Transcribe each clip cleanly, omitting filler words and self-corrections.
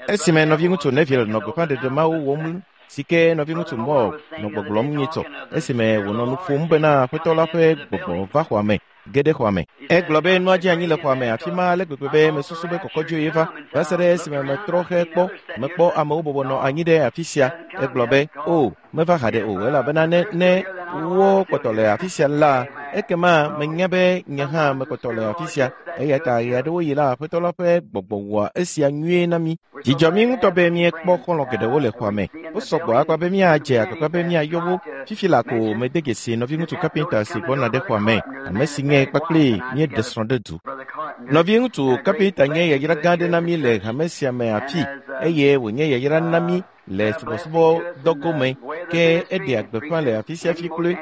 Esime nɔviŋutsu Neville nɔ gbeƒãɖeɖe mawo wɔm si ke nɔviŋutsu Moore nɔ gbɔgblɔm nyitsɔ esime wònɔ nu ƒom bena Aƒetɔ la ƒe gbɔgbɔ va xɔa me ge ɖe xɔa me. Egblɔ be nua dze anyi le xɔa me afi ma ale gbegbe be mesusu be kɔkɔdzoe ye va va se ɖe esime metrɔ xe kpɔ mekpɔ amewo bɔbɔ nɔ anyi ɖe afi sia. Egblɔ be, "O, meva haɖe o elabena ne ne wo kpɔtɔ le afi sia la, ekema menya be nye hã mekpɔtɔ le afi sia. Eya ta ɣe aɖewo yi la, Aƒetɔ la ƒe gbɔgbɔ wɔa esia nyuie na mí. Dzidzɔ mí ŋutɔ be míekpɔ xɔlɔ̃ geɖewo le xɔa me. Wosɔ gbɔ akpa be míadze agbagba be míayɔ wo. Fifi la ko mede dzesi nɔviŋutsu kapinta si gbɔna ɖe xɔa me, ame si nye kpakple míeɖe srɔ̃ ɖe du. Nɔviŋutsu kapinta nye yayra gã aɖe na mí le hame sia me afi eye wònye yayra na mí le subɔsubɔdɔ gome ke eɖea gbeƒã le afi sia afi kloe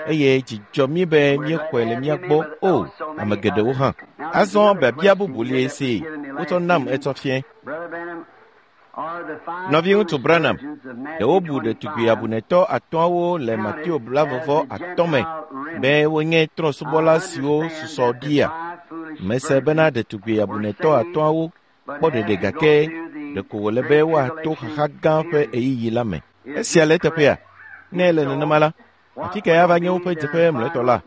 eye dzi dzɔ mí be míexɔe le mía gbɔ o ame geɖewo hã. Azɔ biabia bubu li si wotsɔ nam etsɔ fiẽ. Nɔviŋutsu Branham, ɖe wobu ɖetugbi abunetɔ atɔ̃awo le Mateo 25 me be wonye trɔ̃subɔla siwo susɔ ɖia? Mese bena ɖetugbi abunetɔ atɔ̃awo kpɔ ɖeɖe gake ɖeko wòle be woato xaxa gã ƒe ɣeyiɣi la me. Esia le eteƒea? Ne ele nenema la, afi kae ava nye woƒe dzeƒe mlɔetɔ la?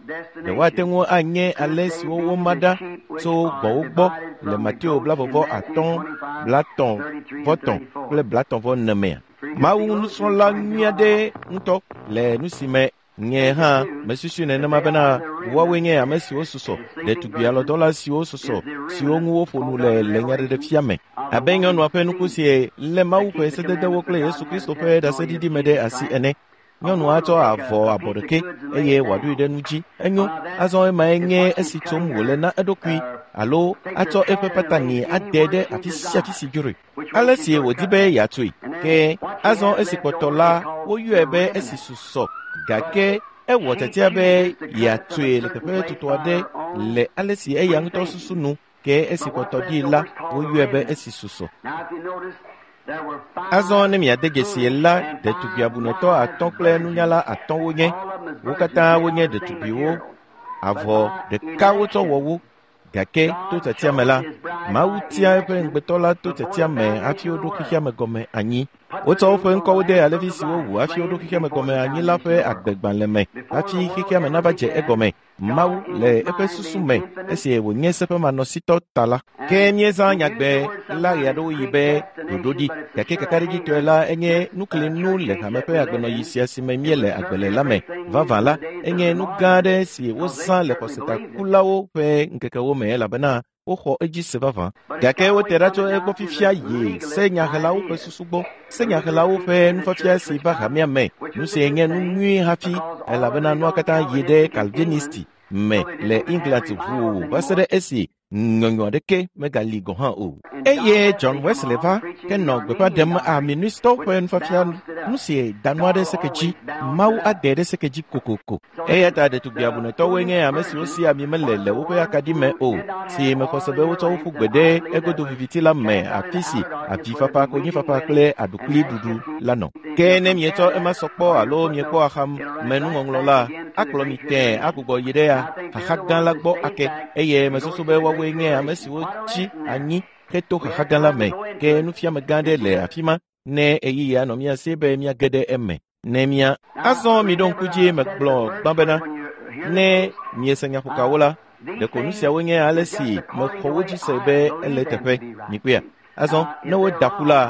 Ɖe woate ŋu anye ale siwo woma ɖa tso gbɔ̃wo gbɔ le Mateo 25, 33 kple 34 mea? Mawu nusrɔ̃la nyui aɖe ŋutɔ le nu si me nye hã mesusui nenema bena woawoe nye ame siwo susɔ, ɖetugbi alɔdɔla siwo susɔ, siwo ŋu woƒo nu le le nyaɖeɖefia me. Abe nyɔnua ƒe nuku si lé Mawu ƒe sededewo kple Yesu Kristo ƒe ɖaseɖiɖi me ɖe asi ene. Nyɔnua tsɔ avɔ abɔ ɖekɛ eye wòaɖoe ɖe nu dzi. Enyo, azɔ emae nye esi tsom wòle na eɖokui alo atsɔ eƒe patani ade ɖe afi sia afi si dzroe. Ale si wòdi be yeatsoe. Ke azɔ esi kpɔtɔ la, woyɔe be esi susɔ gake ewɔ tiatia be yeatsoe le teƒe tutu aɖe le ale si eya ŋutɔ susu nu ke esi kpɔtɔ ɖi la, woyɔe be esi susɔ. Azɔ ne miade dzesi la, ɖetugbi abunetɔ atɔ̃ kple nunyala atɔ̃ wonye. Wo katã wonye ɖetugbiwo. Avɔ ɖeka wotsɔ wɔ wo. Gake to tiatia me la, Mawu tia eƒe ŋugbetɔ la to tiatia me hafi woɖo xexea me gɔme anyi. Wotsɔ woƒe ŋkɔwo de alẽvi si wowu hafi woɖo xexea me gɔme anyi la ƒe agbegbalẽ me hafi xexea me nava dze egɔme. Mawu le eƒe susu me esi wònye seƒemanɔsitɔ ta la. Ke míezã nyagbe la ɣeaɖewoɣi be ɖoɖoɖi, gake kakaɖedzitɔe la enye nuklinu le hame ƒe agbenɔɣi sia si me míele agbe le la me. Vavã la, enye nu gã aɖe si wozã le xɔsetakulawo ƒe ŋkekewo me elabena woxɔ edzi se vavã. Gake wote ɖa tso egbɔ fifia yi senyahelawo ƒe susu gbɔ. Senyahelawo ƒe nufiafia si va hamea me, nu si nye nu nyui hafi elabena nua katã yi ɖe Calvinisti me le England ʋuu va se ɖe esi nyɔnyɔ aɖeke megali gɔ̃ hã o. Eye John Wesley va ke nɔ gbeƒã ɖem Arminiustɔwo ƒe nufiafia nu si da nua ɖe seke dzi, Mawu ade ɖe seke dzi kokoko. Eya ta ɖetugbi abunetɔwoe nye ame siwo si ami mele le woƒe akaɖi me o, si mexɔ se be wotsɔ wo ƒu gbe ɖe egodo viviti la me afi si avifafa, konyifafa kple aɖukliɖuɖu la nɔ. Ke ne mietsɔ ema sɔ kpɔ alo miekpɔ axamenuŋɔŋlɔ la, akplɔ mi tẽe agbugbɔ yi ɖe xaxa gã la gbɔ ake eye mesusu be woawoe nye ame siwo tsi anyi heto xaxa gã la me. Ke nufiame gã aɖe le afi ma ne ɣeyiɣi anɔ mía si be míage ɖe eme. Ne mía azɔ miɖo ŋku dzi megblɔ gbã bena ne miese nyaƒokawo la, ɖeko nu siawo nye ale si mexɔ wo dzi se be ele eteƒe. Mikpɔea? Azɔ ne woda ƒu la,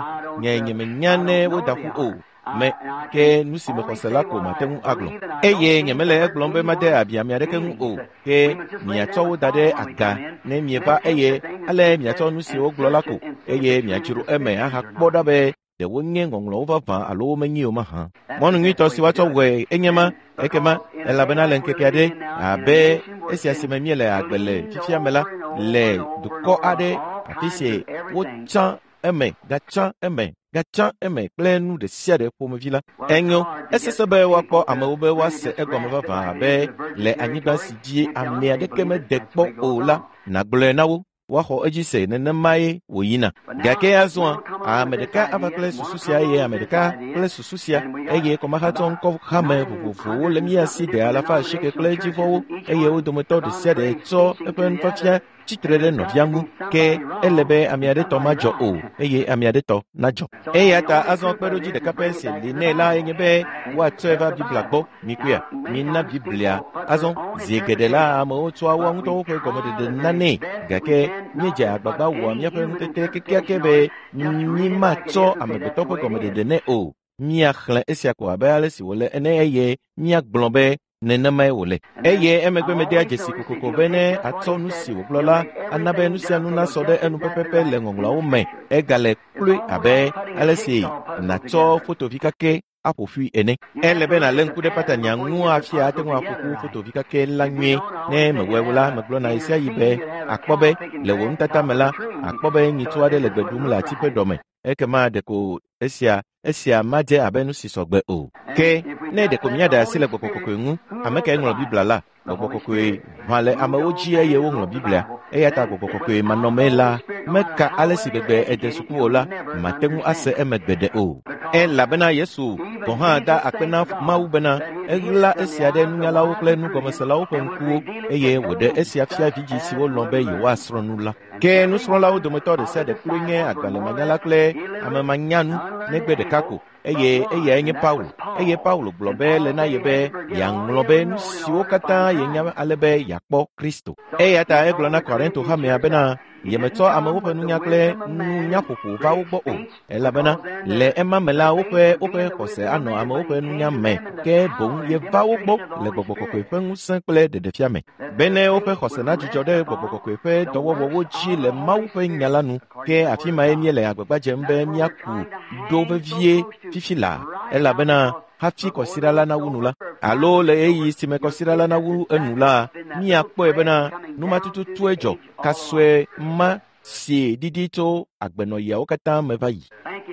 nye nyemenya ne woda ƒu o. Me ke nu si mexɔ se la ko mate ŋu agblɔ. Eye nyemele egblɔm be made abi ame aɖeke ŋu o. Ke miatsɔ wo da ɖe aga ne mieva eye ale miatsɔ nu si wogblɔ la ko eye miadzro eme ahakpɔ ɖa be ɖe wonye ŋɔŋlɔwo vavã alo womenye o mahã. Mɔnu nyuitɔ si woatsɔ wɔe enye ma ekema elabena le ŋkeke aɖe abe esia si me míele agbe le fifia me la le dukɔ aɖe afi si wotsã eme gatsã eme gatsã eme kple nu ɖe sia ɖe ƒomevi la. Enyo, esesẽ be woakpɔ amewo be woase egɔme vavã abe le anyigba si dzi ame aɖeke mede kpɔ o la, nàgblɔe na wo woaxɔ edzi se nenemae wòyina. Gake azɔa, ame ɖeka ava kple susu sia eye ame ɖeka kple susu sia eye kɔmahatsɔ ŋkɔ hame vovovowo le mía si ɖe alafa asieke kple edzivɔwo eye wo dometɔ ɖe sia ɖe tsɔ eƒe nufiafia tsitre ɖe nɔvia ŋu, ke ele be ame aɖe tɔ madzɔ o eye ame aɖe tɔ nadzɔ. Eya ta azɔ kpeɖodzi ɖeka pɛ si li nɛ la enye be woatsɔe va Biblia gbɔ. Mikpɔea, mina Biblia. Azɔ zi geɖe la amewo tsɔa woa ŋutɔwo ƒe gɔmeɖeɖe nanɛ, gake míedze agbagba wɔa míaƒe ŋutete kekeake be mímatsɔ amegbetɔ ƒe gɔmeɖeɖe nɛ o. Míaxlẽ esia ko abe ale si wòle ene eye míagblɔ be nenemae wòle. Eye emegbe medea dzesi kokoko be ne atsɔ nu si wògblɔ la ana be nu sia nu nasɔ ɖe enu pɛpɛpɛ le ŋɔŋlɔawo me. Egale kloe abe ale si nàtsɔ fotovi kake aƒo ƒui ene. Ele be nàlé ŋku ɖe patania ŋu hafi ate ŋu aƒo ƒu fotovi kake la nyuie. Ne mewɔe o la, megblɔna ɣesiaɣi be akpɔ be le wò nutata me la, akpɔ be nyitsu aɖe le gbe ɖum le ati ƒe ɖɔme. Ekema ɖeko esia madze abe nu si sɔgbe o. Ke ne ɖeko míaɖe asi le Gbɔgbɔ Kɔkɔe ŋu, ame kae ŋlɔ Biblia la? Gbɔgbɔ Kɔkɔe ʋã le amewo dzi eye woŋlɔ Biblia. Eya ta Gbɔgbɔ Kɔkɔe manɔmee la, meka ale si gbegbe ede suku o la, mate ŋu ase eme gbeɖe o. Elabena Yesu gɔ̃ hã da akpe na Mawu bena eɣla esia ɖe nunyalawo kple nugɔmeselawo ƒe ŋkuwo eye wòɖe esia fia vidzĩ siwo lɔ̃ be yewoasrɔ̃ nu la. Ke nusrɔ̃lawo dometɔ ɖe sia ɖe kloe nye agbalẽmanyala kple amemanyanu negbe ɖeka ko, eye eyae nye Paulo. Eye Paulo gblɔ be le na ye be yeaŋlɔ be nu siwo katã yenya ale be yeakpɔ Kristo. Eya ta egblɔ na Korinto hamea bena yemetsɔ amewo ƒe nunya kple nunyaƒoƒo va wo gbɔ o, elabena le ema me la woƒe xɔse anɔ amewo ƒe nunya me, ke boŋ yeva wo gbɔ le Gbɔgbɔ Kɔkɔe ƒe ŋusẽ kple ɖeɖefia me, bene woƒe xɔse nadzudzɔ ɖe Gbɔgbɔ Kɔkɔe ƒe dɔwɔwɔwo dzi le Mawu ƒe nya la nu. Ke afi mae míele agbagba dzem be míaku ɖo vevie fifi laa, elabena hafi kɔsiɖa la nawu nu la, alo le ɣeyiɣi si me kɔsiɖa la nawu enu la, míakpɔe bena numatututue dzɔ kasɔe ma si ɖiɖi tso agbenɔɣiawo katã me va yi.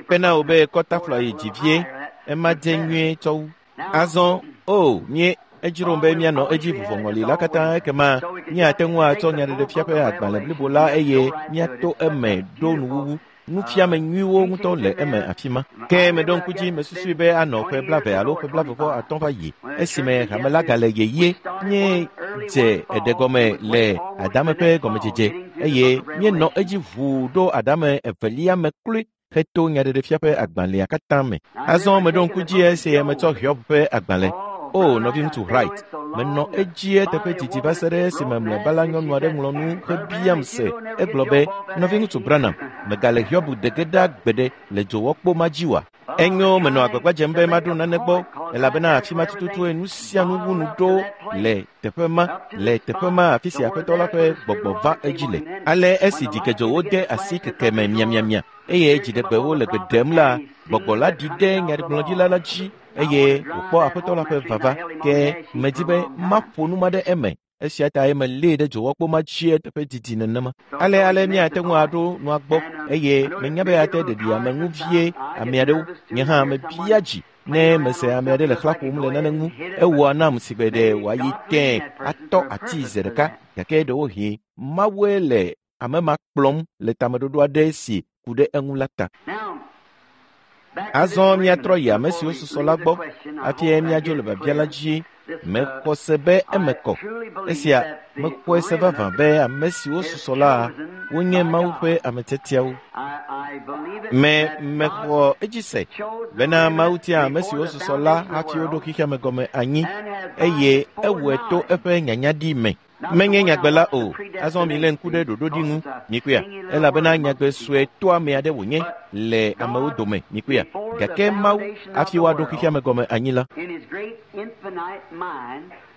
Kpena wò be kɔtafla yi dzi vie, ema dze nyuie tsɔ wu. Azɔ o mie edzrom be míanɔ edzi vuvɔŋɔli la katã, ekema míate ŋu atsɔ nyaɖeɖefia ƒe agbalẽ blibo la eye míato eme ɖo nuwuwu. Nufiame nyuiwo ŋutɔ le eme afi ma. Ke meɖo ŋku dzi mesusui be anɔ ƒe 20 alo ƒe 25 va yi esime hame la gale yeye. Míedze eɖe gɔme le adame ƒe gɔmedzedze eye míenɔ edzi ʋuu ɖo adame evelia me kloe heto nyaɖeɖefia ƒe agbalẽa katã me. Azɔ meɖo ŋku dzi esi metsɔ Hiob ƒe agbalẽ. O nɔviŋutsu Wright, menɔ edzi eteƒe didi va se ɖe esime mlɔeba la nyɔnu aɖe ŋlɔ nu hebiam se. Egblɔ be, nɔviŋutsu Branham, megale Hiob de ge ɖa gbeɖe le dzowɔkpo ma dzi oa? Enyo, menɔ agbagba dzem be maɖo nane gbɔ, elabena afi ma tututue nu sia nu wu nu ɖo le teƒe ma, le teƒe ma afi si Aƒetɔ la ƒe gbɔgbɔ va edzi le. Ale esi dzikedzowo de asi keke me miamiamia eye dziɖegbewo le gbe ɖem la, gbɔgbɔ la ɖi ɖe nyagblɔɖila la dzi eye wòkpɔ Aƒetɔ la ƒe vava. Ke medi be maƒo nu ma ɖe eme. Esia tae melée ɖe dzowɔkpo ma dzi eteƒe didi nenema. Ale míate ŋu aɖo nua gbɔ eye menya be ate ɖeɖi ame ŋu vie ame aɖewo. Nye hã mebia dzi ne mese ame aɖe le xlã ƒom le nane ŋu. Ewɔa nam si gbe ɖe wòayi tẽe atɔ ati ze ɖeka, gake ɖewohĩ Mawue le ame ma kplɔm le tameɖoɖo aɖe si ku ɖe eŋu la ta. Azɔ míatrɔ yi ame siwo susɔ la gbɔ hafi míadzo le biabia la dzi. Mexɔ se be eme kɔ. Esia mexɔe se vavã be ame siwo susɔ la wonye Mawu ƒe ame tiatiawo. Mexɔ edzi se bena Mawu tia ame siwo susɔ la hafi woɖo xexea me gɔme anyi eye ewɔe to eƒe nyanyaɖi me. Menye nyagbe la o. Azɔ milé ŋku ɖe ɖoɖoɖi ŋu, mikpɔea, elabena nyagbe sue toame aɖe wònye le amewo dome, mikpɔea. Gake Mawu, hafi woaɖo xexea me gɔme anyi la,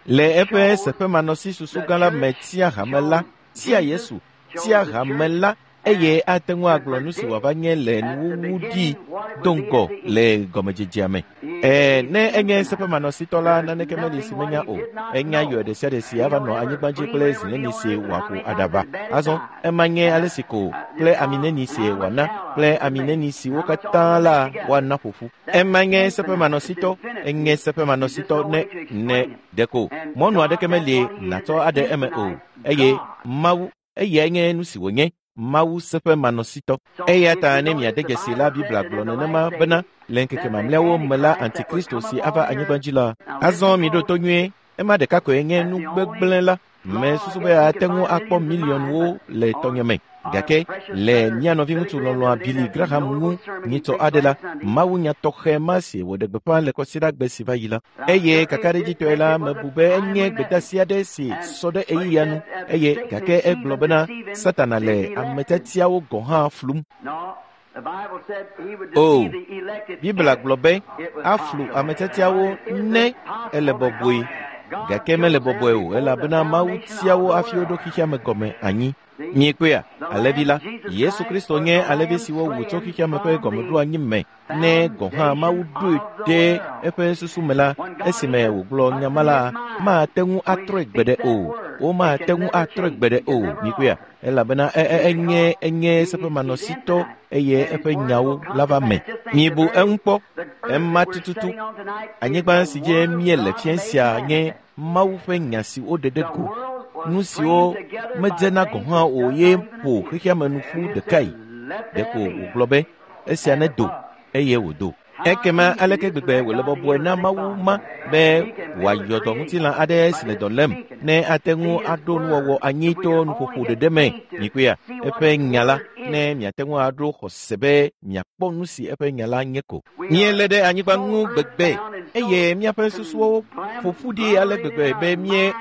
le eƒe seƒemanɔsi susu gã la me tia hame la, tia Yesu, tia hame la, eye ate ŋu agblɔ nu si wòava nye le nuwuwu ɖi do ŋgɔ le gɔmedzedzea me. Ne enye seƒemanɔsitɔ la, naneke meli si menya o. Enya yɔ ɖe sia ɖe si ava nɔ anyigba dzi kple zi neni si wòaƒo aɖaba. Azɔ ema nye ale si ko kple ami neni si wòana kple ami neni siwo katã la woana ƒoƒu. Ema nye seƒemanɔsitɔ, enye seƒemanɔsitɔ ne ɖeko mɔnu aɖeke meli nàtsɔ aɖe eme o. Eye Mawu, eyae nye nu si wònye. Mawu seƒemanɔsitɔ. Eya ta ne miade dzesi la, Biblia gblɔ nenema bena le ŋkeke mamlɛawo me la, Antikristo si ava anyigba dzi la. Azɔ miɖo to nyuie, ema ɖeka koe nye nu gbegblẽ la. Mesusu be ate ŋu akpɔ miliɔnwo le tɔnye me. Gake le mía nɔviŋutsu lɔlɔ̃a Billy Graham ŋu nyitsɔ aɖe la, mawunya tɔxɛ ma si wòɖe gbeƒã le kɔsiɖagbe si va yi la. Eye kakaɖedzitɔe la, mebu be enye gbedeasi aɖe si sɔ ɖe ɣeyiɣia nu eye gake egblɔ bena Satana le ame tiatiawo gɔ̃ hã flum. O, Biblia gblɔ be aflu ame tiatiawo ne ele bɔbɔe, gake mele bɔbɔe o elabena Mawu tia wo hafi woɖo xexea me gɔme anyi. Miekpɔea, alẽvi la, Yesu Kristo nye alẽvi si wowu tso xexea me ƒe gɔmeɖoanyi me ne gɔ̃ hã Mawu ɖoe ɖe eƒe susu me la, esime wògblɔ nya ma la, mate ŋu atrɔe gbeɖe o. Womate ŋu atrɔe gbeɖe o. Miekpɔea, elabena enye enye seƒemanɔsitɔ eye eƒe nyawo la va me. Mibu eŋu kpɔ, ema tututu. Anyigba si dzi míele fia sia nye Mawu ƒe nya si woɖe ɖe go. Nu siwo medzena gɔ̃ hã o ye ƒo xexea me nu ƒu ɖekae. Ɖeko wògblɔ be esia nedo eye wòdo. Ekema aleke gbegbe wòle bɔbɔe na Mawu ma be wòayɔ dɔ ŋutilã aɖe si le dɔ lém ne ate ŋu aɖo nuwɔwɔ anyi to nuƒoƒo ɖeɖe me. Mikpɔea, eƒe nya la, ne miate ŋu aɖo xɔse be miakpɔ nu si eƒe nya la nye ko. Míelé ɖe anyigba ŋu gbegbe eye míaƒe susuwo ƒo ƒu ɖi ale gbegbe be mie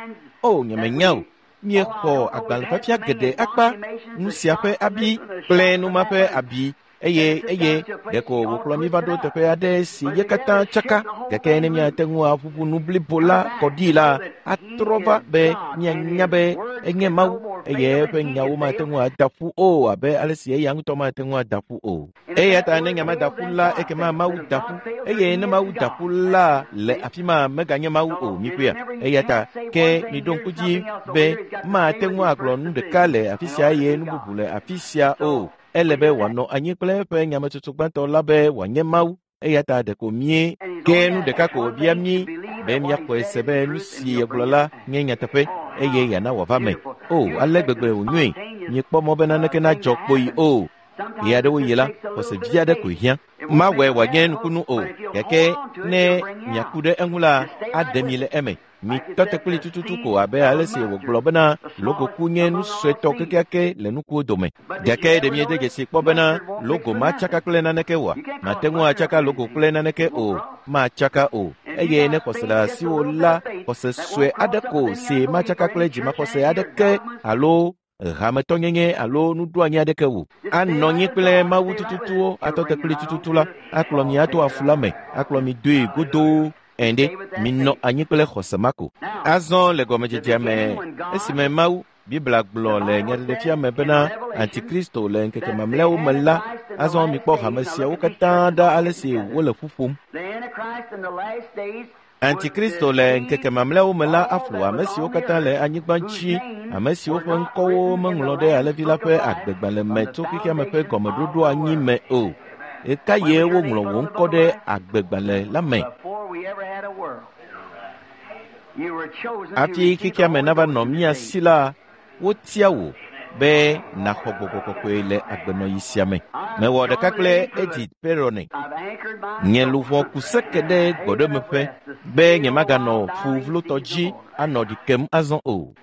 o nyemenya o. Míexɔ agbalẽfiafia geɖe akpa, nu sia ƒe abi kple nu ma ƒe abi eye eye ɖeko wòkplɔ mí va ɖo teƒe aɖe si ye katã tsaka. Gake ne míate ŋu aʋuʋu nu blibo la kɔ ɖi la, atrɔ va be míanya be enye Mawu eye eƒe nyawo mate ŋu ada ƒu o abe ale si eya ŋutɔ mate ŋu ada ƒu o. Eya ta ne nya ma da ƒu la, ekema Mawu da ƒu eye ne Mawu da ƒu la le afi ma meganye Mawu o. Mikpɔea? Eya ta ke miɖo ŋku dzi be mate ŋu agblɔ nu ɖeka le afi sia eye nu bubu le afi sia o. Ele be wòanɔ anyi kple eƒe nyametsotso gbãtɔ la be wòanye Mawu. Eya ta ɖeko mí ke nu ɖeka ko wòbia mí be míaxɔe se be nu si yegblɔ la nye nyateƒe eye yeana wòava me. O, ale gbegbe wònyoe! Miekpɔ mɔ be naneke nadzɔ kpoyi o. Ɣe aɖewo yi la, xɔse vi aɖe koe hiã. Mawɔe wòanye nukunu o, gake ne miaku ɖe eŋu la, aɖe mi le eme. Mitɔ te kpli tututu ko abe ale si wògblɔ bena logoku nye nu suetɔ kekeake le nukuwo dome. Gake ɖe miede dzesi kpɔ bena logo matsaka kple naneke oa? Mate ŋu atsaka logo kple naneke o, matsaka o. Eye ne xɔse le asiwò la, xɔse sue aɖe ko si matsaka kple dzimaxɔse aɖeke alo hametɔnyenye alo nuɖoanyi aɖeke o. Anɔ anyi kple Mawu tututuwo atɔ te kpli tututu la, akplɔ mi ato afu la me, akplɔ mi doe godoo. Ende, minɔ anyi kple xɔse ma ko. Azɔ le gɔmedzedzea me, esime Mawu, Biblia gblɔ le nyaɖeɖefia me bena Antikristo le ŋkeke mamlɛawo me la, azɔ mikpɔ hame siawo katã ɖa ale si wole ƒu ƒom. Antikristo le ŋkeke mamlɛawo me la aflu ame siwo katã le anyigba dzi, ame siwo ƒe ŋkɔwo meŋlɔ ɖe alẽvi la ƒe agbegbalẽ me tso xexea me ƒe gɔmeɖoɖo anyi me o. Ɣeka ye woŋlɔ wò ŋkɔ ɖe agbegbalẽ la me? Hafi xexea me nava nɔ mía si la, wotia wò be nàxɔ gbɔgbɔ kɔkɔe le agbenɔɣi sia me. Mewɔ ɖeka kple Edith Perronet. Nye luʋɔ ku seke ɖe gbɔɖemeƒe be nyemaganɔ ƒu vlotɔ dzi anɔ ɖi kem azɔ o.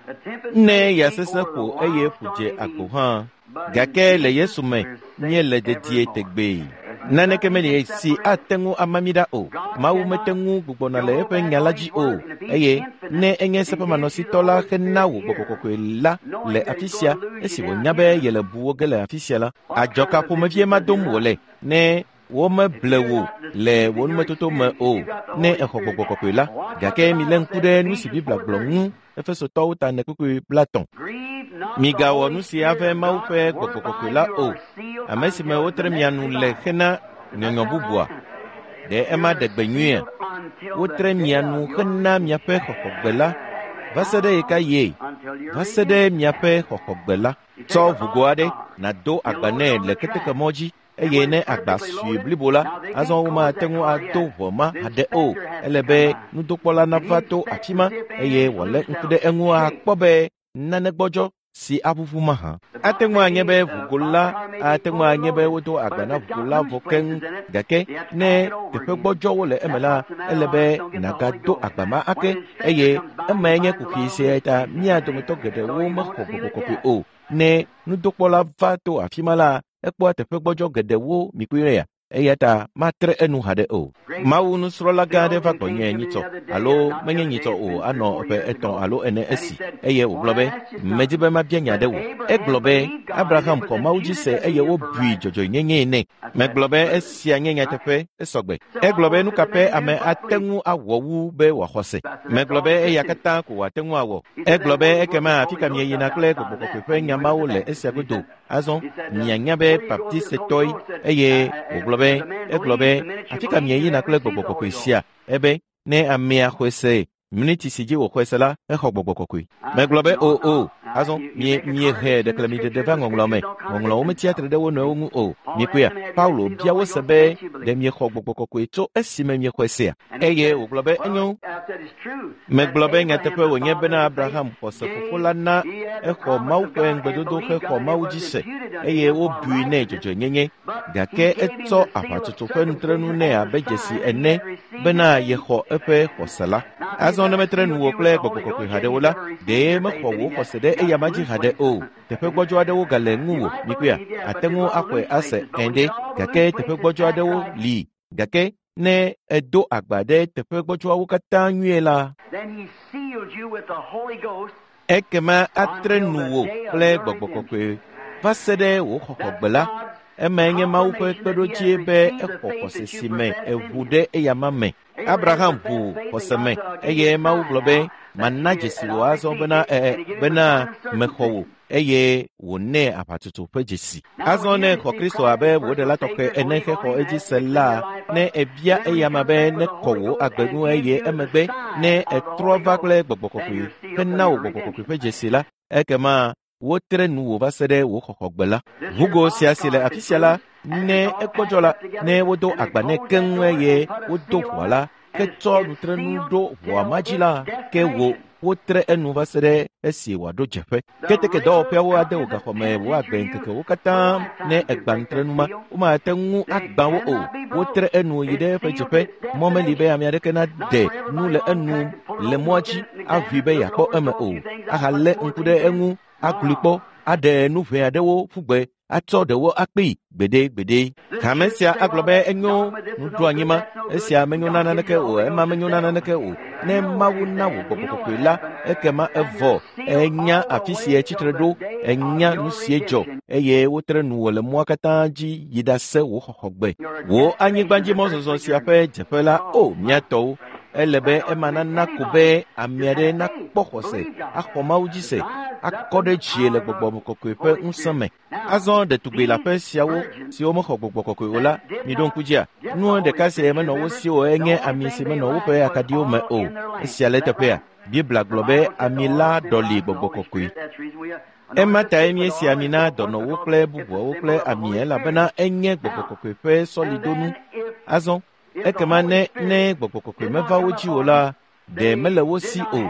Ne ya sesẽ ƒo eye ƒu dze agbo hã, gake le Yesu me míele dedie tegbee. Naneke meli si ate ŋu ama mí ɖa o. Mawu mete ŋu gbugbɔna le eƒe nya la dzi o. Eye ne enye seƒemanɔsitɔ la hena wò gbɔgbɔ kɔkɔe la le afi sia, esi wònya be yele bu wo ge le afi sia la, adzɔka ƒomevie ma dom wòle ne womeble wò le wò numetoto me o ne exɔ gbɔgbɔ kɔkɔe la. Gake milé ŋku ɖe nu si Biblia gblɔ ŋu. Efesotɔwo ta ne kpukpui 30. Migawɔ nu si ave Mawu ƒe gbɔgbɔ kɔkɔe la o, ame si me wotre mia nu le hena nyɔnyɔ bubua. Ɖe ema ɖe gbe nyuiea? Wotre mia nu hena miaƒe xɔxɔgbe la va se ɖe ɣeka ɣie? Va se ɖe miaƒe xɔxɔgbe la. Tsɔ ʋugo aɖe nàdo agba nɛ le ketekemɔ dzi eye ne agba sue blibo la, azɔ womate ŋu ado ʋɔ ma haɖe o. Ele be nudokpɔla nava to afi ma eye wòalé ŋku ɖe eŋu akpɔ be nane gbɔdzɔ si aʋuʋu mahã. Ate ŋu anye be ʋugo la ate ŋu anye be wodo agba na ʋugo la vɔ keŋ gake ne teƒe gbɔdzɔwo le eme la, ele be nàgado agba ma ake eye emae nye kuxi sia ta mía dometɔ geɖewo mexɔ gbɔgbɔ kɔkɔe o. Ne nudokpɔla va to afi ma la, ekpɔa teƒe gbɔdzɔ geɖewo mikpɔea eya ta matre enu haɖe o. Mawu nusrɔ̃la gã aɖe va gbɔnye nyitsɔ alo menye nyitsɔ o anɔ ƒe 3 alo 4 esi eye wògblɔ be medi be mabia nya ɖe wò. Egblɔ be Abraham xɔ Mawu dzi se eye wobui dzɔdzɔenyenyee nɛ. Megblɔ be esia nye nyateƒe esɔgbe. Egblɔ be nu ka ƒe ame ate ŋu awɔ wu be wòaxɔ se. Megblɔ be eya katã ko wòate ŋu awɔ. Egblɔ be ekema afi ka mieyina kple gbɔgbɔ kɔkɔe ƒe nya mawo le esia godo. Azɔ mianya be baptistetɔe eye wògblɔ be egblɔ be afi ka mieyina kple gbɔgbɔ kɔkɔe sia ebe ne amea xɔe se miniti si dzi wòxɔe se la exɔ gbɔgbɔ kɔkɔe. Megblɔ be o o azɔ miehe ɖeklemiɖeɖe va ŋɔŋlɔ me. Ŋɔŋlɔwo metsia tre ɖe wo nɔewo ŋu o. Mikpɔea Paulo bia wo se be ɖe miexɔ gbɔgbɔ kɔkɔe tso esime miexɔe sea? Eye wògblɔ be enyo. Megblɔ be nyateƒe wònye bena Abraham xɔse fofo la na exɔ Mawu ƒe ŋugbedodo hexɔ Mawu dzi se eye wobui nɛ dzɔdzɔenyenye gake etsɔ aʋatsotso ƒe nutrenu nɛ abe dzesi ene bena yexɔ eƒe xɔse la. Azɔ ne metre nuwò kple gbɔgbɔ kɔkɔe haɖe o la, ɖee mexɔ wò xɔse ɖe eyama dzi haɖe o. Teƒe gbɔdzɔ aɖewo gale ŋuwò mikpɔea ate ŋu axɔe ase ene gake teƒe gbɔdzɔ aɖewo li gake ne edo agba ɖe teƒe gbɔdzɔawo katã nyuie la, ekema atre nuwò kple gbɔgbɔ kɔkɔe va se ɖe wò xɔxɔgbe la. Emae nye Mawu ƒe kpeɖodzie be exɔ xɔse si me eʋu ɖe eyama me. Abraham ʋu xɔse me eye Mawu gblɔ be mana dzesi wò azɔ bena bena mexɔ wò eye wònɛ aʋatsotso ƒe dzesi. Azɔ ne xɔ Kristo abe wò ɖela tɔxɛ ene hexɔ edzi se la, ne ebia eyama be nekɔ wò agbe ŋu eye emegbe ne etrɔ va kple gbɔgbɔ kɔkɔe hena wò gbɔgbɔ kɔkɔe ƒe dzesi la, ekema wotre nuwò va se ɖe wò xɔxɔgbe la. Ʋugo sia si le afi sia la, ne ekpɔdzɔ la, ne wodo agba nɛ keŋ eye wodo ʋua la, ke tsɔ nutrenu ɖo ʋua ma dzi la, ke wò wotre enu va se ɖe esi wòaɖo dzeƒe. Keteke dɔwɔƒeawo ade wò gaxɔme wò agbe ŋkekewo katã ne egba nutrenu ma, womate ŋu agbã wo o. Wotre enu yi ɖe eƒe dzeƒe. Mɔ meli be ame aɖeke nade nu le enu le mɔa dzi aʋui be yeakpɔ eme o, ahalé ŋku ɖe eŋu aglui kpɔ aɖe nu ʋɛ aɖewo ƒu gbe atsɔ ɖewo akpee gbeɖegbeɖe. Hame sia agblɔ be enyo nuɖoanyi ma, esia menyo na naneke o, ema menyo na naneke o. Ne Mawu na wò gbɔgbɔ kɔkɔe la, ekema evɔ enya afi si etsitre ɖo, enya nu si dzɔ eye wotre nuwò le mɔa katã dzi yi ɖase wò xɔxɔgbe. Wò anyigbadzimɔzɔzɔ sia ƒe dzeƒe la, o mía tɔwo, ele be ema nana ko be ame aɖe nakpɔ xɔse, axɔ Mawu dzi se, akɔ ɖe dzie le gbɔgbɔ kɔkɔe ƒe ŋusẽ me. Azɔ ɖetugbi le aƒe siawo siwo mexɔ gbɔgbɔ kɔkɔe o la, miɖo ŋku dzia, nu ɖeka si menɔ wo si o enye ami si menɔ woƒe akaɖiwo me o. Esia le teƒea. Biblia gblɔ be ami la ɖɔli gbɔgbɔ kɔkɔe. Ema tae míesi ami na dɔnɔwo kple bubuawo kple ami elabena enye gbɔgbɔ kɔkɔe ƒe sɔlidonu. Azɔ ekema ne gbɔgbɔ kɔkɔe meva wo dzi o la, ɖe mele wo si o.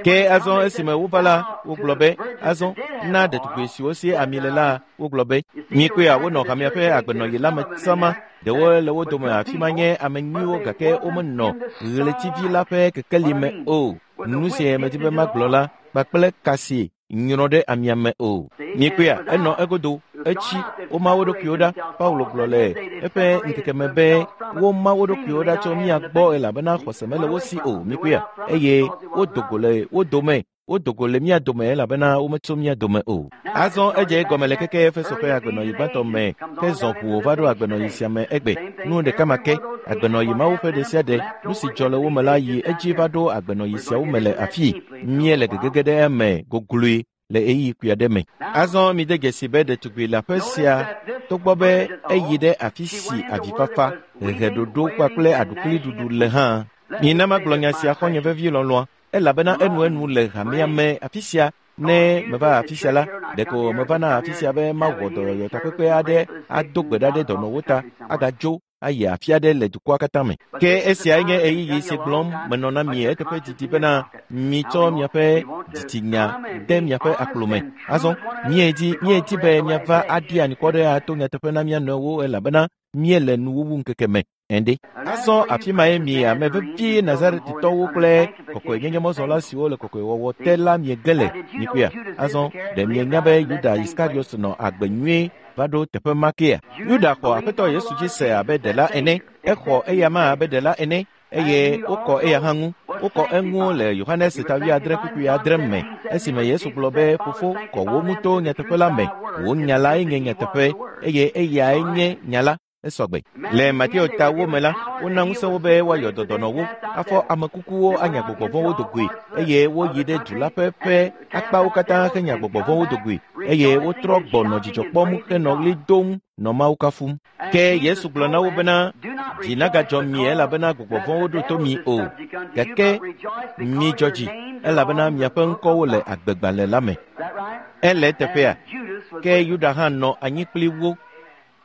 Ke azɔ esime wova la, wogblɔ be azɔ na ɖetugbi siwo si ami le la, wogblɔ be mikpɔea wonɔ hamea ƒe agbenɔɣi la me sama. Ɖewo le wo dome afi ma nye ame nyuiwo gake womenɔ ɣletivi la ƒe kekeli me o. Nu si medi be magblɔ la kpakple ka si nyrɔ ɖe amia me o. Mikpɔea enɔ egodo, etsi, woma wo ɖokuiwo ɖa. Paulo gblɔ le eƒe ŋkeke me be woma wo ɖokuiwo ɖa tso mía gbɔ elabena xɔse mele wo si o. Mikpɔea eye wodo go le wo dome. Wodo go le mía dome elabena wometso mía dome o. Azɔ edze egɔme le keke Efeso ƒe agbenɔɣi gbãtɔ me ke zɔ ʋuwo va ɖo agbenɔɣi sia me egbe. Nu ɖeka ma ke, agbenɔɣi mawo ƒe ɖe sia ɖe, nu si dzɔ le wo me la yi edzi va ɖo agbenɔɣi siawo me le afii. Míele gegege ɖe eme gogloe le ɣeyiɣi kpui aɖe me. Azɔ mide dzesi be ɖetugbi le aƒe sia togbɔ be eyi ɖe afi si avifafa, heheɖoɖo kpakple aɖukliɖuɖu le hã. Mina magblɔ nya sia xɔ̃nye vevi lɔlɔ̃a, elabena enuenu le hamea me afi sia. Ne meva afi sia la, ɖeko mevana afi sia be mawɔ dɔyɔyɔ takpekpe aɖe ado gbe ɖa ɖe dɔnɔwo ta, agadzo. ayi afi aɖe le dukɔa katã me. Ke esiae nye ɣeyiɣi si gblɔm menɔ na mi eteƒe didi bena mitsɔ miaƒe dzitsinya de miaƒe akplo me. Azɔ míedi míedi be míava aɖi anyikɔ ɖe ato nyateƒe na mía nɔewo elabena míele nuwuwu ŋkeke me. Ende. Azɔ afi mae mi ame vevi Nazaretitɔwo kple kɔkɔenyenyemɔzɔla siwo le kɔkɔewɔwɔ te la miege le mikpɔea. Azɔ ɖe mienya be Yuda Iskariot nɔ agbe nyuie va ɖo teƒe ma kea? Yuda xɔ Aƒetɔ Yesu dzi se abe ɖela ene. Exɔ eyama abe ɖela ene eye wokɔ eya hã ŋu. Wokɔ eŋu le Yohanes ta 7:6 me esime Yesu gblɔ be fofo kɔ wo ŋu to nyateƒe la me. Wò nya lae nye nyateƒe eye eyae nye nya la. Esɔgbe. Le Mateo ta wo me la, wona ŋusẽ wo be woayɔ dɔdɔnɔwo, afɔ ame kukuwo anya gbɔgbɔ vɔ̃wo do goe eye woyi ɖe du la ƒe ƒe akpawo katã henya gbɔgbɔ vɔ̃wo do goe eye wotrɔ gbɔ nɔ dzidzɔ kpɔm henɔ ɣli dom nɔ Mawu kafum. Ke Yesu gblɔ na wo bena, dzi nagadzɔ mi elabena gbɔgbɔ vɔ̃wo ɖo to mi o, gake midzɔ dzi elabena miaƒe ŋkɔwo le agbegbalẽ la me. Ele eteƒea? Ke Yuda hã nɔ anyi kpli wo.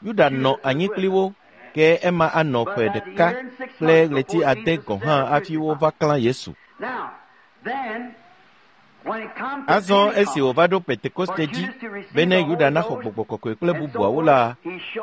Yuda nɔ anyi kpli wo, ke ema anɔ ƒe ɖeka kple ɣleti ade gɔ̃ hã hafi wova klã Yesu. Azɔ esi wòva ɖo Pentekoste dzi bene Yuda naxɔ gbɔgbɔ kɔkɔe kple bubuawo la,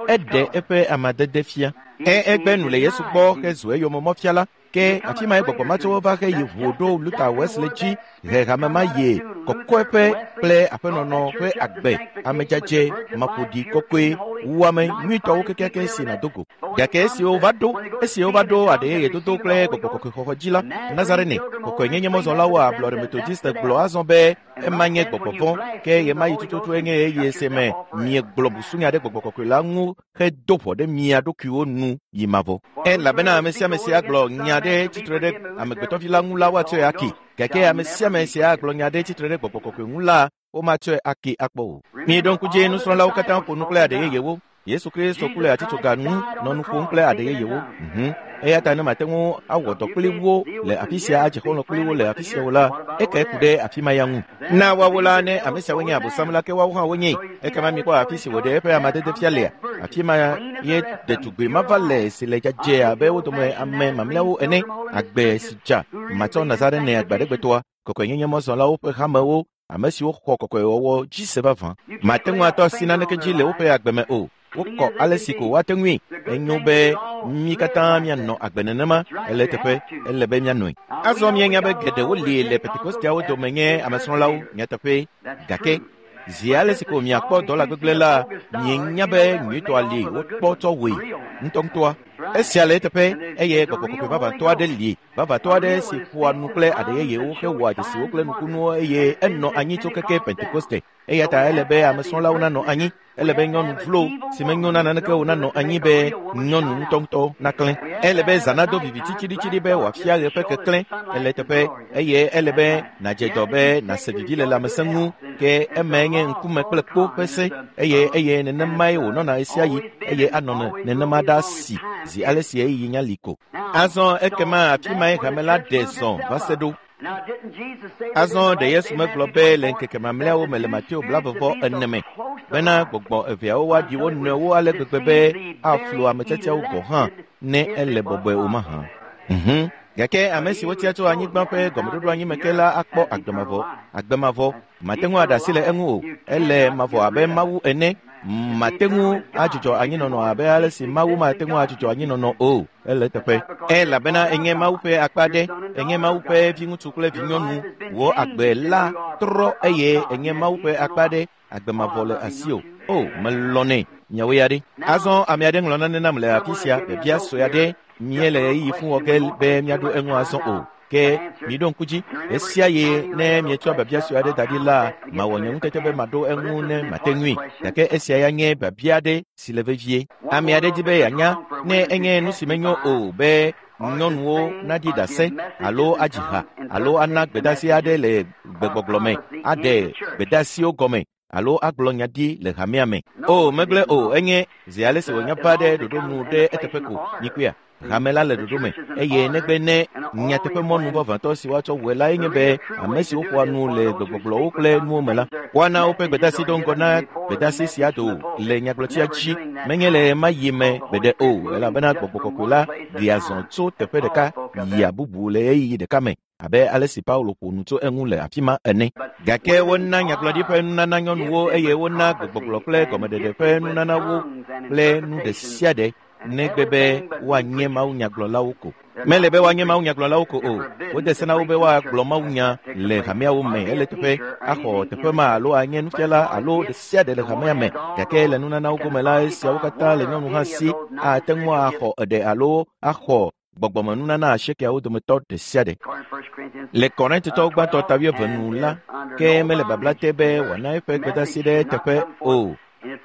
eɖe eƒe amadede fia. Egbe nu le Yesu gbɔ hezu eyomemɔfiala. Ke afi mae gbɔgbɔ matsɔwo va heyi ʋu ɖo Luther Wesley dzi he hame ma ye kɔkɔeƒe kple aƒenɔnɔ ƒe agbe amedzadze maƒoɖi kɔkɔe wuame nyuitɔwo kekeake si nàdo go. Gake esi wova ɖo aɖeyeyedodo kple gbɔgbɔ kɔkɔe xɔxɔ dzi la, Nazarene kɔkɔenyenye mɔzɔlawo ablɔɖe Methodiste gblɔ azɔ be ema nye gbɔgbɔ vɔ̃, ke ɣemaɣi tututu nye ɣeyiɣi si me miegblɔ busunya ɖe gbɔgbɔ kɔkɔe la ŋu hedo ʋɔ ɖe mia ɖokuiwo nu yi mavɔ. Elabena ame sia ame si agblɔ nya ɖe tsitre ɖe amegbetɔvi la ŋu la woatsɔe ake, gake ame sia ame si agblɔ nya ɖe tsitre ɖe gbɔgbɔ kɔkɔe ŋu la womatsɔe ake akpɔ o. Miɖo ŋku dzi nusrɔ̃lawo katã ƒo nu kple aɖe yeyewo. Yesu Kristo ku le atitsoga nu nɔ nu ƒom kple aɖe yeyewo. Eya ta ne mate ŋu awɔ dɔ kpli wo le afi sia adze xɔlɔ̃ kpli wo le afi sia o la, ekae ku ɖe afi ma ya ŋu. Na woawo la ne ame siawo nye Abosam la ke woawo hã wonye. Ekema mikpɔ afi si wòɖe eƒe amadede fia lea. Afi ma ye ɖetugbi mava le si le dzadzɛ abe wo dome ame mamlɛawo ene. Agbe si dza matsɔ Nazarene agbaɖegbetɔa, kɔkɔenyenye mɔzɔlawo ƒe hamewo, ame siwo xɔ kɔkɔewɔwɔ dzi se vavã. Mate ŋu atɔ asi naneke dzi le woƒe agbe me o. Wokɔ ale si ko woate ŋui. Enyo be mí katã míanɔ agbe nenema. Ele teƒe, ele be míanɔe. Azɔ míenya be geɖewo li le Pentekosteawo dome nye amesrɔ̃lawo nyateƒe. Gake zi ale si ko miakpɔ dɔla gbegblẽ la, mienya be nyuitɔa li wokpɔ tsɔ wɔe ŋutɔŋutɔa. Esia le eteƒe eye gbɔgbɔ kɔkɔe vavãtɔ aɖe li. Vavãtɔ aɖe si ƒoa nu kple aɖe yeyewo hewɔa dzesiwo kple nukunuwo eye enɔ anyi tso keke Pentekoste. Eya ta ele be amesrɔ̃lawo nanɔ anyi. Ele be nyɔnu vlo si menyo na naneke o nanɔ anyi be nyɔnu ŋutɔŋutɔ naklẽ. Ele be zã nado viviti tsiɖitsiɖi be wòafia ɣe ƒe keklẽ. Ele teƒe eye ele be nàdze dɔ be nàse vivi le lãmesẽ ŋu. Ke emae nye ŋkume kple kpo ƒe se eye eye nenemae wònɔna ɣesiaɣi eye anɔ nenema ɖaa si zi ale si ɣeyiɣi nya li ko. Azɔ ekema afi mae hame la ɖe zɔ va se ɖo. Azɔ ɖe Yesu megblɔ be le ŋkeke mamlɛawo me le Mateo 24 me bena gbɔgbɔ eveawo woaɖi wo nɔewo ale gbegbe be aflu ame tiatiawo gɔ̃ hã ne ele bɔbɔe o mahã. Gake ame si wotia tso anyigba ƒe gɔmeɖoɖo anyi me ke la akpɔ agbe mavɔ. Agbe mavɔ mate ŋu aɖe asi le eŋu o. Ele mavɔ abe Mawu ene. Mate ŋu adzudzɔ anyinɔnɔ abe ale si Mawu mate ŋu adzudzɔ anyinɔnɔ o. Ele teƒe. Elabena enye Mawu ƒe akpa ɖe, enye Mawu ƒe viŋutsu kple vinyɔnu. Wò agbe la trɔ eye enye Mawu ƒe akpa ɖe. Agbe mavɔ le asiwò. O, melɔ̃nɛ. Miawo ya ɖe. Azɔ ame aɖe ŋlɔ nane nam le afi sia, biabia sue aɖe. Míele ɣeyiɣi fũ wɔ ge be míaɖo eŋu azɔ o. Ke miɖo ŋku dzi, ɣesiaɣi ne mietsɔ biabia sue aɖe da ɖi la, mawɔ nye ŋutete be maɖo eŋu ne mate ŋui. Gake esia ya nye biabia aɖe si le vevie. Ame aɖe di be yeanya ne enye nu si menyo o be nyɔnuwo naɖi ɖase alo adzi ha alo ana gbedeasi aɖe le gbegbɔgblɔ me, aɖe gbedeasiwo gɔme alo agblɔ nya ɖi le hamea me. O, megblẽ o, enye zi ale si wònya va ɖe ɖoɖo nu ɖe eteƒe ko. Mikpɔea? Hame la le ɖoɖo me eye negbe ne nyateƒe mɔnu vavãtɔ si woatsɔ wɔe lae nye be ame siwo ƒoa nu le gbegbɔgblɔwo kple nuwo me la, woana woƒe gbedeasi do ŋgɔ na gbedeasi sia do le nyagblɔtia dzi menye le ɣe ma ɣi me gbeɖe o, elabena Gbɔgbɔ Kɔkɔe la ɖea zɔ tso teƒe ɖeka yia bubu le ɣeyiɣi ɖeka me abe ale si Paulo ƒo nu tso eŋu le afi ma ene. Gake wona nyagblɔɖi ƒe nunana nyɔnuwo eye wona gbegbɔgblɔ kple gɔmeɖeɖe ƒe nunana wo kple nu ɖe sia ɖe negbe be woanye mawunyagblɔlawo ko. Mele be woanye mawunyagblɔlawo ko o. Wode se na wo be woagblɔ mawunya le hameawo me ele teƒe axɔ teƒe ma alo anye nufiala alo ɖe sia ɖe le hamea me. Gake le nunanawo gome la, esiawo katã le nyɔnu hã si ate ŋu axɔ eɖe alo axɔ gbɔgbɔmenunana asiekeawo dometɔ ɖe sia ɖe. Le Korintotɔwo gbãtɔ ta wuieve nu la, ke mele babla te be wòana eƒe gbedeasi ɖe eteƒe o.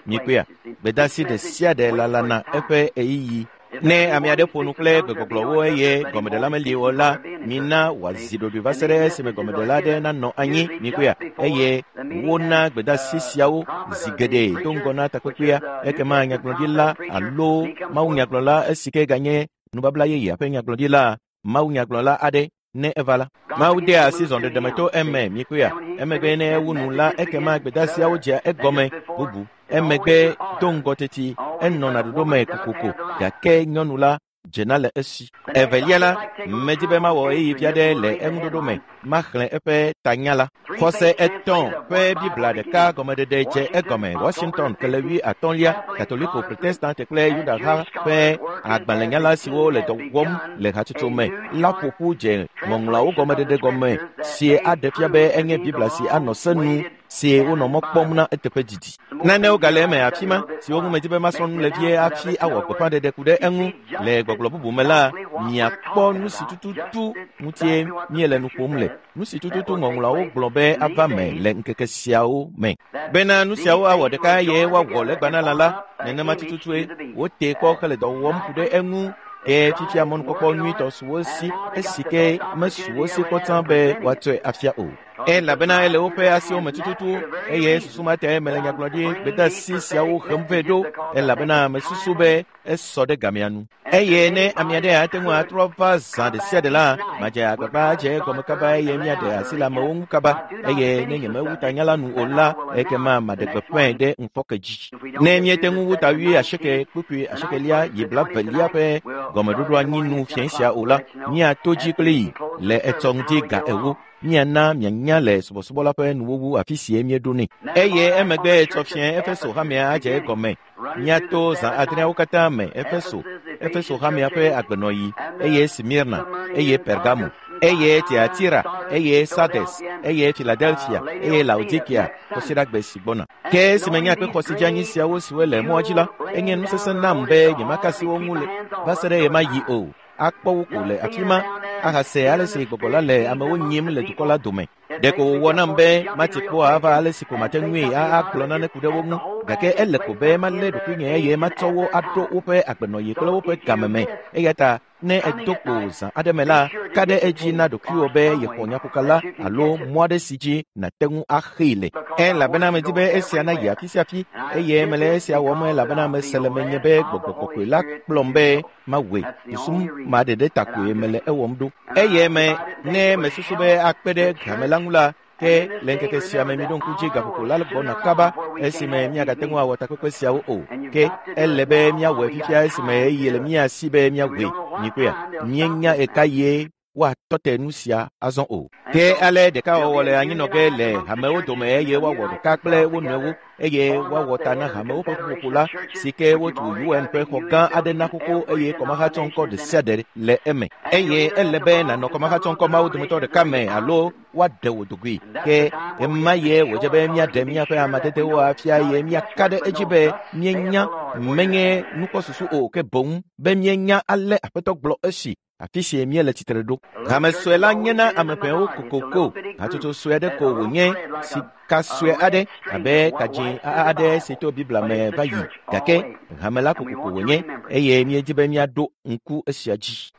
Mikpɔea, gbedeasi ɖe sia ɖe lalana eƒe ɣeyiɣi. Ne ame aɖe ƒo nu kple gbegbɔgblɔwo eye gɔmeɖela meli o la, mina wòazi ɖoɖoe va se ɖe esime gɔmeɖela aɖe nanɔ anyi. Mikpɔea, eye wona gbedeasi siawo zi geɖe do ŋgɔ na takpekpea. Ekema nyagblɔɖila alo mawunyagblɔla esi ke ganye nubabla yeyea ƒe nyagblɔɖila, mawunyagblɔla aɖe ne eva la, Mawu dea asi zɔɖeɖeme to eme. Mikpɔea, emegbe ne ewu nu la, ekema gbedeasiawo dzea egɔme bubu. Emegbe do ŋgɔ teti enɔna ɖoɖo me kokoko, gake nyɔnu la dzena le esi. Evelia la, medi be mawɔ ɣeyiɣi vi aɖe le eŋuɖoɖo me, maxlẽ eƒe tanya la. Xɔse etɔ̃ ƒe Biblia ɖeka gɔmeɖeɖe dze egɔme. Washington kele 50lia, Katoliko, Protestante kple Yudaha ƒe agbalẽnyala siwo le dɔ wɔm le hatsotso me la ƒo ƒu dze ŋɔŋlɔawo gɔmeɖeɖe gɔme si aɖe fia be enye Biblia si anɔ se nu si wonɔ mɔ kpɔm na eteƒe didi. Nanewo gale eme afi ma siwo ŋu medi be masrɔ̃ nu le vie hafi awɔ gbeƒãɖeɖe ku ɖe eŋu. Le gbɔgblɔ bubu me la, miakpɔ nu si tututu ŋutie míele nu ƒom le, nu si tututu ŋɔŋlɔawo gblɔ be ava me le ŋkeke siawo me. Bena nu siawo awɔ ɖeka eye woawɔ legbanalã la, nenema tututue wote kpɔ hele dɔ wɔm ku ɖe eŋu. Ke fifia mɔnukpɔkpɔ nyuitɔ su wo si esi ke mesu wo si kpɔ tsã be woatsɔe afia o. Elabena ele woƒe asiwo me tututu eye susu ma tae mele nyagblɔɖi gbedeasi siawo hem vɛ ɖo, elabena mesusu be esɔ ɖe gamea nu. Eye ne ame aɖe ate ŋu atrɔ va zã ɖe sia ɖe la, madze agbagba adze egɔme kaba eye míaɖe asi le amewo ŋu kaba. Eye ne nyemewu tanya la nu o la, ekema maɖe gbeƒãe ɖe ŋufɔke dzi. Ne míete ŋu wu ta 88.8 yi 20lia ƒe gɔmeɖoɖo anyi nu fiẽ sia o la, míato dzi kplii le etsɔ ŋdi ga 4. Míana mianya le subɔsubɔ la ƒe nuwuwu afi sie míeɖo nɛ. Eye emegbe etsɔ fiẽ Efeso hamea adze egɔme. Míato zã adreawo katã me Efeso, Efeso hamea ƒe agbenɔɣi, eye Smirna, eye Pergamo, eye Tiatira, eye Sardes, eye Philadelphia, eye Laodikea, kɔsiɖagbe si gbɔna. Ke esime nye akpexɔ si dzi anyi siawo siwo le mɔa dzi la, enye nu sesẽ nam be nyemaka asi wo ŋu le va se ɖe ɣemaɣi o. Akpɔ wo ko le afi ma ahase ale si gbɔgbɔ la le amewo nyim le dukɔ la dome. Ɖeko wòwɔ nam be mati kpɔ ava ale si ko mate ŋui agblɔ nane ku ɖe wo ŋu, gake ele ko be malé ɖokuinye eye matsɔ wo aɖo woƒe agbenɔɣi kple woƒe game me. Eya ta ne edo kpo zã aɖe me la, ka ɖe edzi na ɖokuiwò be yexɔ nyaƒoka la alo mɔ aɖe si dzi nàte ŋu axee le. Elabena medi be esia nayi afi sia afi, eye mele esia wɔm elabena mese le menye be Gbɔgbɔ Kɔkɔe la kplɔm be mawɔe. Susu ma ɖeɖe ta koe mele ewɔm ɖo. Eye me ne mesusu be akpe ɖe hame la ŋu la, ke le ŋkeke sia me miɖo ŋku dzi gaƒoƒo la gbɔna kaba esime míagate ŋu awɔ takpekpe siawo o. Ke ele be míawɔe fifia esime ɣeyiɣi le mía si be míawɔe. Mikpɔea, míenya ɣekaɣie woatɔ te nu sia azɔ o. Ke ale ɖekawɔwɔ le anyinɔ ge le hamewo dome eye woawɔ ɖeka kple wo nɔewo eye woawɔ ta na hamewo ƒe ƒuƒoƒo la si ke wotu UN ƒe xɔ gã aɖe na xoxo eye kɔmahatsɔŋkɔ ɖe sia ɖe le eme. Eye ele be nànɔ kɔmahatsɔŋkɔ mawo dometɔ ɖeka me alo woaɖe wò dogoe. Ke ema ye wòdze be míaɖe míaƒe amadedewo afia eye míaka ɖe edzi be míenya menye nukpɔsusu o, ke boŋ be míenya ale Aƒetɔ gblɔ esi afi si míele tsitre ɖo. Hame sue la nye na ame ʋɛwo kokoko. Hatsotso sue aɖe ko wònye, sika sue aɖe abe kadzĩ aɖe si to Biblia me va yi, gake hame la kokoko wònye eye míedi be míaɖo ŋku esia dzi.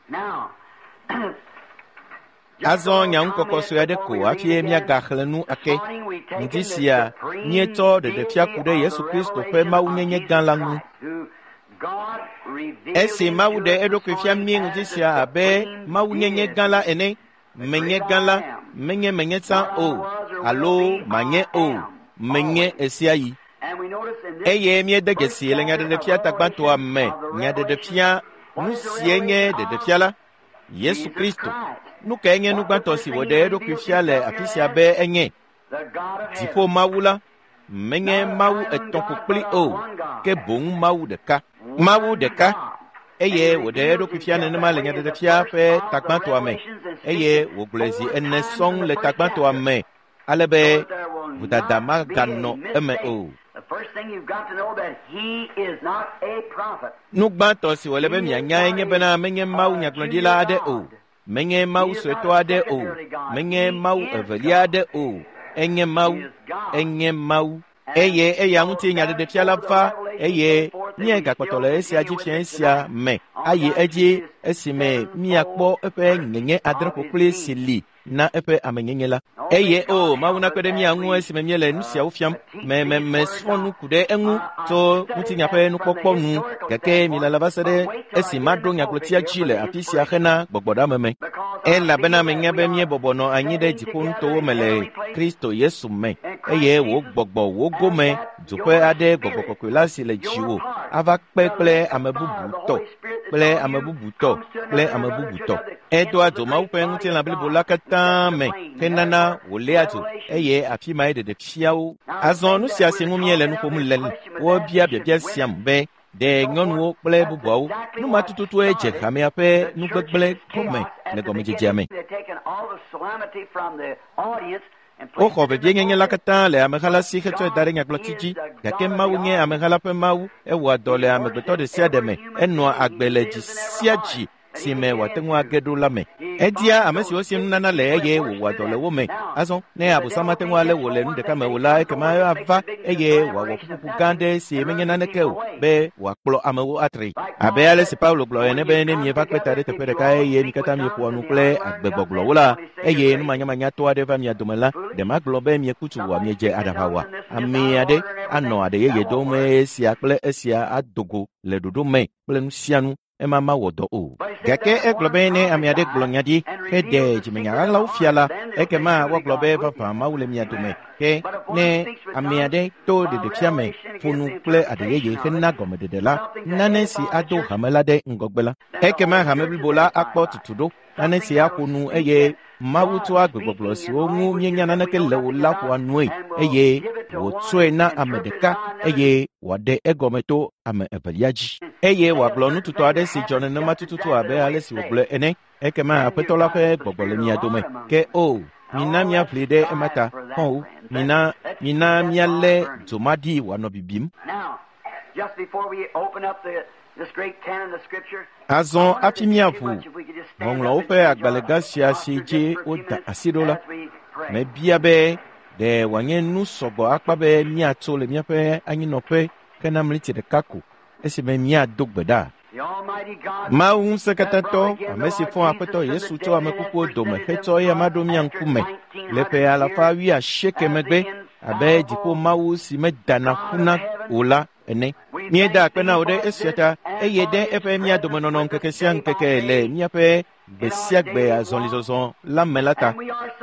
Azɔ nyaŋukɔkɔ sue aɖe ko hafi míagaxlẽ nu ake. Ŋdi sia míetsɔ ɖeɖefia ku ɖe Yesu Kristo ƒe mawunyenye gã la ŋu. Esi Mawu ɖe eɖokui fia mí ŋdi sia abe Mawunyenye gã la ene, menye gã la, menye menye tsã o, alo manye o, menye ɣesiaɣi. Eye míede dzesi le nyaɖeɖefia tagbãtɔa me, nyaɖeɖefia, nu sie nye ɖeɖefia la, Yesu Kristo. Nu kae nye nu gbãtɔ si wòɖe eɖokui fia le afi sia be enye? Dziƒo Mawu la, menye Mawu etɔ̃ ƒokpli o, ke boŋ Mawu ɖeka. Mawu ɖeka. Eye wòɖe eɖokui fia nenema le nyaɖeɖefia ƒe tagbãtɔa me, eye wògblɔe zi ene sɔŋ le tagbãtɔa me, ale be vodada maganɔ eme o. Nu gbãtɔ si wòle be mianyae nye bena menye Mawu nyagblɔɖila aɖe o, menye Mawu suetɔ aɖe o, menye Mawu evelia aɖe o, enye Mawu, enye Mawu. Eye eya ŋuti nyaɖeɖefia la va, eye míegakpɔtɔ le esia dzi fia esia me ayi edzi esime míakpɔ eƒe nyenye adre ƒokpli si li na eƒe amenyenye la. Eye o, Mawu nakpe ɖe mía ŋu esime míele nu siawo fiam. Me me mesrɔ̃ nu ku ɖe eŋu tso ŋutinya ƒe nukpɔkpɔ nu, gake milala va se ɖe esi maɖo nyagblɔtia dzi le afi sia hena gbɔgbɔɖeame me. Elabena menya be míebɔbɔ nɔ anyi ɖe dziƒonutowo me le Kristo Yesu me, eye wò gbɔgbɔ wò gome dzoƒe aɖe gbɔgbɔ kɔkɔe la si le dziwò ava kpe kple ame bubu tɔ, kple ame bubu tɔ, kple ame bubu tɔ. Edoa dzo Mawu ƒe ŋutilã blibo la katã me henana wòléa dzo, eye afi mae ɖeɖefiawo. Azɔ nu sia si ŋu míele nu ƒom le, wobia biabia siam be, ɖe nyɔnuwo kple bubuawo, nu ma tututue dze hamea ƒe nugbegblẽ gɔme le gɔmedzedzea me. Woxɔ vevienyenye la katã le ameha la si hetsɔe da ɖe nyagblɔti dzi, gake Mawu nye ameha la ƒe Mawu, ewɔa dɔ le amegbetɔ ɖe sia ɖe me, enɔa agbe le dzi sia dzi si me wòate ŋu age ɖo la me. Edia ame siwo si nunana le eye wòwɔa dɔ le wo me. Azɔ, ne Abosam ate ŋu alé wò le nu ɖeka me o la, ekema ava eye wòawɔ ƒuƒoƒo gã aɖe si menye naneke o be wòakplɔ amewo atri. Abe ale si Paulo gblɔ ene be ne mieva kpe ta ɖe teƒe ɖeka eye mi katã mieƒoa nu kple agbegbɔgblɔwo la, eye numanyamanyatɔ aɖe va mia dome la, ɖe magblɔ be mieku tsu oa, miedze aɖaʋa oa? Ame aɖe anɔ aɖe yeye dom eye esia kple esia ado go le ɖoɖo me kple nu sia nu. Ema mawɔ dɔ o. Gake egblɔ be ne ame aɖe gblɔ nya ɖi heɖe dzimenya ɣaɣlawo fia la, ekema woagblɔ be vavã Mawu le mia dome. Ke ne ame aɖe to ɖeɖefia me ƒo nu kple aɖe yeye hena gɔmeɖeɖe la, nane si ado hame la ɖe ŋgɔgbe la, ekema hame blibo la akpɔ tutu ɖo. Nane si aƒo nu eye Mawu tsɔa gbegbɔgblɔ siwo ŋu míenya naneke le o la ƒoa nue eye wòtsɔe na ame ɖeka eye wòaɖe egɔme to ame evelia dzi. Eye wòagblɔ nututɔ aɖe si dzɔ nenema tututu abe ale si wògblɔe ene. Ekema Aƒetɔ la ƒe gbɔgbɔ le mia dome. Ke o, mina míaʋli ɖe ema ta, xɔ̃wo, mina mina míalé dzo ma ɖi wòanɔ bibim. Azɔ hafi míaʋu Ŋɔŋlɔawo ƒe agbalẽ gã sia si dzi woda asi ɖo la, mebia be ɖe wòanye nu sɔgbɔ akpa be míatso le míaƒe anyinɔƒe hena mliti ɖeka ko esime míado gbe ɖa. Mawu ŋusẽkatãtɔ, ame si fɔ Aƒetɔ Yesu tso ame kukuwo dome hetsɔ eya ɖo mía ŋkume le ƒe alafa wuiasieke megbe abe dziƒo Mawu si medana ƒuna o la ene. Míeda akpe na wò ɖe esia ta, eye ɖe eƒe mía domenɔnɔ ŋkeke sia ŋkeke le míaƒe gbe sia gbe azɔlizɔzɔ la me la ta.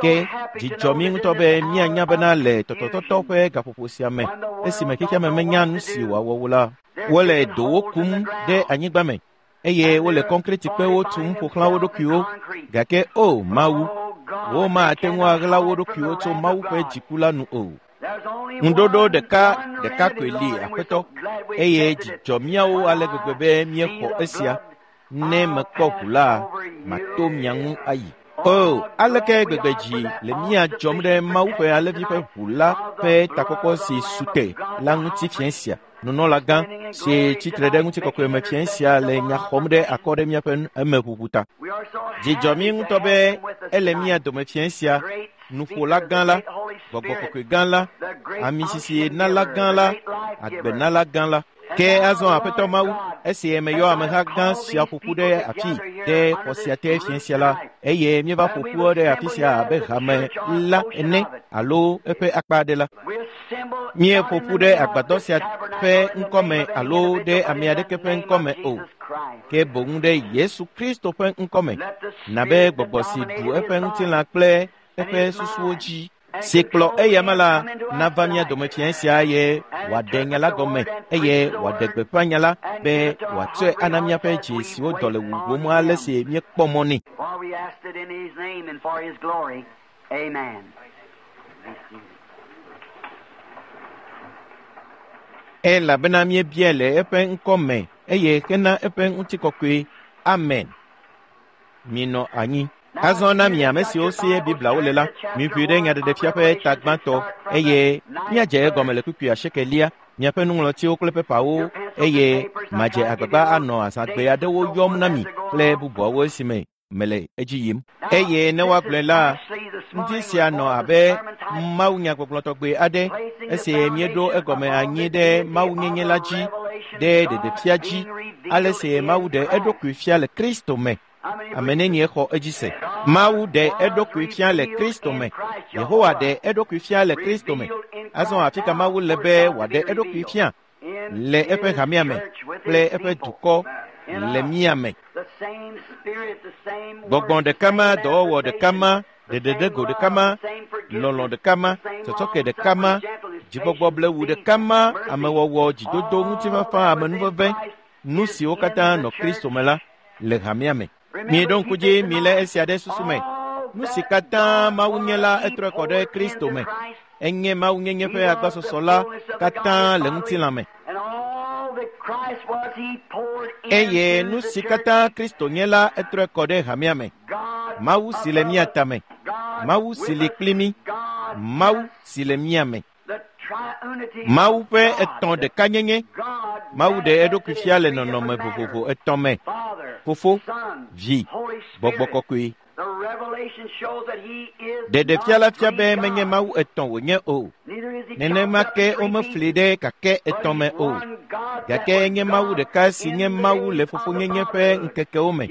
Ke dzidzɔ mí ŋutɔ be míanya bena le tɔtɔtɔtɔ ƒe gaƒoƒo sia me, esime xexeame menya nu si wòawɔ o la, wole dowo kum ɖe anyigba me eye wole kɔnkretikpewo tum ƒo xlã wo ɖokuiwo. Gake o Mawu, womate ŋu aɣla wo ɖokuiwo tso Mawu ƒe dziku la nu o. Ŋuɖoɖo ɖeka ɖeka koe li, Aƒetɔ, eye dzidzɔ míawo ale gbegbe be míexɔ esia. Ne mekpɔ ʋu la, mato mia ŋu ayi. O, aleke gbegbe dzi le mía dzɔm ɖe Mawu ƒe Alẽvi ƒe ʋu la ƒe takpɔkpɔ si su te la ŋuti fiẽ sia. Nunɔlagã si tsitre ɖe ŋutikɔkɔe me fiẽ sia le nya xɔm ɖe akɔ ɖe míaƒe emeʋuʋu ta. Dzidzɔ mí ŋutɔ be ele mía dome fiẽ sia, nuƒola gã la, gbɔgbɔ kɔkɔe gã la, amisisi nala gã la, agbenala gã la. Ke azɔ Aƒetɔ Mawu, esi meyɔ ameha gã sia ƒo ƒu ɖe afi ɖe xɔ sia te fiẽ sia la, eye míeva ƒo ƒu ɖe afi sia abe hame la ene alo eƒe akpa aɖe la. Míeƒo ƒu ɖe agbadɔ sia ƒe ŋkɔme alo ɖe ame aɖeke ƒe ŋkɔme o, ke boŋ ɖe Yesu Kristo ƒe ŋkɔme, na be gbɔgbɔ si ɖu eƒe ŋutilã kple eƒe susuwo dzi si kplɔ eyama la nava mía dome fiẽ sia eye wòaɖe nya la gɔme eye wòaɖe gbeƒã nya la be wòatsɔe ana míaƒe dzi siwo dɔ le wuwom ale si míekpɔ mɔ nɛ. For we ask it in His name and for His glory. Amen. Elabena míebiae le eƒe ŋkɔ me eye hena eƒe ŋutikɔkɔe. Amen. Minɔ anyi. Azɔ na mi ame siwo sie Bibliawo le la, miʋui ɖe Nyaɖeɖefia ƒe ta gbãtɔ eye míadze egɔme le kpukpui asiekelia, miaƒe nuŋlɔtiwo kple pepawo eye madze agbagba anɔ azãgbe aɖewo yɔm na mi kple bubuawo esime mele edzi yim. Eye ne woagblɔe la, ŋdi sia nɔ abe mawunyagbɔgblɔ tɔgbe aɖe esi míeɖo egɔme anyi ɖe mawunyenye la dzi, ɖe ɖeɖefia dzi, ale si Mawu ɖe eɖokui fia le Kristo me. Ame nenie xɔ edzi se? Mawu ɖe eɖokui fia le Kristo me. Yehowa ɖe eɖokui fia le Kristo me. Azɔ afi ka Mawu le be wòaɖe eɖokui fia? Le eƒe hamea me kple eƒe dukɔ le mía me. Gbɔgbɔ ɖeka ma, dɔwɔwɔ ɖeka ma, ɖeɖeɖego ɖeka ma, lɔlɔ̃ ɖeka ma, tsɔtsɔke ɖeka ma, dzigbɔgbɔ blewu ɖeka ma, amewɔwɔ, dzidodo, ŋutifafa, amenuveve, nu siwo katã nɔ Kristo me la le hamea me. Mieɖo ŋku dzi milé esia ɖe susu me. Nu si katã Mawu nye la, etrɔe kɔ ɖe Kristo me. Enye Mawunyenye ƒe agbasɔsɔ la katã le ŋutilã me. Eye nu si katã Kristo nye la, etrɔe kɔ ɖe hamea me. Mawu si le mía tame, Mawu si li kpli mí, Mawu si le mía me. Mawu ƒe etɔ̃ ɖekanyenye. Mawu ɖe eɖokui fia le nɔnɔme vovovo etɔ̃ me: Fofo, Vi, Gbɔgbɔ Kɔkɔe. Ɖeɖefia la fia be menye Mawu etɔ̃ wònye o. Nenema ke womefli ɖe kakɛ etɔ̃ me o. Gake enye Mawu ɖeka si nye Mawu le fofonyenye ƒe ŋkekewo me.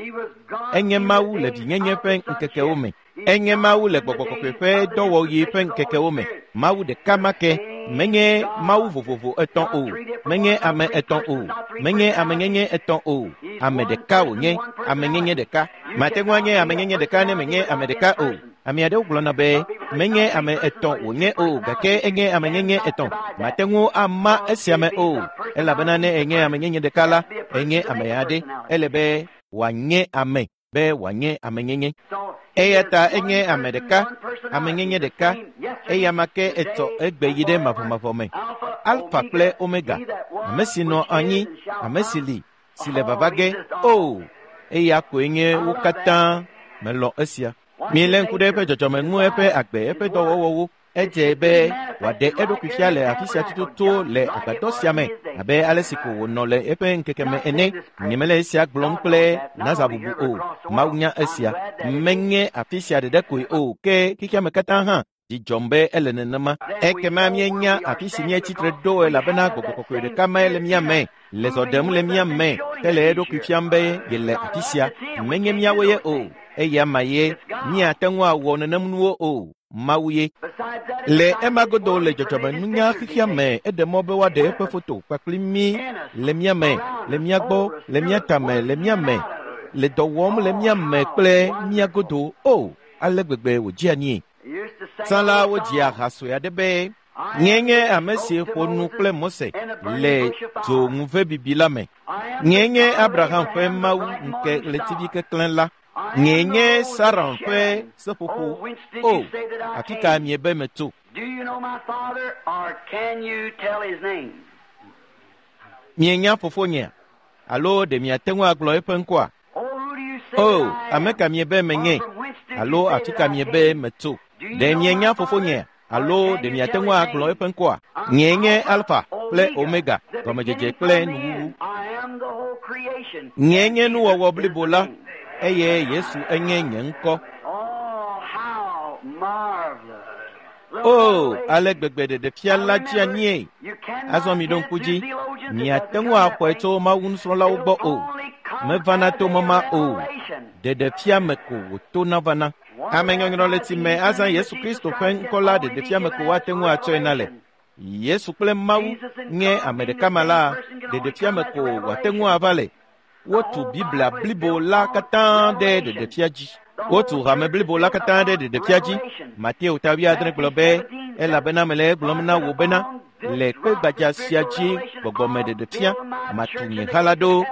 Enye Mawu le vinyenye ƒe ŋkekewo me. Enye Mawu le Gbɔgbɔ Kɔkɔe ƒe dɔwɔɣi ƒe ŋkekewo me. Mawu ɖeka ma ke. Menye Mawu vovovo etɔ̃ o. Menye ame etɔ̃ o. Menye amenyenye etɔ̃ o. Ame ɖeka wònye, amenyenye ɖeka. Mate ŋu anye amenyenye ɖeka ne menye ame ɖeka o. Ame aɖewo gblɔna be menye ame etɔ̃ wònye o gake enye amenyenye etɔ̃. Mate ŋu ama esia me o elabena ne enye amenyenye ɖeka la, enye ame aɖe. Ele be wòanye ame be wòanye amenyenye. Eya ta enye ame ɖeka, amenyenye ɖeka, eyama ke etsɔ egbe yi ɖe mavɔmavɔ me. Alfa kple Omega, ame si nɔ anyi, ame si li, si le vava ge. O, eya koe nye wo katã. Melɔ̃ esia. Milé ŋku ɖe eƒe dzɔdzɔme ŋu, eƒe agbe, eƒe dɔwɔwɔwo. Edze be wòaɖe eɖokui fia le afi sia tututu le agbadɔ sia me abe ale si ko wònɔ le eƒe ŋkeke me ene. Nyemele esia gblɔm kple nazabubu o. Mawu nya esia. Menye afi sia ɖeɖe koe o, ke xexea me katã hã. Dzi dzɔm be ele nenema. Ekema míenya afi si míetsi tre ɖo elabena Gbɔgbɔ Kɔkɔe ɖeka mae le mía me, le zɔ ɖem le mía me hele eɖokui fiam be yele afi sia. Menye míawoe ye o, eya ma ye. Míate ŋu awɔ nenem nuwo o. Mawu ye. Le ema godo le dzɔdzɔmenunya xexea me, eɖe mɔ be woaɖe eƒe foto kpakple mí le mía me, le mía gbɔ, le mía tame, le mía me, le dɔ wɔm le mía me kple mía godo. O, ale gbegbe wòdzea anyi. Tsã la, wodzia ha sue aɖe be, Nyee nye ame si ƒo nu kple Mose le dzo ŋuvebibi la me. Nyee nye Abraham ƒe Mawu ŋke ɣletivi keklẽ la. Nyee nye Saron ƒe seƒoƒo. O, afi ka miebe metso? Mienya fofonyea? Alo ɖe miate ŋu agblɔ eƒe ŋkɔa? O, ame ka miebe menye? Alo afi ka miebe metso? Ɖe mienya fofonyea? Alo ɖe miate ŋu agblɔ eƒe ŋkɔa? Nyee nye Alfa kple Omega, gɔmedzedze kple nuwuwu. Nyee nye nuwɔwɔ blibo la, eye Yesu enye nye ŋkɔ. O, ale gbegbe ɖeɖefia la dzi anyie. Azɔ mi ɖo ŋku dzi, miate ŋu axɔe tso Mawu nusrɔ̃lawo gbɔ o. Mevana to mɔma o. Ɖeɖefia me ko wòtona vana. Ame nyɔnyrɔ le tsi me azã Yesu Kristo ƒe ŋkɔ la ɖeɖefia me ko woate ŋu atsɔe na le. Yesu kple Mawu nye ame ɖeka ma la, ɖeɖefia me ko wòate ŋu ava le. Wotu Biblia blibo la katã ɖe ɖeɖefia dzi. Wotu hame blibo la katã ɖe ɖeɖefia dzi. Mateo ta 7 gblɔ be, elabena mele egblɔm na wò bena, le kpe gbadza sia dzi gbɔgbɔme ɖeɖefia matu nye ha la ɖo,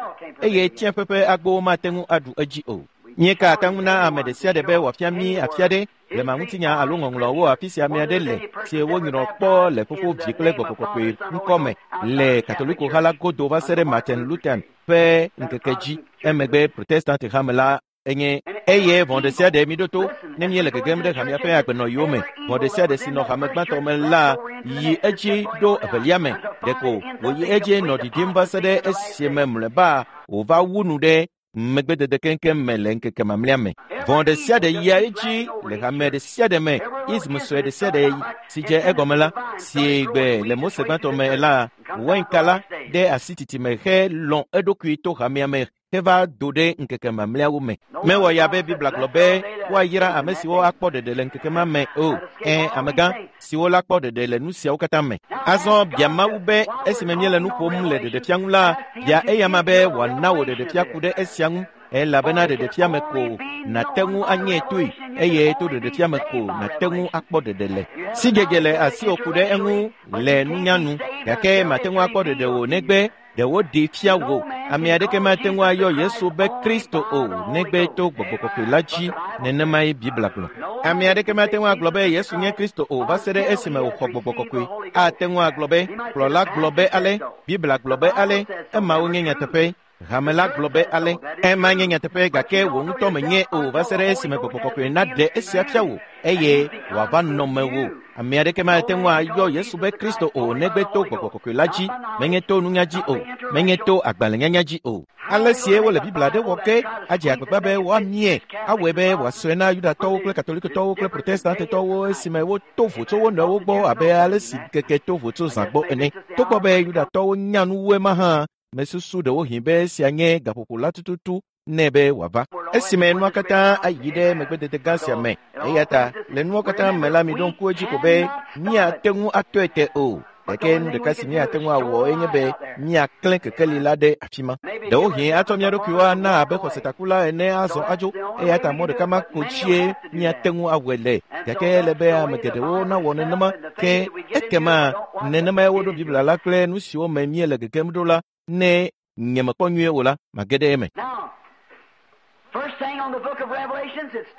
eye tsiẽƒe ƒe agbowo mate ŋu aɖu edzi o. Míeka ata ŋu na ame ɖe sia ɖe be wòafia mí afia ɖe blema ŋutinya alo ŋɔŋlɔwo afi sia ame aɖe le si wonyrɔ kpɔ le Fofo, Vi kple Gbɔgbɔ Kɔkɔe ŋkɔ me le Katoliko ha la godo va se ɖe Martin Luther ƒe ŋkeke dzi. Emegbe Protestant hame la enye eye vɔ̃ ɖe sia ɖe mi ɖo to ne míele gegem ɖe hamea ƒe agbenɔyiwo me. Vɔ̃ ɖe sia ɖe si nɔ hame gbãtɔ me la yi edzi ɖo evelia me. Ɖeko wòyi edzi nɔ ɖiɖim va se ɖe esime mlɔeba wòva wu nu ɖe megbedede keŋkeŋ me le ŋkeke mamlɛa me. Vɔ̃ ɖe sia ɖe yia edzi le hame ɖe sia ɖe me, ism sue ɖe sia ɖe si dze egɔme la, si gbe le Mose gbãtɔ me la, wainka la ɖe asi titime helɔ̃ eɖokui to hamea me heva do ɖe ŋkeke mamlɛawo me. Mewɔ ya be Biblia gblɔ be woayra ame siwo akpɔ ɖeɖe le ŋkeke ma me o. Ẽ, amegã siwo la kpɔ ɖeɖe le nu siawo katã me. Azɔ bia Mawu be esime míele nu ƒom le ɖeɖefia ŋu la, bia eyama be wòana wò ɖeɖefia ku ɖe esia ŋu, elabena ɖeɖefia me ko nàte ŋu anye toe, eye to ɖeɖefia me ko nàte ŋu akpɔ ɖeɖe le. Sidzedze le asiwò ku ɖe eŋu le nunya nu, gake màte ŋu akpɔ ɖeɖe o negbe ɖe woɖee fia wò. Ame aɖeke mate ŋu ayɔ Yesu be Kristo o negbe to Gbɔgbɔ Kɔkɔe la dzi, nenemae Biblia gblɔ. Ame aɖeke mate ŋu agblɔ be Yesu nye Kristo o va se ɖe esime wòxɔ Gbɔgbɔ Kɔkɔe. Ate ŋu agblɔ be, kplɔla gblɔ be ale, Biblia gblɔ be ale, emawo nye nyateƒe. Hame la gblɔ be ale, ema nye nyateƒe gake wò ŋutɔ menye o va se ɖe esime Gbɔgbɔ Kɔkɔe naɖe esia fia wò eye wòava nɔ mewò. Ame aɖeke mate ŋu ayɔ Yesu be Kristo o negbe to Gbɔgbɔ Kɔkɔe la dzi, menye to nunya dzi o, menye to agbalẽnyanya dzi o. Ale sie wole Biblia ɖe wɔ ke adze agbagba be woamie, awɔe be wòasɔe na Yudatɔwo kple Katolikotɔwo kple Protestantetɔwo esime woto vo tso wo nɔewo gbɔ abe ale si ŋkeke to vo tso zã gbɔ ene. Togbɔ be Yudatɔwo nya nu wu ema hã, mesusu ɖewohĩ be esia nye gaƒoƒo la tututu nɛ be wòava. Esime nua katã ayi ɖe megbedede gã sia me. Eya ta le nuwo katã me la, miɖo ŋku edzi ko be míate ŋu atɔe te o. Gake nu ɖeka si míate ŋu awɔ enye be míaklẽ kekeli la ɖe afi ma. Ɖewohĩ atsɔ mía ɖokuiwo ana abe xɔsetakula ene azɔ adzo. Eya ta mɔ ɖeka ma ko dzie míate ŋu awɔe le. Gake ele be ame geɖewo nawɔ nenema ke ekema nenemae woɖo Biblia la kple nu siwo me míele gegem ɖo la, ne nyemekpɔ nyuie o la, mage ɖe eme.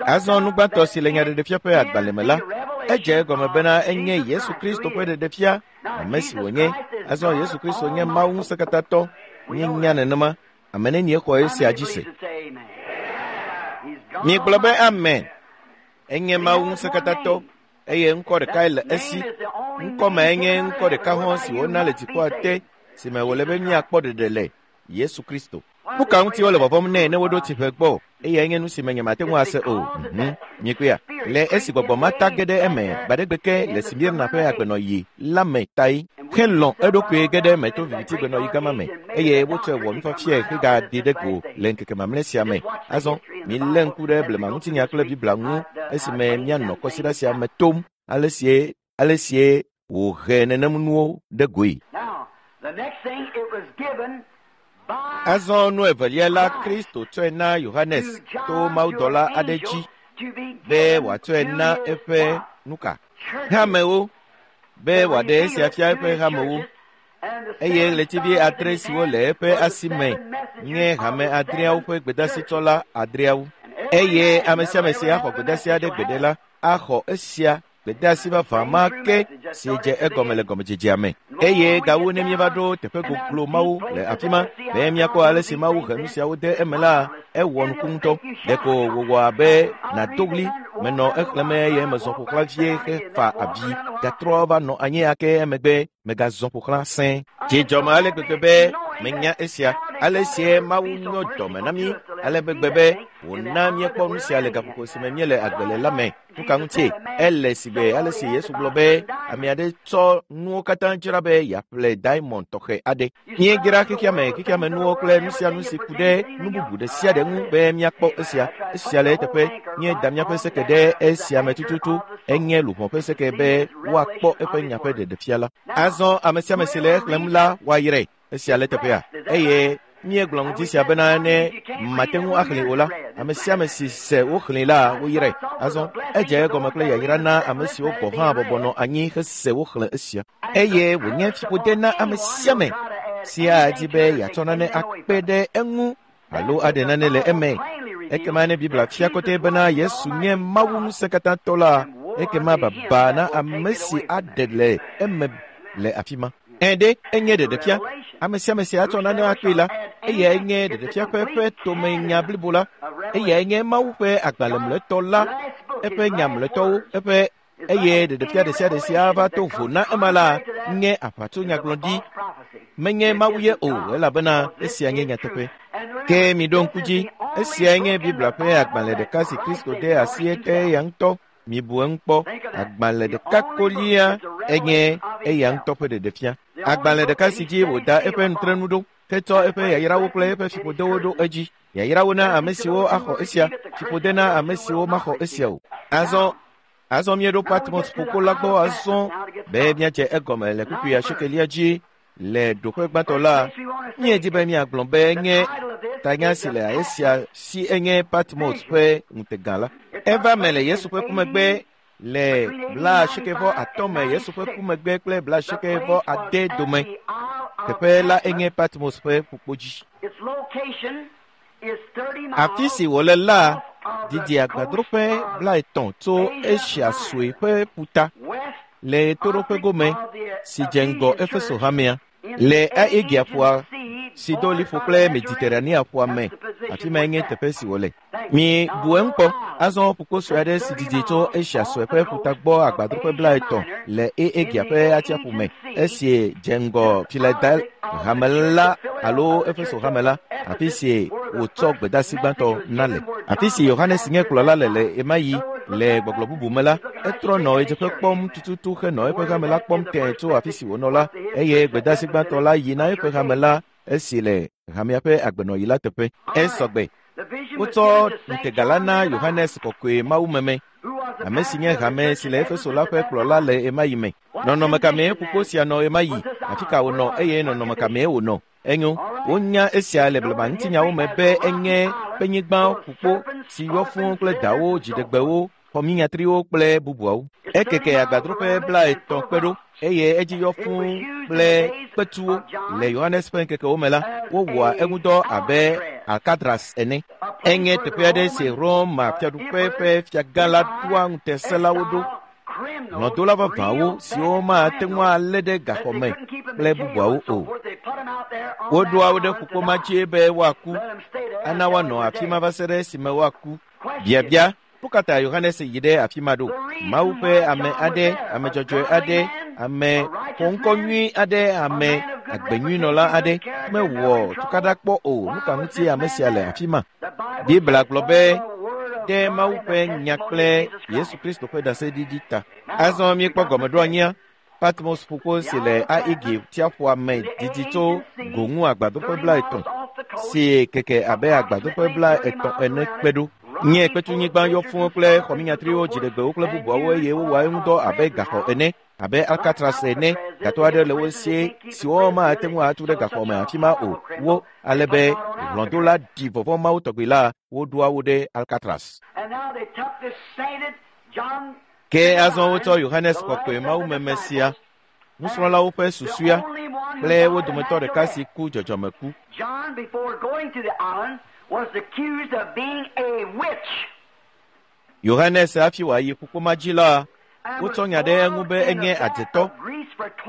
Azɔ nu gbãtɔ si le Nyaɖeɖefia ƒe agbalẽ me la, edze egɔme bena enye Yesu Kristo ƒe ɖeɖefia, ame si wònye. Azɔ Yesu Kristo nye Mawu ŋusẽkatãtɔ. Míenya nenema. Ame nenie xɔ esia dzi se? Miegblɔ be amen. Enye Mawu ŋusẽkatãtɔ eye ŋkɔ ɖekae le esi. Ŋkɔ mae nye ŋkɔ ɖeka hɔ̃ si wona le dziƒoa te si me wòle be míakpɔ ɖeɖe le, Yesu Kristo. Nu ka ŋuti wole vɔvɔ̃m nɛ ne woɖo tsiƒe gbɔ? Eyae nye nu si me nyemate ŋu ase o. Miekpɔea? Le esi gbɔgbɔ ma ta ge ɖe eme gbaɖegbe ke le Smirna ƒe agbenɔɣi la me tae helɔ̃ eɖokui ge ɖe eme to viviti gbenɔɣi gama me, eye wotsɔe wɔ nufiafiae hegaɖi ɖe go le ŋkeke mamlɛ sia me. Azɔ milé ŋku ɖe blema ŋutinya kple Biblia ŋu esime míanɔ kɔsiɖa sia me tom ale sie wòhe nenem nuwo ɖe goe. Azɔ nu evelia la, Kristo tsɔe na Yohanes to mawudɔla aɖe dzi be wòatsɔe na eƒe nuka? Hamewo, be wòaɖe esia fia eƒe hamewo. Eye ɣletivi 8 siwo le eƒe asi me nye hame 8 ƒe gbedasitsɔla 8. Eye ame sia ame si axɔ gbedasi aɖe gbeɖe la, axɔ esia gbedasi vavã ma ke si dze egɔme le gɔmedzedzea me. Eye gawu ne míeva ɖo teƒe goglo Mawu le afi ma, be míakpɔ ale si Mawu he nu siawo de eme la, Ewɔ nuku ŋutɔ. Ɖeko wòwɔ abe nàdo ɣli. Menɔ exlẽm eye mezɔ ƒo xlã vie hefa avi gatrɔ va nɔ anyi ake emegbe megazɔ ƒo xlã sẽe. Dzi dzɔm ale gbegbe be menya esia. Ale sie Mawu nyo dɔme na mí ale gbegbe be wòna míekpɔ nu sia le gaƒoƒo si me míele agbe le la me. Nu ka ŋutie? Ele si be ale si Yesu gblɔ be ame aɖe tsɔ nuwo katã dzra be yeaƒle diamond tɔxɛ aɖe. Míedzra xexeame, xexeame nuwo kple nu sia nu si ku ɖe nu bubu ɖe sia ɖe ŋu be míakpɔ esia. Esia le eteƒe. Míeda míaƒe seke ɖe esia me tututu. Enye luʋɔ ƒe seke be woakpɔ eƒe nya ƒe ɖeɖefia la. Azɔ ame sia ame si le exlẽm la woayrae. Esia le teƒea. Eye míegblɔ ŋuti sia bena ne mate ŋu axlẽe o la, ame sia ame si se woxlẽe la, woyrae. Azɔ edze egɔme kple yayra na ame siwo gɔ̃ hã bɔbɔ nɔ anyi hese woxlẽ esia. Eye wònye fiƒode na ame sia ame si adi be yeatsɔ nane akpe ɖe eŋu alo aɖe nane le eme. Ekema ne Biblia fia kɔtɛ bena Yesu nye Mawu ŋusẽkatãtɔ la, ekema baba na ame si aɖe le eme le afi ma. Ẽ ɖe, enye ɖeɖefia. Ame sia ame si atsɔ nane akpee la, eyae nye ɖeɖefia ƒe eƒe tomenya blibo la. Eyae nye Mawu ƒe agbalẽ mlɔetɔ la, eƒe nya mlɔetɔwo, eƒe eye ɖeɖefia ɖe sia ɖe si ava to vo na ema la nye aʋatsonyagblɔɖi. Menye Mawu ye o, elabena esia nye nyateƒe. Ke miɖo ŋku dzi, esiae nye Biblia ƒe agbalẽ ɖeka si Kristo de asi ete eya ŋutɔ. Mibu eŋu kpɔ. Agbalẽ ɖeka kolia enye eya ŋutɔ ƒe ɖeɖefia. Agbalẽ ɖeka si dzi wòda eƒe nutrenu ɖo, hetsɔ eƒe yayrawo kple eƒe fiƒodewo ɖo edzi. Yayrawo na ame siwo axɔ esia, fiƒode na ame siwo maxɔ esia o. Azɔ azɔ míeɖo Patmos ƒukpo la gbɔ azɔ be míadze egɔme le kpukpui asiekelia dzi le ɖoƒe gbãtɔ la. Míedi be míagblɔ be nye tanya si le esia si enye Patmos ƒe ŋutega la. Eva me le Yesu ƒe ku megbe le 85 me Yesu ƒe ku megbe kple 89 dome. Teƒe la enye Patmos ƒe ƒukpo dzi. Afi si wòle la didi agbadroƒe 30 tso Asia Sue ƒe ƒuta le ɣetoɖoƒe gome si dze ŋgɔ Efeso hamea le Aegea ƒua si do liƒo kple Mediterranea ƒua me. Afi mae nye teƒe si wòle. Mi bu eŋu kpɔ. Azɔ ƒukpo sue aɖe si didi tso Asia Sue ƒe ƒuta gbɔ agbadroƒe 30 le Aegea ƒe atsiaƒu me esi dze ŋgɔ Philadelphia hame la alo Efeso hame la, afi si wòtsɔ gbedeasi gbãtɔ na le. Afi si Yohanes nye kplɔla le le ɣemaɣi le gbɔgblɔ bubu me la, etrɔ nɔ ɣedzeƒe kpɔm tututu henɔ eƒe hame la kpɔm tẽe tso afi si wònɔ la, eye gbedeasi gbãtɔ la yi na eƒe hame la esi le hamea ƒe agbenɔɣi la teƒe. Esɔgbe. Wotsɔ ŋutega la na Yohanes kɔkɔe mawumeme, ame si nye hame si le Efeso la ƒe kplɔla le ɣemaɣi me. Nɔnɔme ka mee ƒukpo sia nɔ ɣemaɣi? Afi ka wònɔ eye nɔnɔme ka mee wònɔ? Enyo, wonya esia le blema ŋutinyawo me be enye kpenyigba ƒukpo si yɔ fũu kple dawo, dziɖegbewo, xɔminyatriwo kple bubuawo. Ekeke agbadroƒe 30 kpe ɖo eye edzi yɔ fũu kple kpetuwo. Le Yohanes ƒe ŋkekewo me la, wowɔa eŋudɔ abe Alcatraz ene. Enye teƒe aɖe si Roma fiaɖuƒe ƒe fiagã la ɖoa ŋutesẽlawo ɖo. Hlɔ̃dola vavãwo siwo mate ŋu alé ɖe gaxɔ me kple bubuawo o. Woɖoa wo ɖe ƒukpo ma dzi be woaku, ana woanɔ afi ma va se ɖe esime woaku. Biabia, nu ka ta Yohanes yi ɖe afi ma ɖo? Mawu ƒe ame aɖe, ame dzɔdzɔe aɖe, ame xɔŋkɔ nyui aɖe, ame agbenyuinɔla aɖe mewɔ tukaɖa kpɔ o. Nu ka ŋutie ame sia le afi ma? Biblia gblɔ be ɖe Mawu ƒe nya kple Yesu Kristo ƒe ɖaseɖiɖi ta. Azɔ míekpɔ gɔmeɖoanyia. Patmos ƒukpo si le Aegea tsiaƒua me didi tso go ŋu agbadroƒe 30 si keke abe agbadroƒe 30 ene kpe ɖo. Nye kpetunyigba yɔ fũu kple xɔminyatriwo, dziɖegbewo kple bubuawo eye wowɔa eŋudɔ abe gaxɔ ene, abe Alcatraz ene. Gatɔ aɖe le wo si siwo mate ŋu atu ɖe gaxɔ me afi ma o. Wo ale be hlɔ̃dola ɖi vɔvɔ̃ Mawu tɔgbi la, woɖoa wo ɖe Alcatraz. Ke azɔ wotsɔ Yohanes kɔkɔe mawumeme sia, nusrɔ̃lawo ƒe susua kple wo dometɔ ɖeka si ku dzɔdzɔmeku. John, before going to the island, was accused of being a witch. Yohanes hafi wòayi ƒukpo ma dzi la, wotsɔ nya ɖe eŋu be enye adzetɔ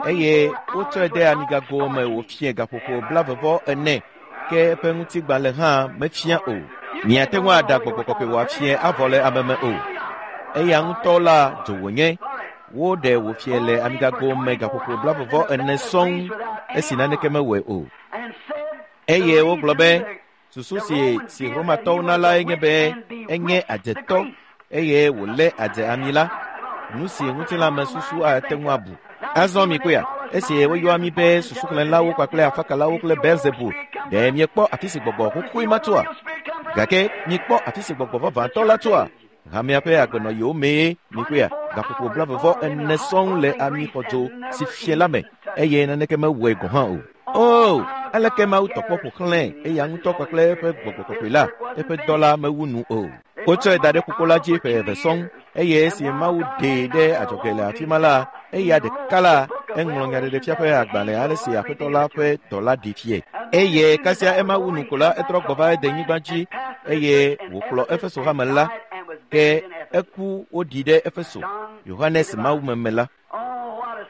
eye wotsɔe de amigago me wòfie gaƒoƒo 44 ke eƒe ŋutigbalẽ hã mefia o. Miate ŋu aɖa gbɔgbɔ kɔkɔe wòafie avɔ le ame me o. Eya ŋutɔ la dzo wònye. Woɖe wòfie le amigago me gaƒoƒo 44 sɔŋ esi naneke mewɔe o. Eye wogblɔ be susu si Romatɔwo na lae nye be enye adzetɔ eye wòlé adze ami la, nu si ŋutilãmesusu ate ŋu abu. Azɔ mikpɔea, esi woyɔa mi be susuxlẽlawo kpakple afakalawo kple Belzebul, ɖe miekpɔ afi si gbɔgbɔ xoxoe ma tsoa? Gake mikpɔ afi si gbɔgbɔ vavãtɔ la tsoa? Hamea ƒe agbenɔɣiwo mee mikpɔea, gaƒoƒo 44 sɔŋ le amixɔdzo si fie la me eye naneke mewɔe gɔ̃ hã o. O, aleke Mawu tɔkpɔ ƒo xlẽe eya ŋutɔ kpakple eƒe gbɔgbɔ kɔkɔe la, eƒe dɔ la mewu nu o. Wotsɔe da ɖe ƒukpo la dzi ƒe eve sɔŋ eye esi Mawu ɖee ɖe adzɔge le afi ma la, eya ɖeka la eŋlɔ nyaɖeɖefia ƒe agbalẽ ale si Aƒetɔ la ƒe dɔla ɖi fie. Eye kasia ema wu nu ko la, etrɔ gbɔ va denyigba dzi eye wòkplɔ Efeso hame la, ke eku woɖi ɖe Efeso, Yohanes mawumeme la.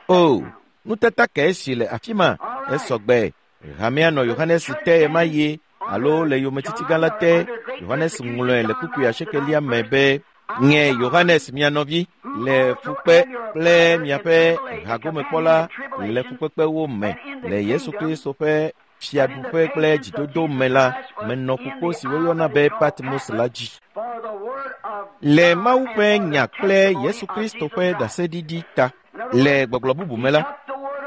O, nutata kae si le afi ma esɔgbe. Hamea nɔ Yohanes te ɣemaɣi alo le yometiti gã la te. Yohanes ŋlɔe le kpukpui asiekelia me be, Nye Yohanes mia nɔvi le fukpe kple miaƒe hagomekpɔla le fukpekpewo me le Yesu Kristo ƒe fiaɖuƒe kple dzidodo me la, menɔ ƒukpo si woyɔna be Patmos la dzi. Le Mawu ƒe nya kple Yesu Kristo ƒe ɖaseɖiɖi ta. Le gbɔgblɔ bubu me la,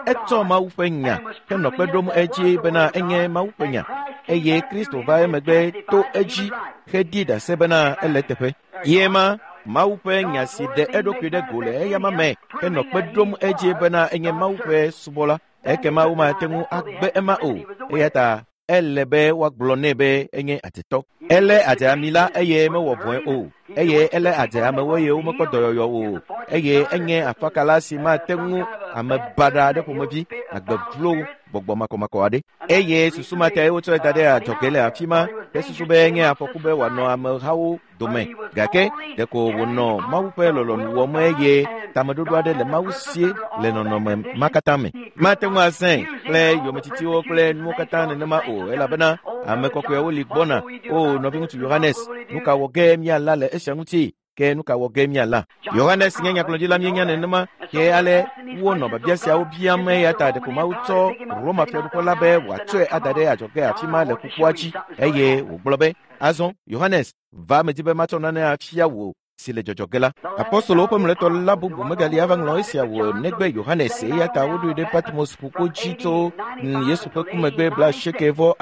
etsɔ Mawu ƒe nya henɔ kpe ɖom edzi bena enye Mawu ƒe nya, eye Kristo va emegbe to edzi hedi ɖase bena ele teƒe. Ye ma Mawu ƒe nya si ɖe eɖokui ɖe go le eyama me henɔ kpe ɖom edzi bena enye Mawu ƒe subɔla. Ekema womate ŋu agbe ema o, eya ta ele be woagblɔ nɛ be enye adzetɔ. Elé adze ami la eye mewɔ vɔ̃e o, eye elé adze amewo eye womekpɔ dɔyɔyɔ o, eye enye afakala si mate ŋu ame baɖa aɖe ƒomevi, agbe vlo gbɔgbɔ makɔmakɔ aɖe. Eye susu ma tae wotsɔe da ɖe adzɔge le afi ma hesusu be enye afɔku be wòanɔ amehawo dome, gake ɖeko wònɔ Mawu ƒe lɔlɔ̃nu wɔm eye tameɖoɖo aɖe le Mawu sie le nɔnɔme ma katã me. Mate ŋu azãe kple yometitiwo kple nuwo katã nenema o, elabena ame kɔkɔewo li gbɔna. O nɔviŋutsu Yohanes, nu ka wɔ ge míala le esia ŋuti? Ke nu ka wɔ ge míala? Yohanes nye nyagblɔɖila míenya nenema, ke ale wonɔ biabia siawo biam eya ta ɖeko Mawu tsɔ Roma fiaɖuƒe la be wòatsɔe ada ɖe adzɔge afi ma le ƒukpoa dzi, eye wògblɔ be, Azɔ, Yohanes, va medi be matsɔ nane afia wò si le dzɔdzɔ ge la. Apostolowo ƒe mlɔetɔ la bubu megali ava ŋlɔ esia wò negbe Yohanes, eya ta woɖoe ɖe Patmos ƒukpo dzi tso Yesu ƒe ku megbe 85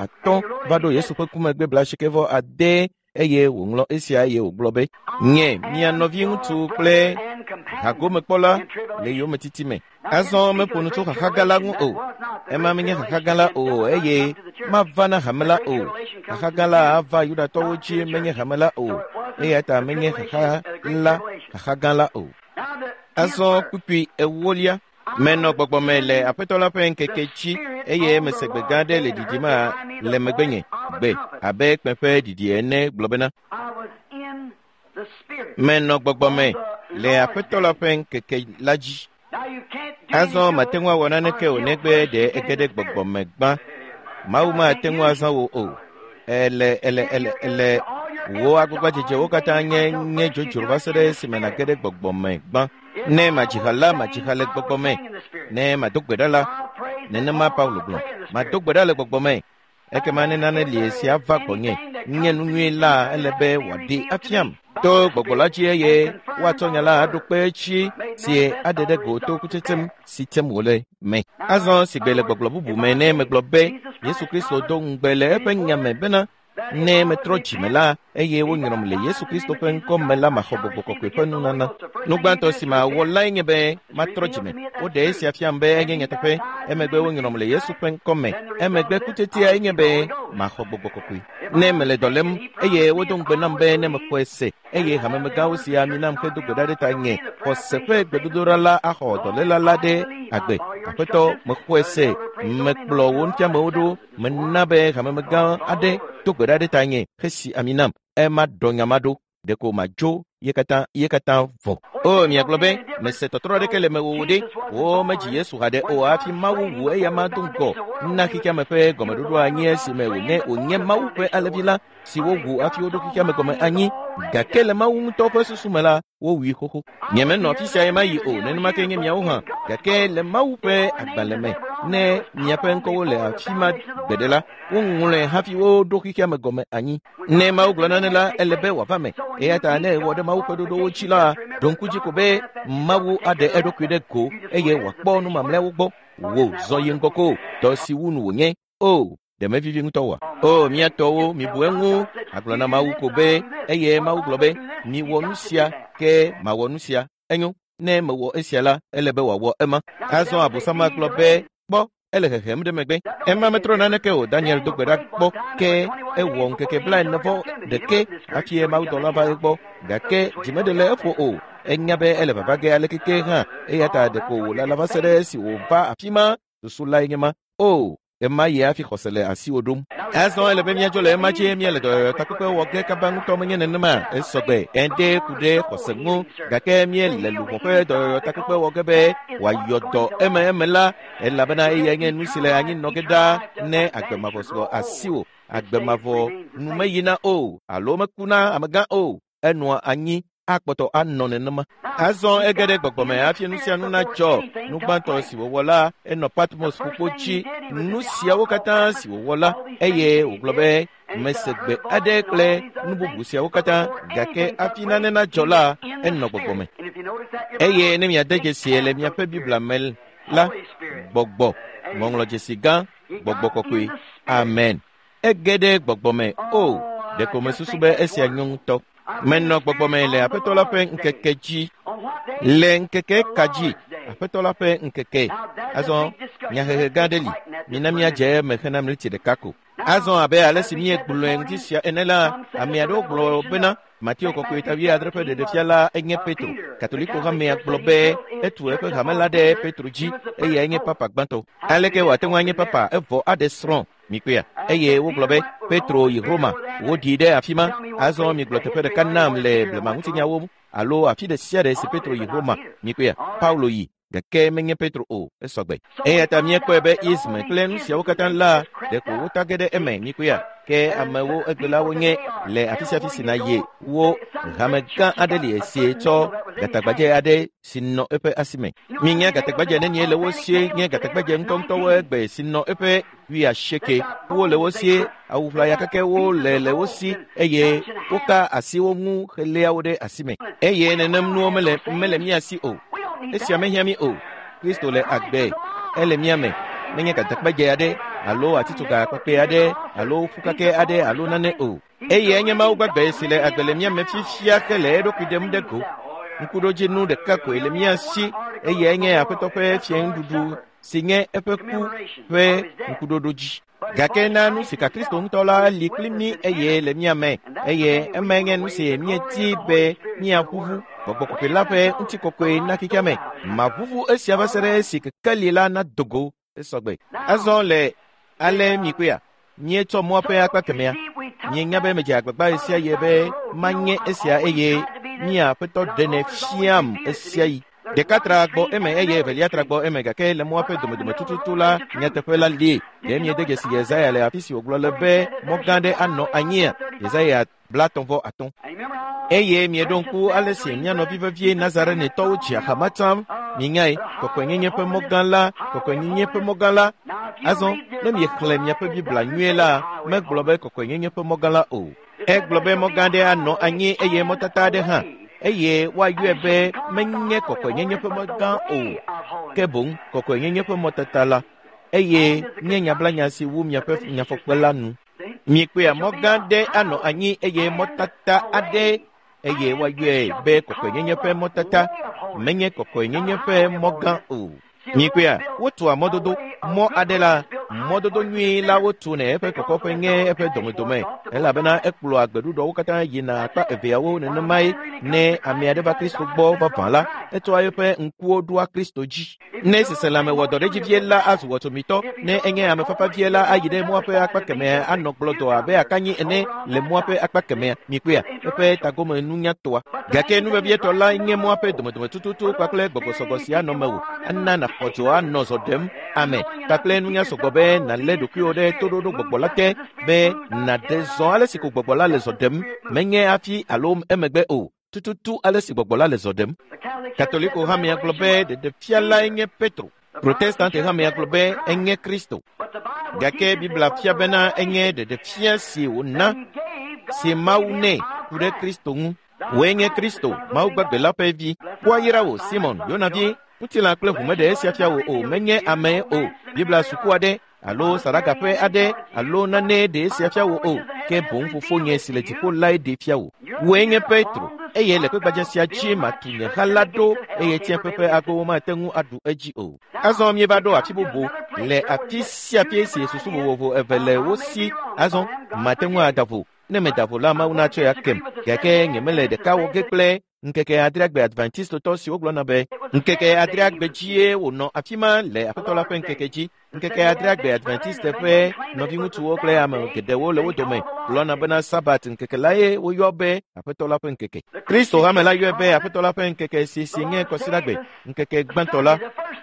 va ɖo Yesu ƒe ku megbe 86 eye wòŋlɔ esia eye wògblɔ be, Nye mia nɔviŋutsu kple hagomekpɔla le yometiti me. Azɔ meƒo nu tso xaxa gã la ŋu o. Ema menye xaxa gã la o eye mava na hame la o. Xaxa gã la ava Yudatɔwo dzi menye hame la o. Eya ta menye xaxa la xaxa gã la o. Azɔ kpukpui ewolia. Menɔ gbɔgbɔ me le Aƒetɔ la ƒe ŋkeke dzi eye mese gbe gã aɖe le ɖiɖim le megbenye, gbe abe kpẽ ƒe ɖiɖi ene gblɔ bena, Menɔ gbɔgbɔ me le Aƒetɔ la ƒe ŋkeke la dzi. Azɔ mate ŋu awɔ naneke o negbe ɖe ege ɖe gbɔgbɔ me gbã. Mawu mate ŋu azã wò o. Ele ele ele ele wò agbagbadzedzewo katã nye nye dzodzro va se ɖe esime nàge ɖe gbɔgbɔ me gbã. Ne madzi ha la, madzi ha le gbɔgbɔ me. Ne mado gbe ɖa la, nenema Paulo gblɔ, mado gbe ɖa le gbɔgbɔ me. Ekema ne nane li esi ava gbɔnye, nye nu nyui la ele be wòaɖee afiam to gbɔgbɔ la dzi eye woatsɔ nya la aɖo kpe edzi si aɖe ɖe go to kutsetsem si tsem wòle me. Azɔ sigbe le gbɔgblɔ bubu me ne megblɔ be Yesu Kristo do ŋugbe le eƒe nya me bena ne metrɔ dzime la eye wonyrɔm le Yesu Kristo ƒe ŋkɔ me la maxɔ gbɔgbɔ kɔkɔe ƒe nunana. Nu gbãtɔ si mawɔ lae nye be matrɔ dzime. Woɖe esia fiam be enye nyateƒe. Emegbe wonyrɔm le Yesu ƒe ŋkɔ me. Emegbe kutsetsia enye be maxɔ gbɔgbɔ kɔkɔe. Ne mele dɔ lém eye wodo ŋugbe nam be ne mexɔe se eye hamemegãwo si ami nam hedo gbe ɖa ɖe ta nye xɔse ƒe gbedodoɖa la axɔ dɔléla la ɖe agbe. Aƒetɔ, mexɔe se, mekplɔ wò nufiamewo ɖo, mena be hamemegã aɖe do gbe ɖa ɖe ta nye hesi ami nam. Ema ɖɔ nya ma ɖo. Ɖeko madzo ye katã ye katã vɔ. O, miagblɔ be, mese tɔtrɔ aɖeke le mewò o ɖe. Womedzi Yesu haɖe o hafi Mawu wu eyama do ŋgɔ na xexeame ƒe gɔmeɖoɖo anyi esime wònye wònye Mawu ƒe alẽvi la si wowu hafi woɖo xexeame gɔme anyi. Gake le Mawu ŋutɔ ƒe susu me la, wowui xoxo. Nyemenɔ afi sia ɣemaɣi o, nenema ke nye miawo hã. Gake le Mawu ƒe agbalẽ me, ne miaƒe ŋkɔwo le afi ma gbeɖe la, woŋlɔe hafi woɖo xexeame gɔme anyi. Ne Mawu gblɔ nane la, ele be wòava me. Eya ta ne ewɔ ɖe Mawu ƒe ɖoɖowo dzi la, ɖo ŋku dzi ko be Mawu aɖe eɖokui ɖe go eye wòakpɔ nu mamlɛawo gbɔ. Wò zɔ yi ŋgɔ ko, dɔ si wu nu wònye. O, ɖe mevivi ŋutɔ oa? O, mía tɔwo, mibu eŋu. Agblɔ na Mawu ko be, eye Mawu gblɔ be, miwɔ nu sia, ke mawɔ nu sia. Enyo, ne mewɔ esia la, ele be wòawɔ ema. Azɔ Abosam agblɔ be, kpɔ, ele hehem ɖe megbe. Ema metrɔ naneke o. Daniel do gbe ɖa kpɔ ke ewɔ ŋkeke 40 ɖeke hafi mawudɔla va egbɔ. Gake dzi meɖe le eƒo o. Enya be ele vava ge aleke hã. Eya ta ɖeko wòlala va se ɖe esi wòva afi ma. Susu lae nye ma. O, ema yi hafi xɔse le asiwò ɖom. Azɔ ele be míadzo le ema dzi míele dɔyɔyɔ takpekpe wɔ ge kaba ŋutɔ menye nenema. Esɔgbe ede ku ɖe xɔse ŋu gake míele luʋɔ ƒe dɔyɔyɔ takpekpe wɔ ge be wòayɔ dɔ eme eme la elabena eyae nye nu si le anyi nɔ ge ɖaa ne agbe mavɔ sɔ asiwò. Agbe mavɔ nu meyina o alo mekuna amegã o. Enɔa anyi akpɔtɔ anɔ nenema. Azɔ ege ɖe gbɔgbɔme hafi nu sia nu nadzɔ. Nu gbãtɔ si wòwɔ la, enɔ Patmos ƒukpo dzi. Nu siawo katã si wòwɔ la, eye wògblɔ be mese gbe aɖe kple nu bubu siawo katã gake hafi nane nadzɔ la, enɔ gbɔgbɔme. Eye ne miade dzesi le miaƒe Biblia me la, gbɔgbɔ, ŋɔŋlɔdzesi gã, gbɔgbɔ kɔkɔe. Amen. Ege ɖe gbɔgbɔme. O, ɖeko mesusu be esia nyo ŋutɔ. Menɔ gbɔgbɔme le Aƒetɔ la ƒe ŋkeke dzi. Le ŋkeke ka dzi? Aƒetɔ la ƒe ŋkeke. Azɔ nyahehe gã aɖe li. Mina míadze eme hena miniti ɖeka ko. Azɔ abe ale si míegblɔe ŋuti sia ene la, ame aɖewo gblɔ bena Mateo kɔkɔe ta 70 ƒe ɖeɖefia la enye Petro. Katoliko hamea gblɔ be etu eƒe hame la ɖe Petro dzi eyae nye papa gbãtɔ. Aleke wòate ŋu anye papa evɔ aɖe srɔ̃? Mikpɔea? Eye wogblɔ be Petro yi Roma, woɖii ɖe afi ma. Azɔ migblɔ teƒe ɖeka nam le blema ŋutinyawo alo afi ɖe sia ɖe si Petro yi Roma. Mikpɔea? Paulo yi gake menye Petro o, esɔgbe. Eya ta míekpɔe be ism kple nu siawo katã la ɖeko wota ge ɖe eme. Mikpɔea? Ke amewo egbelawo nye le afi sia afi si nàyi wo hame gã aɖe li esi tsɔ gatagbadze aɖe si nɔ eƒe asi me. Minya gatagbadze nenie le wo sie nye gatagbadze ŋutɔŋutɔwo egbe si nɔ eƒe 80. Wole wo sie, awu ʋlaya kekewo le le wo si eye woka asi wo ŋu heléa wo ɖe asi me. Eye nenem nuwo mele mele mía si o. Esia mehiã mí o. Kristo le agbe, ele mía me. Menye gatagbadze aɖe alo atitsoga kpakpɛ aɖe alo ƒukake aɖe alo nane o. Eye enye Mawu gbagbe si le agbe le mía me fifia hele eɖokui ɖem ɖe go. Ŋkuɖodzinu ɖeka koe le mía si eye nye Aƒetɔ ƒe fiẽnuɖuɖu si nye eƒe ku ƒe ŋkuɖoɖo dzi. Gake na nu si ka Kristo ŋutɔ la li kpli mí eye le mía me eye emae nye nu si míedi be míaʋuʋu gbɔgbɔ kɔkɔe la ƒe ŋutikɔkɔe na xexea me. Maʋuʋu esia va se ɖe esi kekeli la nado go esɔgbe. Azɔ le ale mikpɔea, míetsɔ mɔa ƒe akpa kemɛa. Mienya be medze agbagba ɣe sia ɣi be manye esia eye mía Aƒetɔ ɖenɛ fiam ɣe sia ɣi. Ɖeka tra gbɔ eme eye evelia tra gbɔ eme gake le mɔa ƒe domedome tututu la nyateƒe la li. Ɖe miede dzesi Yesaya le afi si wògblɔ le be mɔ gã aɖe anɔ anyia? Yesaya 35. Eye mieɖo ŋku ale si mía nɔvi vevie Nazarenetɔwo dzi ahama tsã. Minyae, kɔkɔenyenye ƒe mɔ gã la, kɔkɔenyenye ƒe mɔ gã la. Azɔ, ne miexlẽ miaƒe Biblia nyuie la, megblɔ be kɔkɔenyenye ƒe mɔ gã la o. Egblɔ be mɔ gã aɖe anɔ anyi eye mɔtata aɖe hã eye woayɔe be menye kɔkɔenyenye ƒe mɔ gã o, ke boŋ kɔkɔenyenye ƒe mɔtata la. Eye nye nyablanya si wu miaƒe nyafɔkpe la nu. Mikpɔea mɔ gã aɖe anɔ anyi eye mɔtata aɖe eye woayɔe be kɔkɔenyenye ƒe mɔtata, menye kɔkɔenyenye ƒe mɔ gã o. Mikpɔea, wotua mɔdodo, mɔ aɖe la, Mɔdodo nyui la wotu ne eƒe kɔkɔƒe nye eƒe domedome, elabena ekplɔa gbeɖuɖɔwo katã yina akpa eveawo. Nenemae ne ame aɖe va Kristo gbɔ vavã la, etsɔa eƒe ŋkuwo ɖoa Kristo dzi. Ne seselãme wɔ dɔ ɖe edzi vie la, azu wɔtsomitɔ. Ne enye ame fafa vie la, ayi ɖe mɔa ƒe akpa kemɛa anɔ gblɔdɔ abe akanyi ene le mɔa ƒe akpa kemɛa. Mikpɔea, eƒe tagome nunya toa. Gake nu vevietɔ la nye mɔa ƒe domedome tututu kpakple gbɔgbɔsɔgbɔ si anɔ mewò, ana nàxɔ dzo anɔ zɔ ɖem ame kpakple nunya sɔgbɔ be nàlé ɖokuiwò ɖe toɖoɖo gbɔgbɔ la te, be nàɖe zɔ ale si ko gbɔgbɔ la le zɔ ɖem, menye hafi alo emegbe o, tututu ale si gbɔgbɔ la le zɔ ɖem. Katoliko hamea gblɔ be ɖeɖefia lae nye Petro. Protestante hamea gblɔ be enye Kristo. Gake Biblia fia bena enye ɖeɖefia si wòna, si Mawu nɛ ku ɖe Kristo ŋu. Wòe nye Kristo, Mawu gbagbe la ƒe vi. Woayra wò, Simon, Yona vi. Ŋutilã kple ʋu meɖe esia fia wò o, menye amee o. Biblia suku aɖe alo saɖagaƒe aɖe alo nane ɖe esia fia wò o, ke boŋ fofonye si le dziƒo lae ɖee fia wò. Wòe nye Petro, eye le kpegbadze sia dzi matu nye ha la ɖo, eye tsiẽƒe ƒe agbowo mate ŋu aɖu edzi o. Azɔ míeva ɖo afi bubu le afi sia afi si susu vovovo eve le wo si. Azɔ mate ŋu ada vo. Ne meda vo la, Mawu natsɔe akem. Gake nyemele ɖeka wɔ ge kple ŋkeke adreagbe Adventistotɔ siwo gblɔna be ŋkeke adreagbe dzie wònɔ afi ma le Aƒetɔ la ƒe ŋkeke dzi. Ŋkeke adreagbe Adventiste ƒe nɔviŋutsuwo kple ame geɖewo le wo dome gblɔna bena Sabat ŋkeke lae woyɔ be Aƒetɔ la ƒe ŋkeke. Kristo hame la yɔe be Aƒetɔ la ƒe ŋkeke si si nye Kɔsiɖagbe, ŋkeke gbãtɔ la.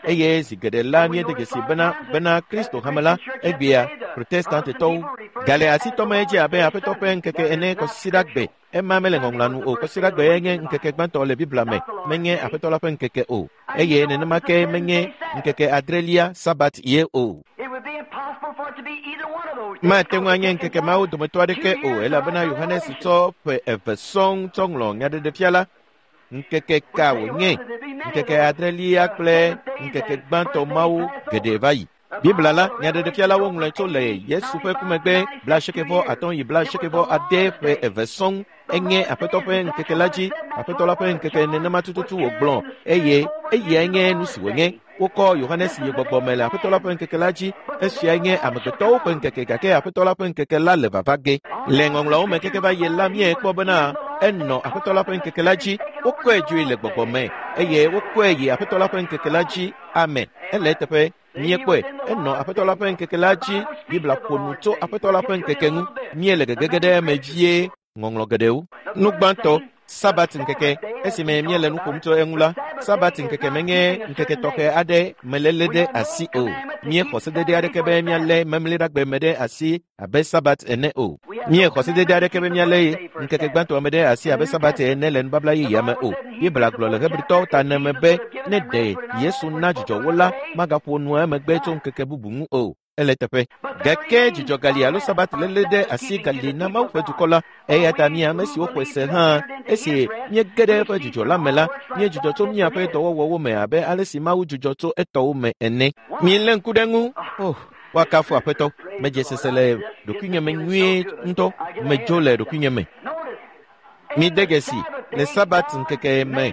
Eye zi geɖe la míede dzesi bena bena Kristo hame la egbea Protestantetɔwo gale asi tɔm edzi abe Aƒetɔ ƒe ŋkeke ene Kɔsiɖagbe. Ema mele ŋɔŋlɔa nu o. Kɔsiɖagbe nye ŋkeke gbãtɔ le Biblia me, menye Aƒetɔ la ƒe ŋkeke o. Eye nenema ke menye ŋkeke adrelia Sabat ye o. Mate ŋu anye ŋkeke mawo dometɔ aɖeke o, elabena Yohanes tsɔ ƒe eve sɔŋ tsɔ ŋlɔ nyaɖeɖefia la. Ŋkeke ka wònye? Ŋkeke adrelia kple ŋkeke gbãtɔ mawo geɖe va yi. Biblia la, nyaɖeɖefia la woŋlɔe tso le Yesu ƒe ku megbe 93 yi 90 ƒe eve sɔŋ. Enye Aƒetɔ ƒe ŋkeke la dzi, Aƒetɔ la ƒe ŋkeke nenema tututu wògblɔ, eye eyae nye nu si wònye. Wokɔ Yohanes yi gbɔgbɔ me le Aƒetɔ la ƒe ŋkeke la dzi. Esiae nye amegbetɔwo ƒe ŋkeke, gake Aƒetɔ la ƒe ŋkeke la le vava ge. Le ŋɔŋlɔawo me keke va yi la, míekpɔ bena enɔ Aƒetɔ la ƒe ŋkeke la dzi. Wokɔe dzoe le gbɔgbɔ me, eye wokɔe yi Aƒetɔ la ƒe ŋkeke la dzi. Amen. Ele eteƒe. Míekpɔe. Enɔ Aƒetɔ la ƒe ŋkeke la dzi. Biblia ƒo nu tso Aƒetɔ la ƒe ŋkeke ŋu. Míele gegege ɖe eme vie ŋɔŋlɔ geɖewo. Nu gbãtɔ, Sabat ŋkeke. Esime míele nu ƒom tso eŋu la, Sabat ŋkeke menye ŋkeke tɔxɛ aɖe meléle ɖe asi o. Míexɔ sedede aɖeke be míalé memleɖagbe me ɖe asi abe Sabat ene o. Míexɔ sedede aɖeke be míalé ŋkeke gbãtɔ me ɖe asi abe Sabat ene le nubabla yeyea me o. Biblia gblɔ le Hebritɔwo ta ene me be ne ɖe Yesu na dzidzɔ wo la, magaƒo nu emegbe tso ŋkeke bubu ŋu o. Ele teƒe. Gake dzidzɔ gali alo Sabat léle ɖe asi gali na Mawu ƒe dukɔ la. Eya ta mí ame siwo xɔe se hã, esi míege ɖe eƒe dzidzɔ la me la, míedzudzɔ tso míaƒe dɔwɔwɔwo me abe ale si Mawu dzudzɔ tso etɔwo me ene. Milé ŋku ɖe eŋu. Oh, woakafu Aƒetɔ. Medze sese le ɖokuinye me nyuie ŋutɔ. Medzo le ɖokuinye me. Mide dzesi, le Sabat ŋkeke me,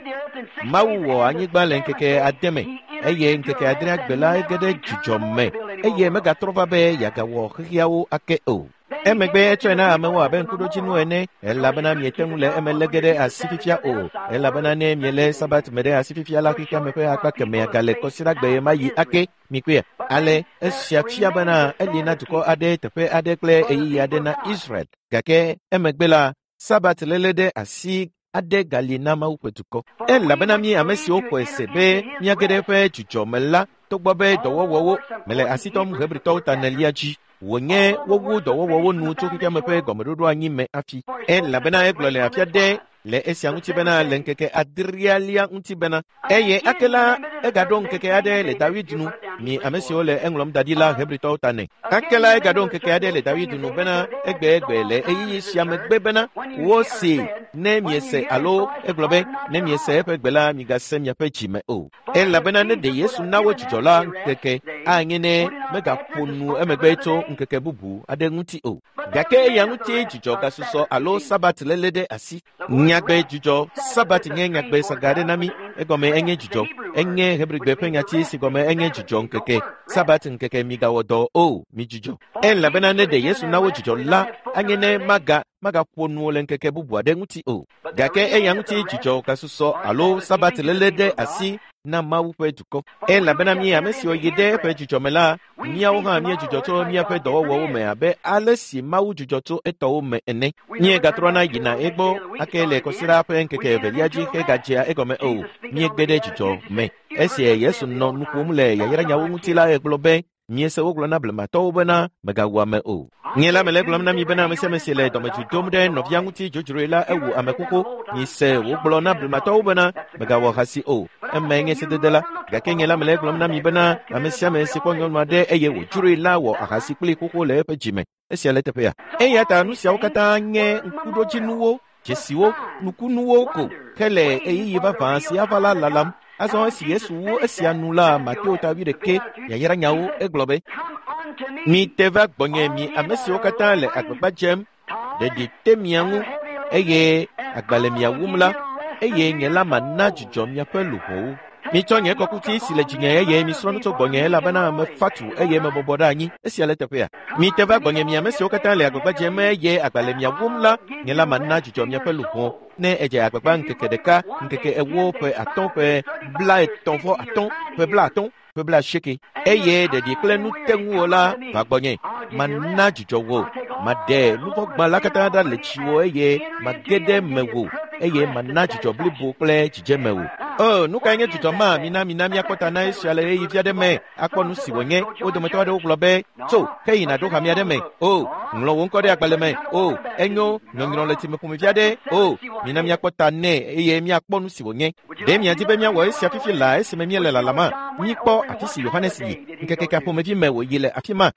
Mawu wɔ anyigba le ŋkeke ade me, eye ŋkeke adrea gbe la ege ɖe dzidzɔ me, eye megatrɔ va be yeagawɔ xexeawo ake o. Emegbe etsɔe na amewo abe ŋkuɖodzinu ene, elabena miete ŋu le eme lé ge ɖe asi fifia o, elabena ne mielé Sabat me ɖe asi fifia la, xexeame ƒe akpa kemɛa gale kɔsiɖagbe ɣemaɣi ake. Mikpɔea? Ale esia fia bena eli na dukɔ aɖe, teƒe aɖe kple ɣeyiɣi aɖe na Israel. Gake emegbe la, Sabat léle ɖe asi aɖe gali na Mawu ƒe dukɔ. Elabena mí ame siwo xɔe se be míage ɖe eƒe dzidzɔ me la, togbɔ be dɔwɔwɔwo mele asi tɔm Hebritɔwo ta enelia dzi, wònye wowu dɔwɔwɔwo nu tso xexeame ƒe gɔmeɖoɖoanyi me hafi. Elabena egblɔ le afi aɖe le esia ŋuti bena le ŋkeke adrealia ŋuti bena, eye ake la egaɖo ŋkeke aɖe le Dawid nu, mi ame siwo le eŋlɔm da ɖi la Hebritɔwo ta nɛ. Ake la egaɖo ŋkeke aɖe le Dawid nu bena egbeegbe le ɣeyiɣi sia megbe bena wosee ne miese alo egblɔ be ne miese eƒe gbe la migase miaƒe dzi me o. Elabena ne ɖe Yesu na wo dzidzɔ la ŋkeke anye ne megaƒo nu emegbe tso ŋkeke bubu aɖe ŋuti o. Gake eya ŋuti dzidzɔ gasusɔ alo Sabat léle ɖe asi. Nyagbe dzidzɔ Sabat nye nyagbe saga aɖe na mí. Egɔme enye dzidzɔ. Enye Hebrigbe ƒe nyati si gɔme enye dzidzɔ ŋkeke, Sabat ŋkeke migawɔ dɔ o, midzudzɔ. Elabena ne ɖe Yesu na wo dzidzɔ la, anye ne magaƒo nu le ŋkeke bubu aɖe ŋuti o. Gake eya ŋuti dzidzɔ gasusɔ alo Sabat léle ɖe asi na Mawu ƒe dukɔ. Elabena mi ame siwo yi ɖe eƒe dzidzɔ me la, míawo hã míedzudzɔ tso míaƒe dɔwɔwɔwo me abe ale si Mawu dzudzɔ tso etɔwo me ene. Míegatrɔna yina egbɔ ake le kɔsiɖa ƒe ŋkeke evelia dzi hegadzea egɔme o. Míegbe ɖe dzidzɔ me. Esi Yesu nɔ nu ƒom le yayranyawo ŋuti la, egblɔ be, Miese wogblɔ na blematɔwo bena megawu ame o. Nye la mele gblɔm na mi bena ame sia ame si le dɔmedzoe dom ɖe nɔvia ŋuti dzodzroe la ewu ame xoxo. Mise wogblɔ na blematɔwo bena megawɔ ahasi o. Emae nye sedede la. Gake nye la mele gblɔm na mi bena ame sia ame si kpɔ nyɔnu aɖe eye wòdzroe la wɔ ahasi kpli xoxo le eƒe dzime. Esia le teƒea. Eya ta nu siawo katã nye ŋkuɖodzinuwo, dzesiwo, nukunuwo ko hele ɣeyiɣi vavã si ava la lalam. Azɔ esi Yesu wu esia nu la, Mateo ta 8 yayranyawo egblɔ be, Mite va gbɔnye mi ame siwo katã le agbagba dzem, ɖeɖi te mia ŋu eye agba le mia wum la, eye nye la mana dzidzɔ miaƒe luʋɔwo. Mitsɔ nye kɔkuti si le dzinye eye misrɔ̃ nu tso gbɔnye elabena mefa tu eye mebɔbɔ ɖe anyi. Esia le teƒea. Mite va gbɔnye mi ame siwo katã le agbagba dzem eye agba le mia wum la, nye la mana dzidzɔ miaƒe luʋɔ. Ne edze agbagba ŋkeke ɖeka, ŋkeke 4, ƒe 5, ƒe 35, ƒe 50, ƒe 80, eye ɖeɖi kple nu te ŋuwò la va gbɔnye. Mana dzidzɔ wò, maɖe nuvɔ̃gba la katã ɖa le dziwò eye mage ɖe mewò eye mana dzidzɔ blibo kple dzidzeme wò. O, nu kae nye dzidzɔ ma? Mina míakpɔ ta na esia le ɣeyiɣi vi aɖe me akpɔ nu si wònye. Wo dometɔ aɖewo gblɔ be, tso, ke yina ɖo hame aɖe me. O, ŋlɔ wò ŋkɔ ɖe agbalẽ me. O, enyo, nyɔnyrɔ le tsime ƒomevi aɖe. O, mina míakpɔ ta nɛ eye míakpɔ nu si wònye. Ɖe miadi be míawɔ esia fifi laa esime míele lalama? Míkpɔ afi si Yohanes yi, ŋkeke ka ƒomevi me wòyi le afi ma.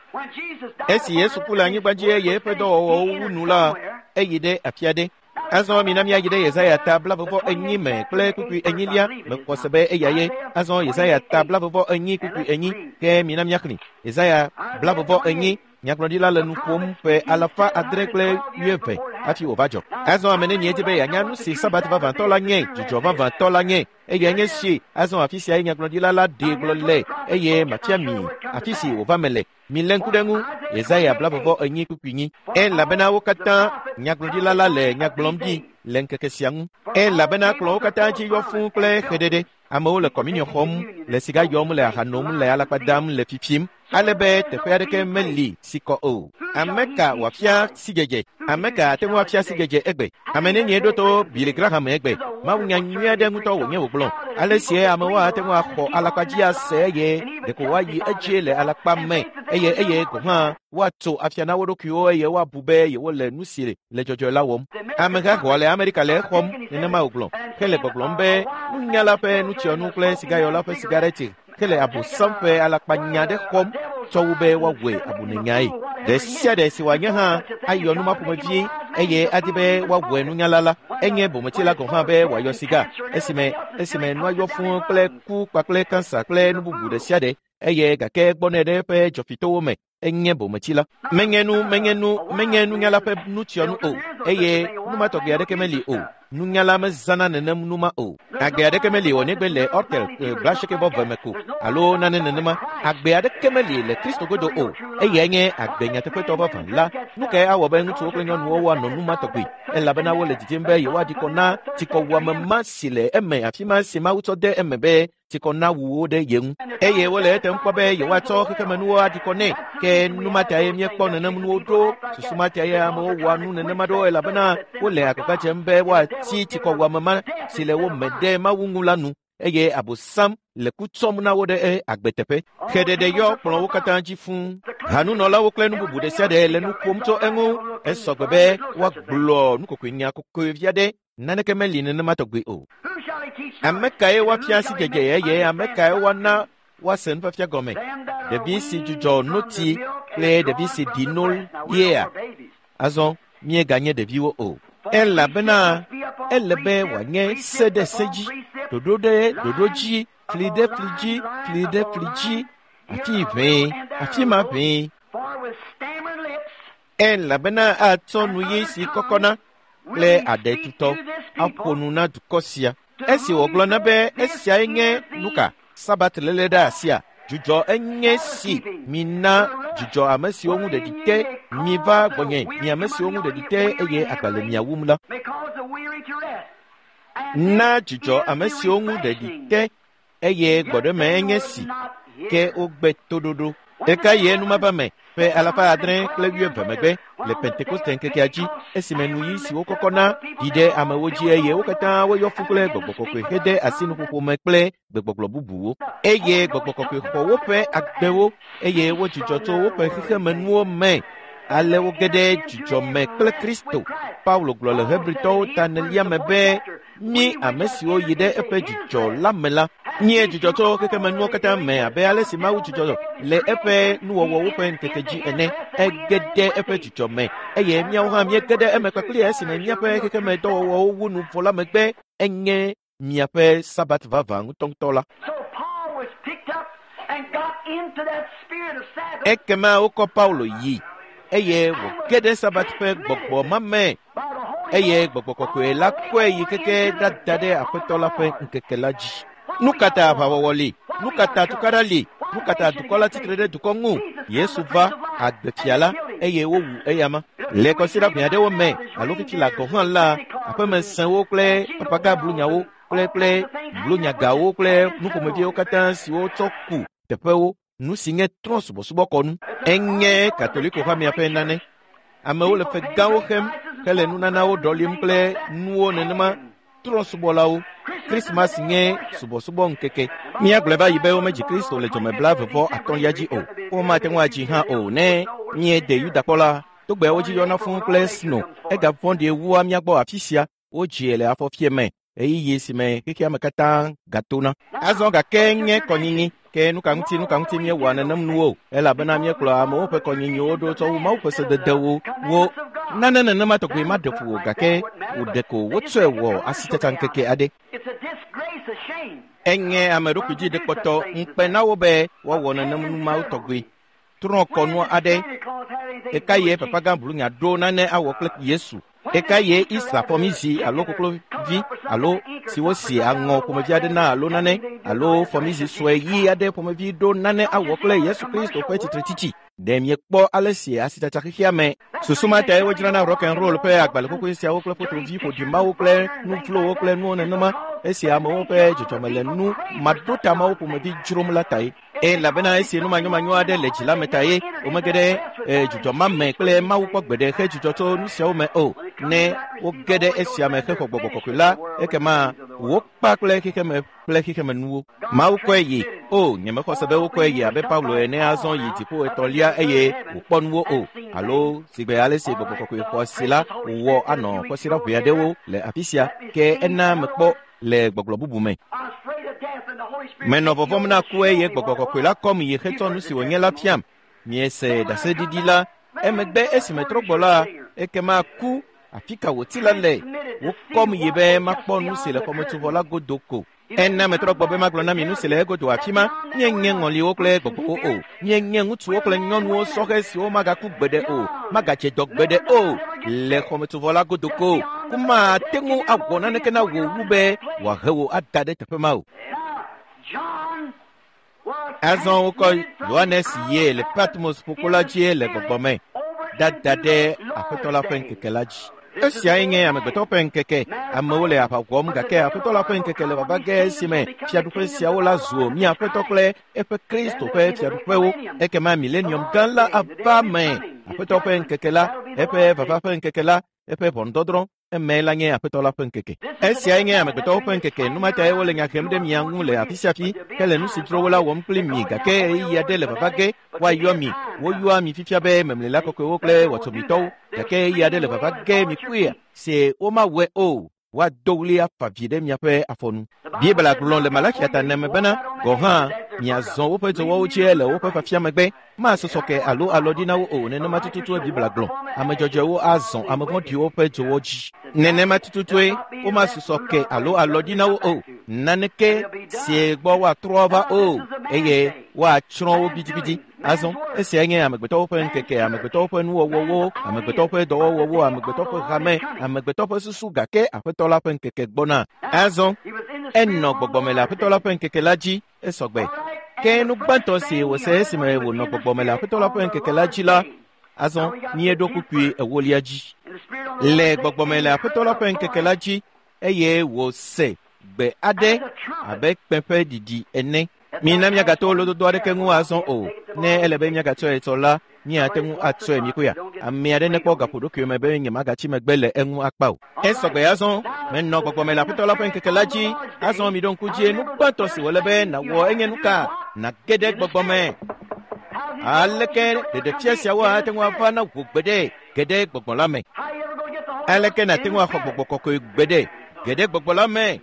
Esi Yesu ku le anyigba dzi eye eƒe dɔwɔwɔwo wu nu la, eyi ɖe afi aɖe. Azɔ mina míayi ɖe Yesaya ta 44 me kple kpukpui 4 mexɔ se be eya ye. Azɔ Yesaya ta 44 kpukpui 4 ke mina míaxlẽ. Yesaya 44 nyagblɔɖila le nu ƒom ƒe 620 hafi wòva dzɔ. Azɔ ame nenie di be yeanya nu si Sabat vavãtɔ la nye, dzidzɔ vavãtɔ la nye, eyae nye si. Azɔ afi sia ye nyagblɔɖila la ɖee gblɔ le eye mafia mi afi si wòva me le. Milé ŋku ɖe ŋu. Yesaya 44 kpukpui 4. Elabena wo katã nyagblɔɖila la le nya gblɔm ɖi le ŋkeke sia ŋu. Elabena kplɔ̃wo katã dzi yɔ fũu kple xeɖeɖe. Amewo le kɔminiɔ xɔm, le siga yɔm, le aha nom, le alakpa dam, le fifim, ale be teƒe aɖeke meli si kɔ o. Ame ka wòafia sidzedze? Ame ka ate ŋu afia sidzedze egbe? Ame nenie ɖo to Billy Graham egbe? Mawunya nyui aɖe ŋutɔ wònye wògblɔ. Ale sie amewo ate ŋu axɔ alakpa dzi ase eye ɖeko woayi edzi le alakpa me eye eye gɔ̃ hã woatso afia na wo ɖokuiwo eye woabu be yewole nu si le dzɔdzɔe la wɔm. Ameha xɔa le Amerika le exɔm nenema wògblɔ. Hele gbɔgblɔm be nunyala ƒe nutsyɔnu kple sigayɔla ƒe sigareti hele abosam ƒe alakpanya ɖe xɔm tsɔ wu be woawɔe abunenyae. Ɖe sia ɖe si wòanye hã ayɔ nu ma ƒomevi eye adi be woawɔe nunyala la, enye bometsila gɔ̃ hã be wòayɔ siga esime nua yɔ fũu kple ku kpakple kansa kple nu bubu ɖe sia ɖe eye gake gbɔnɛ ɖe eƒe dzɔfitowo me. Enye bometsila. Menye nunyala ƒe nutsyɔnu o eye nu ma tɔgbi aɖeke meli o. Nunyala mezãna nenem nu ma o. Agbe aɖeke meli o negbe le Ortel 80 me ko alo nane nenema. Agbe aɖeke meli le Kristo godo o. Eyae nye agbe nyateƒetɔ vavã la. Nu kae awɔ be ŋutsuwo kple nyɔnuwo woanɔ nu ma tɔgbi? Elabena wole didim be yewoaɖi kɔ na tsikɔwuame ma si le eme afi ma si Mawu tsɔ de eme be tsikɔ na wu wo ɖe ye ŋu. Eye wole etem kpɔ be yewoatsɔ xexemenuwo aɖi kɔ nɛ. Ke nu ma tae míekpɔ nenem nuwo ɖo. Susu ma tae amewo wɔa nu nenema ɖo elabena wole agbagba dzem be woatsi tsikɔwuame ma si le wo me ɖe Mawu ŋu la nu eye abosam le ku tsɔm na wo ɖe agbeteƒe. Xeɖeɖe yɔ kplɔ̃wo katã dzi fũu. Hanunɔlawo kple nu bubu ɖe sia ɖe le nu ƒom tso eŋu. Esɔgbe be woagblɔ nukokoenya kokoe vi aɖe. Naneke meli nenema tɔgbi o. Ame kae woafia sidzedze eye ame kae woana woase nufiafia gɔme? Ɖevi si dzudzɔ notsi kple ɖevi si ɖi no yea? Azɔ míeganye ɖeviwo o. Elabena ele be wòanye se ɖe se dzi, ɖoɖo ɖe ɖoɖo dzi, fli ɖe fli dzi, fli ɖe fli dzi, afi ʋee, afi ma ʋee. Elabena atsɔ nu ɣi si kɔkɔna kple aɖe tutɔ aƒo nu na dukɔ sia. Esi wògblɔ na be esiae nye nuka Sabat léle ɖe asia, dzudzɔ enye si mina dzudzɔ ame siwo ŋu ɖeɖi te miva gbɔnye mi ame siwo ŋu ɖeɖi te eye agba le mia wum la. Na dzudzɔ ame siwo ŋu ɖeɖi te eye gbɔɖeme enye si ke wogbe toɖoɖo. Eka ye numava me ƒe 620 megbe le Pentekoste ŋkekea dzi esime nuyi siwo kɔkɔna ɖi ɖe amewo dzi eye wo katã woyɔ fũ kple gbɔgbɔ kɔkɔe hede asi nuƒoƒo me kple gbegbɔgblɔ bubuwo eye gbɔgbɔ kɔkɔe xɔ woƒe agbewo eye wodzudzɔ tso woƒe xexemenuwo me. Ale woge ɖe dzudzɔ me kple Kristo. Paulo gblɔ le Hebritɔwo ta 4 me be mí ame siwo yi ɖe eƒe dzudzɔ la me la míe dzudzɔ tso xexemenuwo katã me abe ale si Mawu dzudzɔ le eƒe nuwɔwɔwo ƒe ŋkeke dzi ene. Ege ɖe eƒe dzudzɔ me eye míawo hã míege ɖe eme kpakple esime míaƒe xexemedɔwɔwɔwo wu nu vɔ la megbe enye miaƒe Sabat vavã ŋutɔŋutɔ la. Ekema wokɔ Paulo yi eye wòge ɖe Sabat ƒe gbɔgbɔ ma me eye gbɔgbɔ kɔkɔe la kɔe yi keke ɖada ɖe Aƒetɔ la ƒe ŋkeke la dzi. Nu ka ta aʋawɔwɔ li? Nu ka ta tukaɖa li? Nu ka ta dukɔ la tsitre ɖe dukɔ ŋu? Yesu va agbefia la eye wowu eyama. Le kɔsiɖa ʋɛ aɖewo me alo fifi la gɔ̃ hã la, aƒemesẽwo kple papaga blunyawo kple blunyagawo kple nuƒomeviwo katã siwo tsɔ ku teƒewo nu si nye trɔ̃subɔsubɔkɔnu. Enye Katoliko hamea ƒe nane. Amewo le fe gãwo xem hele nunanawo ɖɔlim kple nuwo nenema trɔ̃subɔlawo. Krismas nye subɔsubɔ ŋkeke. Míagblɔe va yi be womedzi Kristo le dzɔme 33 dzi o. Womate ŋu adzi hã o ne míede Yudakpɔ la. Togbeawo dzi yɔna fũu kple sno. Egavɔ̃ɖie wua mía gbɔ afi sia. Wodzie le afɔfie me ɣeyiɣi si me xexea me katã gatona. Azɔ gake nye kɔnyinyi ke nuka ŋuti míewɔa nenem nuwo elabena míekplɔ amewo ƒe kɔnyinyiwo ɖo tsɔ wu Mawu ƒe sededewo wo. Nane nenema tɔgbi maɖe fu o gake wòɖe ko wotsɔe wɔ asitsatsa ŋkeke aɖe. Enye ame ɖokui dzi ɖekpɔtɔ ŋukpe na wo be woawɔ nenem nu mawo tɔgbi. Trɔ̃ kɔnu aɖe. Eka ye papagã blunya ɖo nane awɔ kple Yesu. Eka ye Isa fɔmizi alo koklovi alo si wosi aŋɔ ƒomevi aɖe na alo nane alo fɔmizi sue ɣi aɖe ƒomevi ɖo nane awɔ kple Yesu Kristo ƒe tsitretsitsi. Ɖe miekpɔ ale si asitsatsa xexea me. Susu ma tae wodzrana rock and roll ƒe agbalẽ xoxoe siawo kple fotovi ƒoɖimawo kple nu vlowo kple nuwo nenema esi amewo ƒe dzɔdzɔme le nu maɖotamawo ƒomevi dzrom la tae. Elabena esi nu manyomanyo aɖe le dzi la me ta ye womege ɖe dzudzɔ ma me kple Mawu kpɔ gbeɖe he dzudzɔ tso nu siawo me o. Ne woge ɖe esia me hexɔ gbɔgbɔ kɔkɔe la, ekema wokpa kple xexeme kple xexemenuwo. Mawu kɔe yi. O, nyemexɔ se be wokɔe yi abe Paulo ene azɔ yi dziƒo etɔ̃lia eye wòkpɔ nuwo o. Alo sigbe ale si gbɔgbɔ kɔkɔe xɔ asi la wòwɔ anɔ kɔsiɖa ʋɛ aɖewo le afi sia ke ena mekpɔ le gbɔgblɔ bubu me. Menɔ vɔvɔ̃m na ku eye gbɔgbɔ kɔkɔe la kɔm yi hetsɔ nu si wònye la fiam. Miese ɖaseɖiɖi la emegbe esi metrɔ gbɔ la, ekema ku afi ka wòti la le. Wokɔm yi be makpɔ nu si le xɔmetsovɔ la godo ko. Ena metrɔ gbɔ be magblɔ na mi nu si le egodo afi ma. Míenye ŋɔliwo kple gbɔgbɔwo o. Míenye ŋutsuwo kple nyɔnuwo sɔhɛ siwo magaku gbeɖe o, magadze dɔ gbeɖe o le xɔmetsovɔ la godo ko. Ku mate ŋu awɔ naneke na wò wu be wòahe wò ada ɖe teƒe ma o. Azɔ wokɔ Yohanes yie le Patmos ƒukpo la dzi le gbɔgbɔ me dada ɖe Aƒetɔ la ƒe ŋkeke la dzi. Esiae nye amegbetɔ ƒe ŋkeke. Amewo le aʋa wɔm gake Aƒetɔ la ƒe ŋkeke le vava ge esime fiaɖuƒe siawo la zu mía Aƒetɔ kple eƒe Kristo ƒe fiaɖuƒewo. Ekema milenium gã la ava me. Aƒetɔ ƒe ŋkeke la, eƒe vava ƒe ŋkeke la, eƒe ʋɔnudɔdrɔ̃ eme la nye Aƒetɔ la ƒe ŋkeke. Esiae nye amegbetɔwo ƒe ŋkeke. Nu ma tae wole nya hem ɖe mia ŋu le afi sia fi hele nu si dzro wo la wɔm kpli mi gake ɣeyiɣi aɖe le vava ge woayɔ mi. Woyɔa mi fifia be memlela kɔkɔewo kple wɔtsomitɔwo gake ɣeyiɣi aɖe le vava ge mi kpuia se womawɔe o. Woado ɣli afa vi ɖe miaƒe afɔnu. Biblia gblɔ le Malakia ta 4 me bena gɔ̃ hã miazɔ woƒe dzɔwɔwo dzi le woƒe fafia megbe. Masɔsɔ ke alo alɔ ɖi na wo o. Nenema tututue Biblia gblɔ. Ame dzɔdzɔewo azɔ ame vɔ̃ɖiwo ƒe dzowɔ dzi. Nenema tututue womasusɔ ke alo alɔ ɖi na wo o. Naneke si gbɔ woatrɔ va o eye woatsrɔ̃ wo gidigidi. Azɔ esiae nye amegbetɔwo ƒe ŋkeke, amegbetɔwo ƒe nuwɔwɔwo, amegbetɔwo ƒe dɔwɔwɔwo, amegbetɔwo ƒe hame, amegbetɔ ƒe susu gake Aƒetɔ la ƒe ŋkeke gbɔna. Azɔ Enɔ gbɔgbɔme le Aƒetɔ la ƒe ŋkeke la dzi esɔgbe. Ke nu gbãtɔ si wòse esime wònɔ gbɔgbɔme le Aƒetɔ la ƒe ŋkeke la dzi la, azɔ míeɖo kpukpui ewolia dzi. Le gbɔgbɔme le Aƒetɔ la ƒe ŋkeke la dzi eye wòse gbe aɖe abe kpẽ ƒe ɖiɖi ene. Mina míagato lododo aɖeke ŋu azɔ o. Ne ele be míagatsɔe tsɔ la, míate ŋu atsɔe míkoya. Ame aɖe nekpɔ gaƒoɖokui me be nyemagatsi megbe le eŋu akpa o. Esɔgbe azɔ, menɔ gbɔgbɔme le Aƒetɔ la ƒe ŋkeke la dzi. Azɔ miɖo ŋku dzie nu gbãtɔ si wòle be nàwɔ enye nu ka? Nàge ɖe gbɔgbɔme. Aleke ɖeɖefia siawo ate ŋu ava na wò gbeɖe ge ɖe gbɔgbɔ la me? Aleke nàte ŋu axɔ gbɔgbɔ kɔkɔe gbeɖe ge ɖe gbɔgbɔ la me?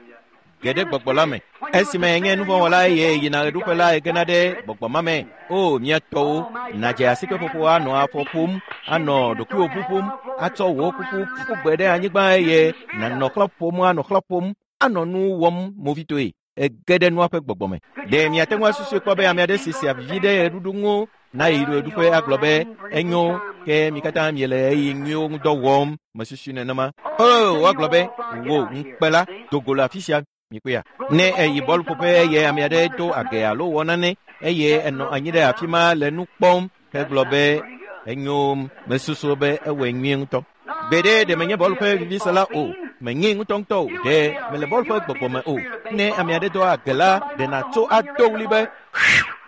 Ge ɖe gbɔgbɔ la me. Esime nye nuvɔ̃wɔla eye yina ɣeɖuƒe la egena ɖe gbɔgbɔ ma me. O, mía tɔwo, nàdze asikpeƒoƒo anɔ afɔ ƒom, anɔ ɖokuiwò ƒuƒum, atsɔ wò kuku ƒu gbe ɖe anyigba eye nànɔ xlã ƒom, anɔ xlã ƒom, anɔ nu wɔm movitoe. Ege ɖe nua ƒe gbɔgbɔ me. Ɖe miate ŋu asusui kpɔ be ame aɖe si sea vivi ɖe ɣeɖuɖu ŋu nayi ɣeɖuƒe agblɔ be enyo ke mi katã miele ɣeyiɣi nyuiwo ŋu dɔ wɔm mesusui nenema. O, woagblɔ be wò ŋukpe la do go le afi sia mikpɔea. Ne eyi bɔluƒoƒe eye ame aɖe do age alo wɔ nane eye enɔ anyi ɖe afi ma le nu kpɔm hegblɔ be enyo mesusu be ewɔe nyuie ŋutɔ. Gbeɖe ɖe menye bɔlu ƒe vivisela o, menye ŋutɔŋutɔ o, ɖe mele bɔlu ƒe gbɔgbɔ me o. Ne ame aɖe do age la, ɖe nàtso ado ɣli be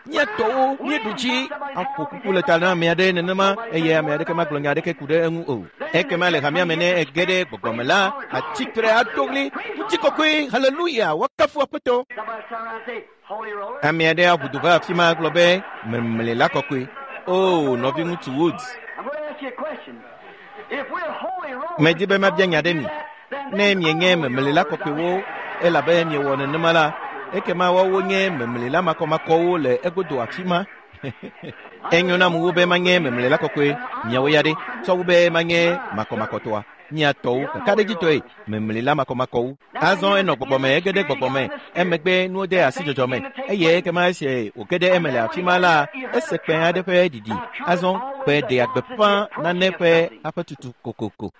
mía tɔwo míeɖu dzi aƒo kuku le ta na ame aɖe nenema eye ame aɖeke magblɔ nya aɖeke ku ɖe eŋu o. Ekema le hamea me ne ege ɖe gbɔgbɔ me la, atsitre ado ɣli ŋutikɔkɔe haleluya woakafu Aƒetɔ. Ame aɖe aʋu du va afi ma agblɔ be memle la kɔkɔe. O nɔviŋutsu Woods, medi be mabia nya ɖe mi. Ne mienye memlela kɔkɔewo elabe miewɔ nenema la, ekema woawo nye memlela makɔmakɔwo le egodo afi ma. Enyo nam wu be manye memlela kɔkɔe miawo ya ɖe, tsɔ wu be manye makɔmakɔtɔa. Mia tɔwo kakaɖedzitɔe memlela makɔmakɔwo. Azɔ enɔ gbɔgbɔme, ege ɖe gbɔgbɔme, emegbe nuwo de asi dzɔdzɔ me eye ekema esi wòge ɖe eme le afi ma la, ese kpẽ aɖe ƒe ɖiɖi. Azɔ kpẽ ɖea gbeƒã nane ƒe aƒetutu kokoko.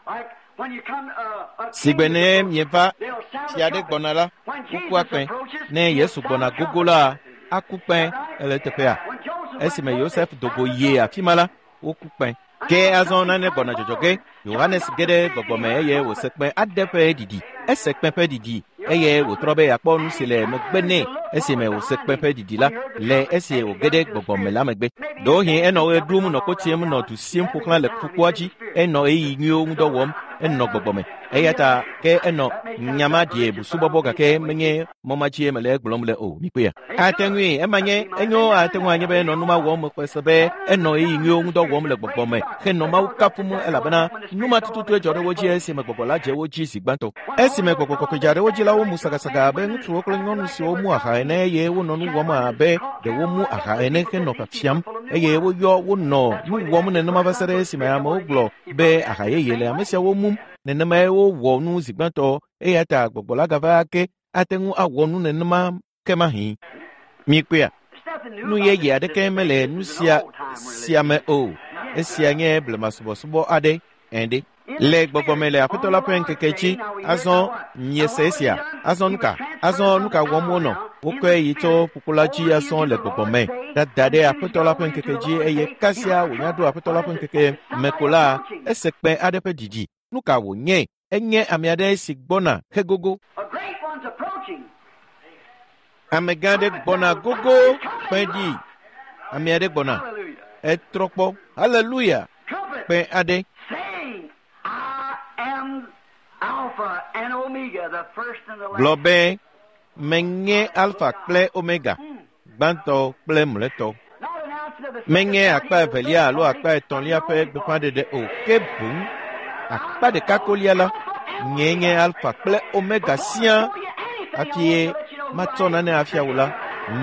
Sigbe ne mieva fia aɖe gbɔna la, wokua kpẽ. Ne Yesu gbɔna gogo la, aku kpẽ ele teƒea. Esime Yosef do go yie afi ma la, woku kpẽ. Ke azɔ nane gbɔna dzɔdzɔ ge. Yohanes ge ɖe gbɔgbɔme eye wòse kpẽ aɖe ƒe ɖiɖi. Ese kpẽ ƒe ɖiɖi eye wòtrɔ be yeakpɔ nu si le megbe nɛ esime wòse kpẽ ƒe ɖiɖi la le esi wòge ɖe gbɔgbɔme la megbe. Ɖewohĩ enɔ ɣe ɖum nɔ kotsim nɔ du sim ƒo xlã le ƒukpoa dzi, enɔ ɣeyiɣi nyuiwo ŋu dɔ wɔm, enɔ gbɔgbɔme. Eya ta ke enɔ nyama ɖie busubɔbɔ gake menye mɔ ma dzie mele egblɔm le o. Mikpɔea? Ate ŋui ema nye enyo ate ŋu anye be enɔ nu ma wɔm mexɔe se be enɔ ɣeyiɣi nyuiwo ŋu dɔ wɔm le gbɔgbɔme henɔ Mawu kafum elabena nu ma tututue dzɔ ɖe wo dzi esime gbɔgbɔ la dze wo dzi zi gbãtɔ. Esime gbɔgbɔ kɔkɔe dza ɖe wo dzi la, womu sagasaga abe ŋutsuwo kple nyɔnu siwo mu aha ene eye wonɔ nu wɔm abe ɖe womu aha ene henɔ fiafiam eye woyɔ wonɔ nu wɔm nenema va se ɖe esime amewo gblɔ be aha yeye le ame siawo mum. Nenemae wowɔ nu zi gbãtɔ eya ta gbɔgbɔ la gava ake ate ŋu awɔ nu nenema ke mahĩ. Mikpɔea? Nu yeye aɖeke mele nu sia sia me o. Esia nye blemasubɔsubɔ aɖe ene. Le gbɔgbɔme le Aƒetɔ la ƒe ŋkeke dzi, azɔ miese esia. Azɔ nu ka? Azɔ nu ka wɔm wonɔ? Wokɔe yi tso ƒukpo la dzi azɔ le gbɔgbɔme dada ɖe Aƒetɔ la ƒe ŋkeke dzi eye kasia wònya ɖo Aƒetɔ la ƒe ŋkeke me ko la, ese kpẽ aɖe ƒe ɖiɖi. Nu ka wònye? Enye ame aɖe si gbɔna hegogo. Amegã aɖe gbɔna gogo kpẽ ɖi. Ame aɖe gbɔna. Etrɔ kpɔ. Haleluya! Kpẽ aɖe. Gblɔ be menye Alfa kple Omega, gbãtɔ kple mlɔetɔ. Menye akpa evelia alo akpa etɔ̃lia ƒe gbeƒãɖeɖe o, ke boŋ akpa ɖeka kolia la, nyee nye Alfa kple Omega siaa. Hafi matsɔ nane afia wò la,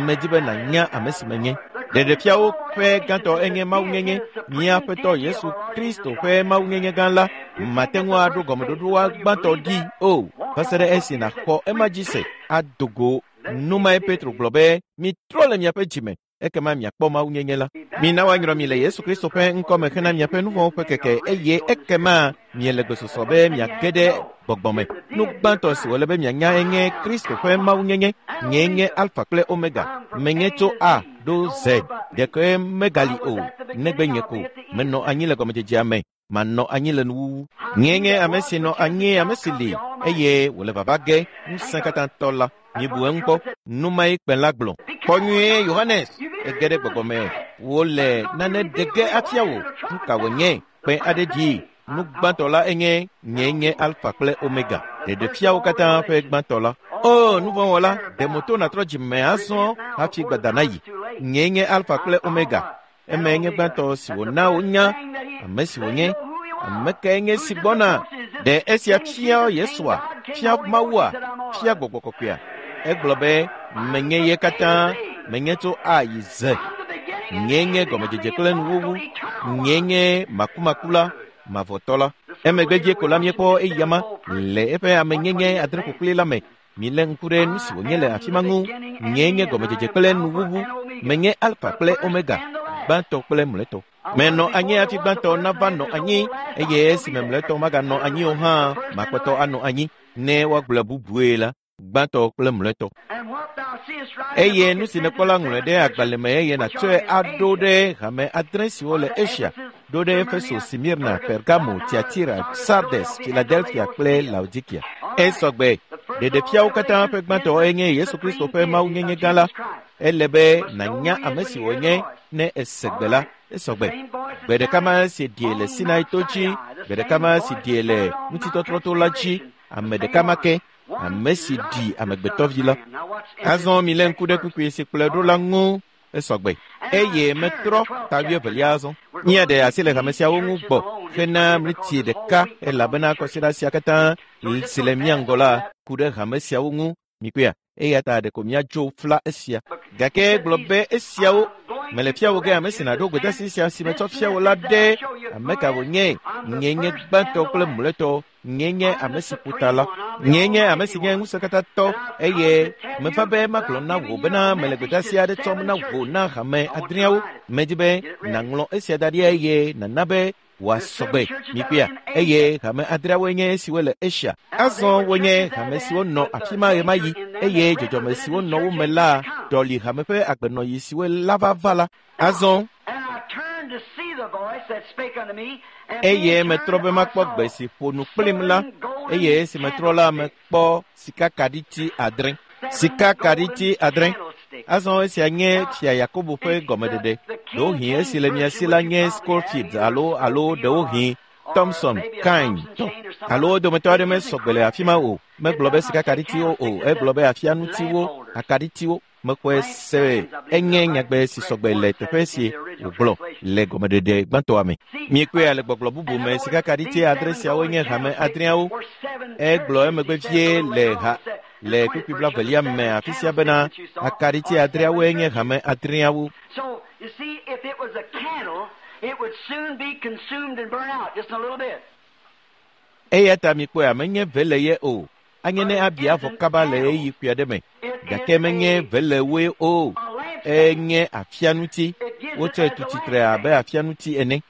medi be nànya ame si menye. Ɖeɖefiawo ƒe gãtɔ enye mawunyenye, mía Aƒetɔ Yesu Kristo ƒe mawunyenye gã la. Mate ŋu aɖo gɔmeɖoɖoa gbãtɔ ɖi o, va se ɖe esi nàxɔ ema dzi se ado go. Nu mae Petro gblɔ be, mitrɔ le miaƒe dzime. Ekema miakpɔ mawunyenye la. Mina woanyrɔ mi le Yesu Kristo ƒe ŋkɔme hena miaƒe nu vɔ̃wo ƒe keke eye ekema miele gbesɔsɔ be miage ɖe gbɔgbɔ me. Nu gbãtɔ si wòle be mianya enye Kristo ƒe mawunyenye. Nyee nye Alfa kple Omega. Menye tso A ɖo Z. Ɖeke megali o, negbe nye ko. Menɔ anyi le gɔmedzedzea me. Manɔ anyi le nuwuwu. Nyee nye ame si nɔ anyi, ame si li, eye wòle vava ge, ŋusẽ katã tɔ la. Mibu eŋu kpɔ. Nu mae kpẽ la gblɔ. Kpɔ nyuie, Yohanes! Ege ɖe gbɔgbɔ me. Wole nane ɖe ge afia wò. Nu ka wònye? Kpẽ aɖe dzi. Nu gbãtɔ la enye nyee nye Alfa kple Omega, ɖeɖefiawo katã ƒe gbãtɔ la. O, nuvɔ̃wɔla, ɖe moto nàtrɔ dzime azɔ hafi gbada nayi. Nyee nye Alfa kple Omega. Emae nye gbãtɔ si wòna wonya ame si wònye. Ame kae nye si gbɔna? Ɖe esia fia Yesua, fia Mawua, fia Gbɔgbɔ Kɔkɔea? Egblɔ be, menye ye katã, menye tso A yi Z. Nyee nye gɔmedzedze kple nuwuwu. Nyee nye makumakula, mavɔtɔ la. Emegbe dzi ko la míekpɔ eyama le eƒe amenyenye adre ƒoƒli la me. Milé ŋku ɖe nu si wònye le afi ma ŋu. Nyee nye gɔmedzedze kple nuwuwu. Menye Alfa kple Omega, gbãtɔ kple mlɔetɔ. Menɔ anyi hafi gbãtɔ nava nɔ anyi eye esime mlɔetɔ maganɔ anyi o hã, makpɔtɔ anɔ anyi. Ne woagblɔe bubue la, gbãtɔ kple mlɔetɔ. Eye nu si nèkpɔ la ŋlɔe ɖe agbalẽ me eye nàtsɔe aɖo ɖe hame adre siwo le Asia, ɖo ɖe Efeso, Smirna, Pergamo, Tiatira, Sardes, Philadelphia kple Laodikia. Esɔgbe. Ɖeɖefiawo katã ƒe gbãtɔ enye Yesu Kristo ƒe mawunyenye gã la. Ele be nànya ame si wònye ne ese gbe la. Esɔgbe. Gbe ɖeka ma si ɖie le Sinai to dzi, gbe ɖeka ma si ɖie le ŋutitɔtrɔto la dzi, ame ɖeka ma ke, ame si ɖi amegbetɔvi la. Azɔ milé ŋku ɖe kpukpui si kplɔe ɖo la ŋu. Esɔgbe. Eye metrɔ ta wuievelia azɔ. Míaɖe asi le hame siawo ŋu gbɔ hena ɣleti ɖeka elabena kɔsiɖa sia katã si le mía ŋgɔ la ku ɖe hame siawo ŋu. Mikpɔea? Eya ta ɖeko míadzo fla esia. Gake egblɔ be esiawo mele fia wò ge ame si nàɖo gbedeasi sia si metsɔ fia wò la ɖe ame ka wònye. Nyee nye gbãtɔ kple mlɔetɔ. Nyee nye ame si ƒo ta la. Nyee nye ame si nye ŋusẽkatãtɔ eye meva be magblɔ na wò bena mele gbedeasi aɖe tsɔm na wò na hame adreawo. Medi be nàŋlɔ esia da ɖi eye nàna be wòasɔgbe. Mikpɔea? Eye hame adreawoe nye esiwo le Asia. Azɔ wonye hame siwo nɔ afi ma ɣemaɣi eye dzɔdzɔme siwo nɔ wo me la ɖɔli hame ƒe agbenɔɣi siwo la va va la. Azɔ eye metrɔ be makpɔ gbe si ƒo nu kplim la, eye esi metrɔ la, mekpɔ sikakaɖiti adre. Sikakaɖiti adre. Azɔ esia nye Fia Yakobo ƒe gɔmeɖeɖe. Ɖewohĩ esi le mia si la nye Scofield alo alo ɖewohĩ Thompson Kain tɔ. Alo wo dometɔ aɖe mesɔgbe le afi ma o. Megblɔ be sikakaɖitiwo o, egblɔ be afianutiwo, akaɖitiwo. Mexɔe se enye nyagbe si sɔgbe le teƒe si wògblɔ le gɔmeɖeɖe gbãtɔa me. Míekpɔe le gbɔgblɔ bubu me sikakaɖiti adre siawo nye hame adreawo. Egblɔ emegbe vie le ha le kpukpui blaevelia me afi sia bena akaɖiti adreawoe nye hame adreawo. So, you see, if it was a candle, it would soon be consumed and burn out just in a little bit. Eya ta mikpɔe menye vele ye o. Anye ne abi avɔ kaba le ɣeyiɣi kpui aɖe me. Gake menye velewoe o. Enye afianuti. Wotsɔe tu tsitre abe afianuti ene.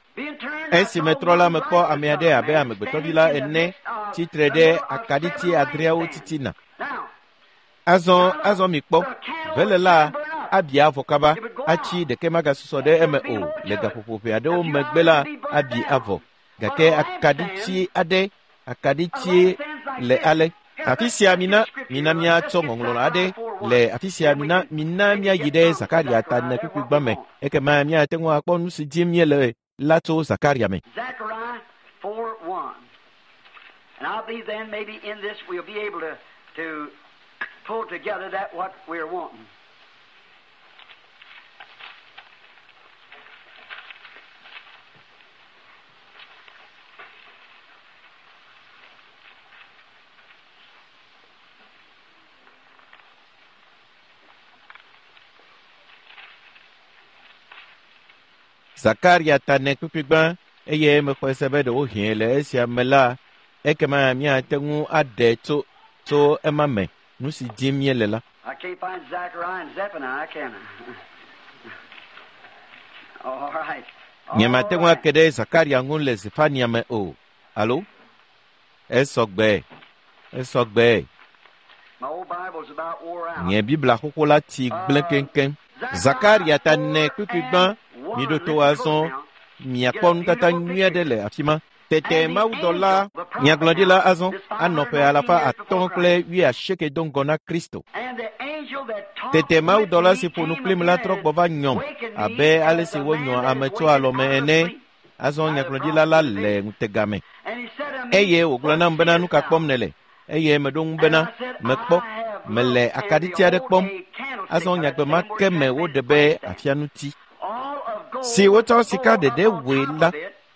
Esi metrɔ la, mekpɔ ame aɖe abe amegbetɔvi la ene tsitre ɖe akaɖiti adreawo titina. Azɔ, azɔ mikpɔ, vele la abi avɔ kaba, atsi ɖeke magasusɔ ɖe eme o. Le gaƒoƒo ʋɛ aɖewo megbe la, abi avɔ. Gake akaɖiti aɖe, akaɖiti le ale. Afi sia mina, mina míatsɔ ŋɔŋlɔ aɖe le afi sia mina, mina míayi ɖe Zakaria ta ene kpukpui gbã me. Ekema míate ŋu akpɔ nu si dim míele la tso Zakaria me. Zechariah 4 1. And I believe then maybe in this we'll be able to pull together that what we're wanting. Zakaria ta ene kpukpui gbã eye mexɔe se be ɖewohĩ le esia me la, ekema míate ŋu aɖe tso tso ema me nu si dim míele la. I can't find Zechariah and Zephaniah, can I? Nyemate ŋu ake ɖe Zakaria ŋu le Zefania me o, alo? Esɔgbe, esɔgbe. Nye Biblia xoxo la tsi gblẽ keŋkeŋ. Zakaria ta 4 kpukpui gbã, miɖo to azɔ, miakpɔ nutata nyui aɖe le afi ma. Tete mawudɔla nyagblɔɖila azɔ anɔ ƒe 580 do ŋgɔ na Kristo. Tete mawudɔla si ƒo nu kplim la trɔ gbɔ va nyɔm abe ale si wonyɔ ame tso alɔme ene. Azɔ nyagblɔɖila la le ŋutega me. Eye wògblɔ nam bena, nu ka kpɔm nèle? Eye meɖo ŋu bena, mekpɔ, mele akaɖiti aɖe kpɔm. Azɔ nyagbe ma ke me woɖe be afianuti si wotsɔ sika ɖeɖe wɔe la,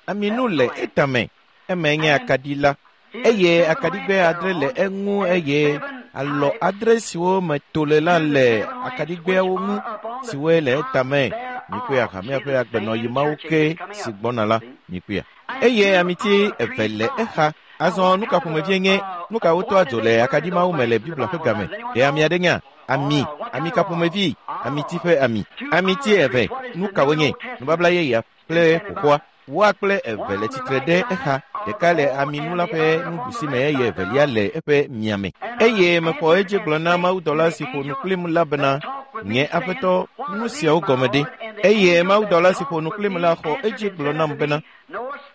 aminu le etame, eme nye akaɖi la. Eye akaɖigbe 6 le eŋu eye alɔ 6 siwo me to le la le akaɖigbeawo ŋu siwoe le etame. Mikpɔe hamea ƒe agbenɔyi mawo ke si gbɔna la, mikpɔea. Eye amiti 2 le exa. Azɔ nu ka ƒomevie nye nu ka wotɔa dzo le akaɖi mawo me le Biblia ƒe game? Ɖe ame aɖe nya? Ami, ami ka ƒomevi? Amiti ƒe ami. Amiti 2, nu ka wonye? Nubabla yeyea kple xoxoa. Woa kple 2 le tsitre ɖe exa, ɖeka le aminu la ƒe nuɖusi me eye evelia le eƒe miame. Eye mexɔ edzi gblɔ na mawudɔla si ƒo nu kplim la bena, nye aƒetɔ, nu siawo gɔme ɖe? Eye mawudɔla si ƒo nu kplim la xɔ edzi gblɔ nam bena,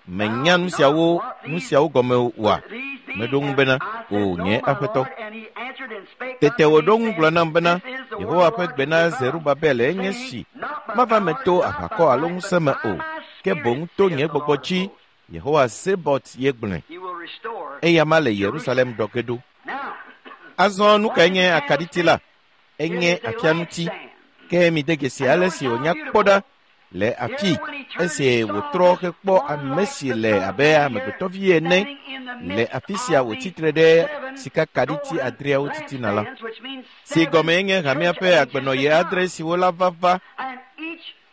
menya nu siawo gɔme oa? Meɖo ŋu bena, o nye aƒetɔ. Tete wòɖo ŋu gblɔ nam bena, Yehowa ƒe gbe na Zerubabel enye si, mava me to aʋakɔ alo ŋusẽ me o, ke boŋ to nye gbɔgbɔ dzi, Yehowa Sebot ye gblɔe. Eya ma le Yerusalem ɖɔ ge ɖo. Azɔ nu kae nye akaɖiti la? Enye afianuti. Ke mide dzesi ale si wònya kpɔ ɖa le afi esi wòtrɔ hekpɔ ame si le abe amegbetɔvi ene le afi sia wòtsitre ɖe sikakaɖiti 6 titina la, si gɔme nye hamea ƒe agbenɔɣi 6 siwo la va va,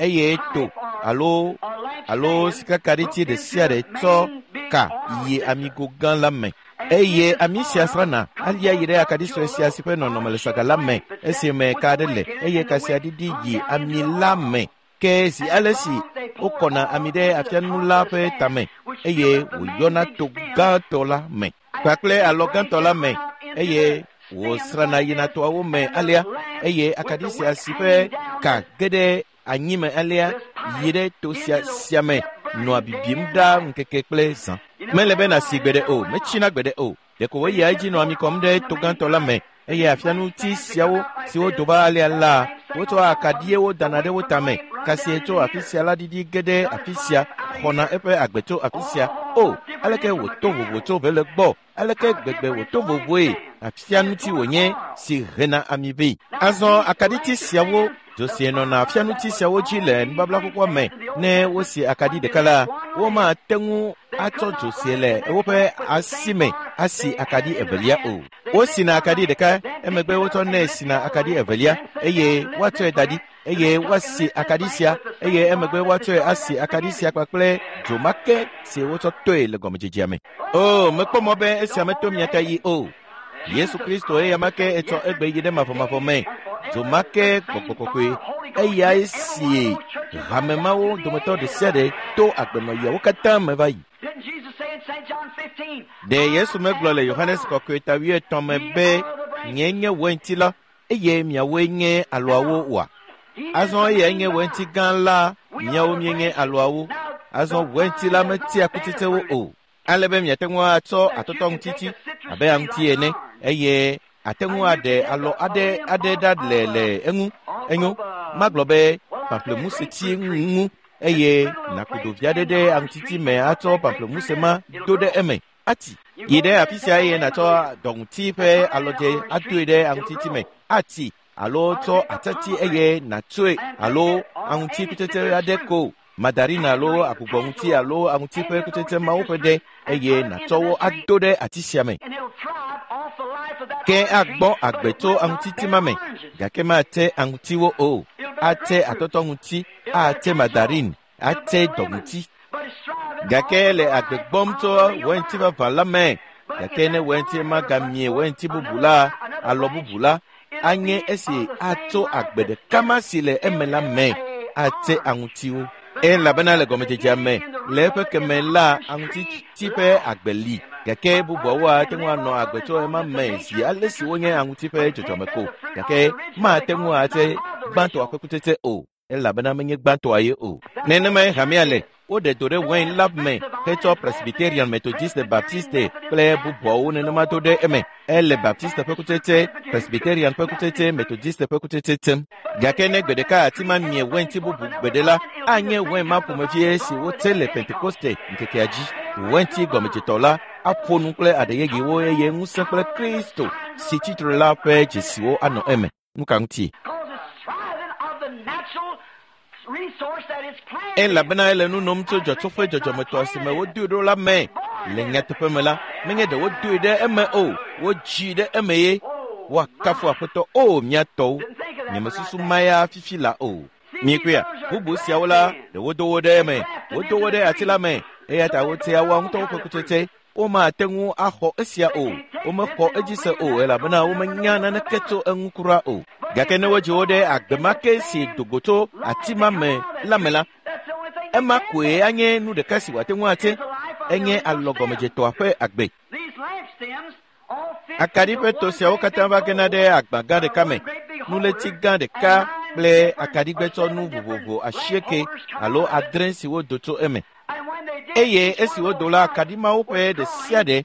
eye to alo sikakaɖiti ɖe sia ɖe tsɔ ka yi amigo gã la me. Eye ami sia srana alia yi ɖe akaɖi sue sia si ƒe nɔnɔme le saga la me esime ka aɖe le, eye ka sia ɖiɖi yi ami la me. Ke zi ale si wokɔna ami ɖe afianu la ƒe tame eye wòyɔna to gãtɔ la me kpakple alɔ gãtɔ la me, eye wòsrana yina toawo me alea, eye akaɖi sia si ƒe ka ge ɖe anyi me alea yi ɖe to sia me nɔa bibim ɖaa ŋkeke kple zã. Mele be nàsi gbeɖe o, metsina gbeɖe o. Ɖeko wòyia edzi nɔa ami kɔm ɖe to gãtɔ la me, eye afianuti siawo siwo do va alea la, wotsɔa akaɖiwo dana ɖe wo tame. Kasie tso afi sia la ɖiɖi ge ɖe afi sia, xɔna eƒe agbe tso afi sia. O, aleke wòto vovo tso vele gbɔ, aleke gbegbe wòto vovoe afianuti wònye si hena ami vɛ. Azɔ akaɖiti siawo dzo si nɔna afianuti siawo dzi le nubabla xoxoa me, ne wosi akaɖi ɖeka la, womate ŋu atsɔ dzo si le woƒe asi me asi akaɖi evelia o. Wosina akaɖi ɖeka, emegbe wotsɔnɛ sina akaɖi evelia, eye woatsɔe da ɖi, eye woasi akaɖi sia, eye emegbe woatsɔe asi akaɖi sia kpakple dzo ma ke si wotsɔ toe le gɔmedzedzea me. O, mekpɔ mɔ be esia meto mia ta yi o. Yesu Kristo eya ma ke etsɔ egbe yi ɖe mavɔmavɔ me. Dzo ma ke gbɔgbɔ kɔkɔe, eyae si hame mawo dometɔ ɖe sia ɖe to agbenɔɣiawo katã me va yi. Ɖe Yesu megblɔ le Yohanes kɔkɔe ta 15 me be, nye nye wainti la, eye miawoe nye alɔawo oa? Azɔ eyae nye wainti gã la, miawo mienye alɔawo. Azɔ wainti la metia kutsetsewo o, ale be miate ŋu atsɔ atɔtɔŋutiti abe aŋuti ene, eye ate ŋu aɖe alɔ aɖe ɖa le eŋu. Enyo, magblɔ be pamplemuseti ŋu, eye nàku ɖovi aɖe ɖe aŋutiti me atsɔ pamplemuse ma do ɖe eme. Ati yi ɖe afi sia eye nàtsɔ dɔŋuti ƒe alɔdze adoe ɖe aŋutiti me. Ati alo tsɔ atati eye nàtsoe alo aŋuti kutsetse aɖe ko, mandarina alo agbugbɔŋuti alo aŋuti ƒe kutsetse mawo ƒe ɖe, eye nàtsɔ wo ado ɖe ati sia me. Ke agbɔ agbe tso aŋutiti ma me, gake mate aŋutiwo o. Ate atɔtɔŋuti, ate mandarin, ate dɔŋuti. Gake le agbe gbɔm tso wainti vavã la me, gake ne wainti magamie wainti bubu la, alɔ bubu la, anye esi atso agbe ɖeka ma si le eme la me, ate aŋutiwo. Elabena le gɔmedzedzea me, le eƒe keme la, aŋutiti ƒe agbe li, gake bubuawo ate ŋu anɔ agbe tso ema me zi ale si wonye aŋuti ƒe dzɔdzɔme ko, gake mate ŋu ate gbãtɔa ƒe kutsetse o, elabena menye gbãtɔa ye o. Nenemae hamea le. Woɖe do ɖe wain la me hetsɔ Presbyterian, Methodiste, Baptiste kple bubuawo nenema do ɖe eme. Ele Baptiste ƒe kutsetse, Presbyterian ƒe kutsetse, Methodiste ƒe kutsetse tem. Gake ne gbe ɖeka ati ma mie wainti bubu gbeɖe la, anye wain ma ƒomevie si wotse le Pentekoste ŋkekea dzi. Wainti gɔmedzetɔ la aƒo nu kple aɖe yeyewo eye ŋusẽ kple Kristo si tsitre la ƒe dzesiwo anɔ eme. Nu ka ŋuti? Elabena ele nu nom tso dzɔtsoƒe dzɔdzɔmetɔ si me wodoe ɖo la me. Le nyateƒe me la, menye ɖe wodoe ɖe eme o, wodzii ɖe eme ye. Woakafu Aƒetɔ, o mía tɔwo. Nyemesusu ma ya fifi la o. Miekpɔea? Bubu siawo la, ɖe wodo wo ɖe eme. Wodo wo ɖe ati la me. Eya ta wotea woa ŋutɔwo ƒe kutsetse. Womate ŋu axɔ esia o. Womexɔ edzi se o, elabena womenya naneke tso eŋu kura o. Gake ne wodzi wo ɖe agbe ma ke si do go tso ati ma me la me la, ema koe anye nu ɖeka si wòate ŋu ate. Enye alɔgɔmedzetɔa ƒe agbe. Akaɖi ƒe to siawo katã va gena ɖe agba gã ɖeka me, nuléti gã ɖeka kple akaɖigbetsɔnu vovovo 8 alo 9 siwo do tso eme. Eye esi wodo la, akaɖi mawo ƒe ɖe sia ɖe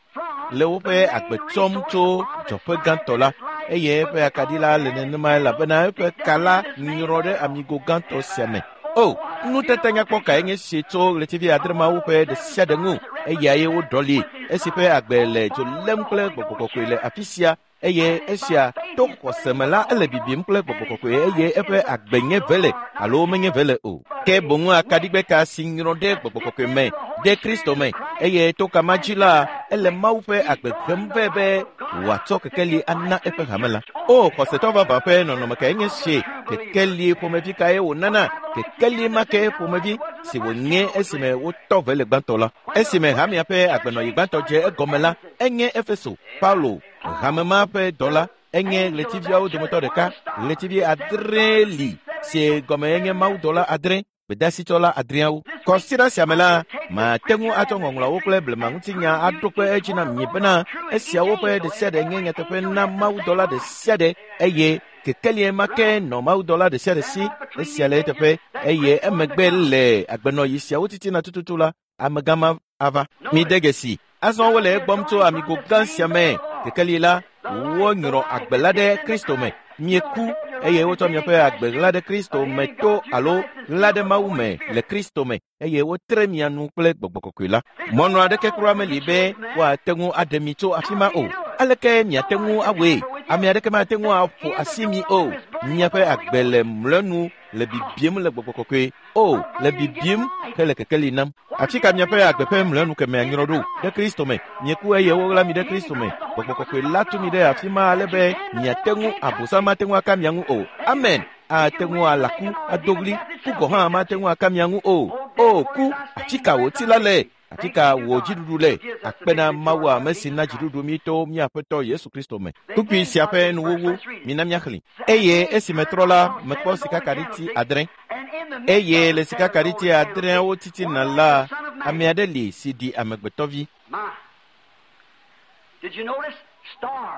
le woƒe agbe tsɔm tso dzɔƒe gãtɔ la, eye eƒe akaɖi la le nenema elabena eƒe ka la nyrɔ ɖe amigo gãtɔ sia me. O, nutata nyakpɔ kae nye si tso ɣletivi 9 mawo ƒe ɖe sia ɖe ŋu, eyae woɖɔli, esi ƒe agbe le dzo lém kple gbɔgbɔ kɔkɔe le afi sia, eye esia to xɔse me la ele bibim kple gbɔgbɔ kɔkɔe eye eƒe agbe nye vele alo menye vele o. Ke boŋu akaɖigbeka si nyrɔ ɖe gbɔgbɔ kɔkɔe me ɖe Kristo me, eye to kama dzi la ele Mawu ƒe agbe hem vɛ be wòatsɔ kekeli ana eƒe hame la. O, xɔsetɔ vavã ƒe nɔnɔme kae nye si? Kekeli ƒomevi kae wònana? Kekeli ma ke ƒomevi si wònye esime wotɔ vele gbãtɔ la. Esime hamea ƒe agbenɔyi gbãtɔ dze egɔme la, enye Efeso, Paulo, hame ma ƒe dɔla, enye ɣletiviawo dometɔ ɖeka. Ɣletivi 9 li si gɔme enye mawudɔla 9, gbedasitsɔla 9awo. Kɔsiɖa sia me la, mate ŋu atsɔ ŋɔŋlɔawo kple blema ŋutinya aɖo kpe edzi na mi bena esiawo ƒe ɖe sia ɖe nye nyateƒe na mawudɔla ɖe sia ɖe, eye kekelie ma ke nɔ mawudɔla ɖe sia ɖe si. Esia le eteƒe, eye emegbe le agbenɔyi siawo titina tututu la, amegã ma ava. Mide dzesi, azɔ wole egbɔm tso amigo gã sia me. Kekeli la, wonyrɔ agbe la ɖe Kristo me. Mieku eye wotsɔ miaƒe agbe ɣla ɖe Kristo me to alo ɣla ɖe Mawu me le Kristo me, eye wotre mia nu kple gbɔgbɔ kɔkɔe la. Mɔnu aɖeke kura meli be woate ŋu aɖe mi tso afi ma o. Aleke miate ŋu awɔe? Ame aɖeke mate ŋu aƒo asi mi o. Miaƒe agbe le mlɔenu le bibim le gbɔgbɔ kɔkɔe o, le bibim hele kekeli nam. Afi ka miaƒe agbe ƒe mlɔenu kemea nyrɔ ɖo? Ɖe Kristo me. Mieku eye woɣla mi ɖe Kristo me. Gbɔgbɔ kɔkɔe la tu mi ɖe afi ma ale be miate ŋu abosam mate ŋu aka mia ŋu o. Amen. Ate ŋu alaku, ado ɣli, ku gɔ̃ hã mate ŋu aka mia ŋu o. O, ku, afi ka wò ti la le? Afi ka wò dziɖuɖu le? Akpe na Mawu ame si na dziɖuɖu mi to mía Aƒetɔ Yesu Kristo me. Kpukpui sia ƒe nuwuwu, mina míaxlẽ. Eye esi metrɔ la, mekpɔ sikakaɖiti 9. Eye le sikakaɖiti 9awo titina la, ame aɖe li si ɖi amegbetɔvi.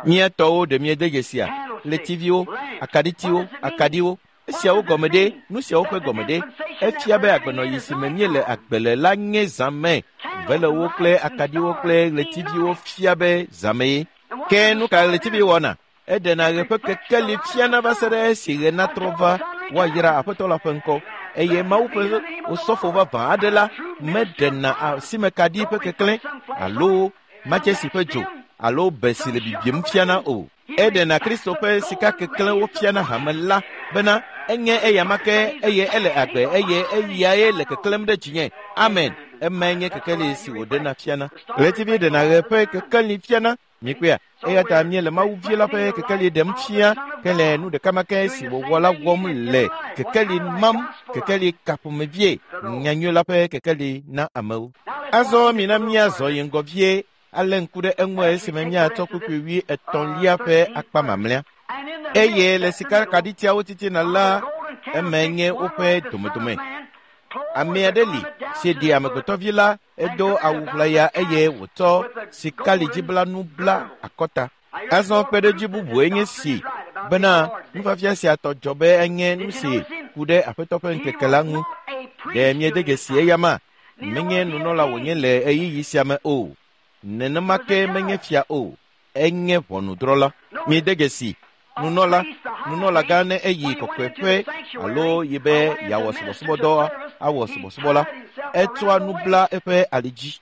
Mía tɔwo ɖe miede dzesia? Ɣletiviwo, akaɖitiwo, akaɖiwo. Esiawo gɔme ɖe, nu siawo ƒe gɔme ɖe. Efia be agbenɔyi si me míele agbe le la nye zãme. Velewo kple akaɖiwo kple ɣletiviwo fia be zãme ye. Ke nu ka ɣletivi wɔna? Eɖena ɣe ƒe kekeli fiana va se ɖe esi ɣe natrɔ va woayra Aƒetɔ la ƒe ŋkɔ. Eye Mawu ƒe osɔfo vavã aɖe la meɖena asimekaɖi ƒe keklẽ alo matsesi ƒe dzo alo be si le bibim fiana o. Eɖena Kristo ƒe sika keklẽwo fiana hame la bena enye eyama ke eye ele agbe eye eyae le keklẽm ɖe dzinye. Amen. Emae nye kekeli si wòɖena fiana. Ɣletivi ɖena ɣe ƒe kekeli fiana. Miekpɔea? Eya ta míele Mawu vi la ƒe kekeli ɖem fia ke le nu ɖeka ma ke si wòwɔ la wɔm le kekeli mam, kekeli kaƒomevie, nyanyui la ƒe kekeli na amewo. Azɔ mina míazɔ yi ŋgɔ vie ale ŋku ɖe eŋu esime míatsɔ kpukpui 33 ƒe akpa mamlɛa. Eye le sikakaɖitiawo titina la, eme nye woƒe domedome. Ame aɖe li si ɖi amegbetɔvi la, edo awu ʋlaya eye wòtsɔ sikalidziblanu bla akɔta. Azɔ kpeɖodzi bubue nye si bena nufiafia sia tɔ dzɔ be enye nu si ku ɖe Aƒetɔ ƒe ŋkeke la ŋu. Ɖe miede dzesi eyama? Menye nunɔla wònye le ɣeyiɣi sia me o. Nenema ke menye fia o. Enye ʋɔnudrɔ̃la. Miede dzesi nunɔla, nunɔlagã ne eyi kɔkɔeƒe alo yi be yeawɔ subɔsubɔdɔ awɔ subɔsubɔ la, etsɔa nu bla eƒe ali dzi.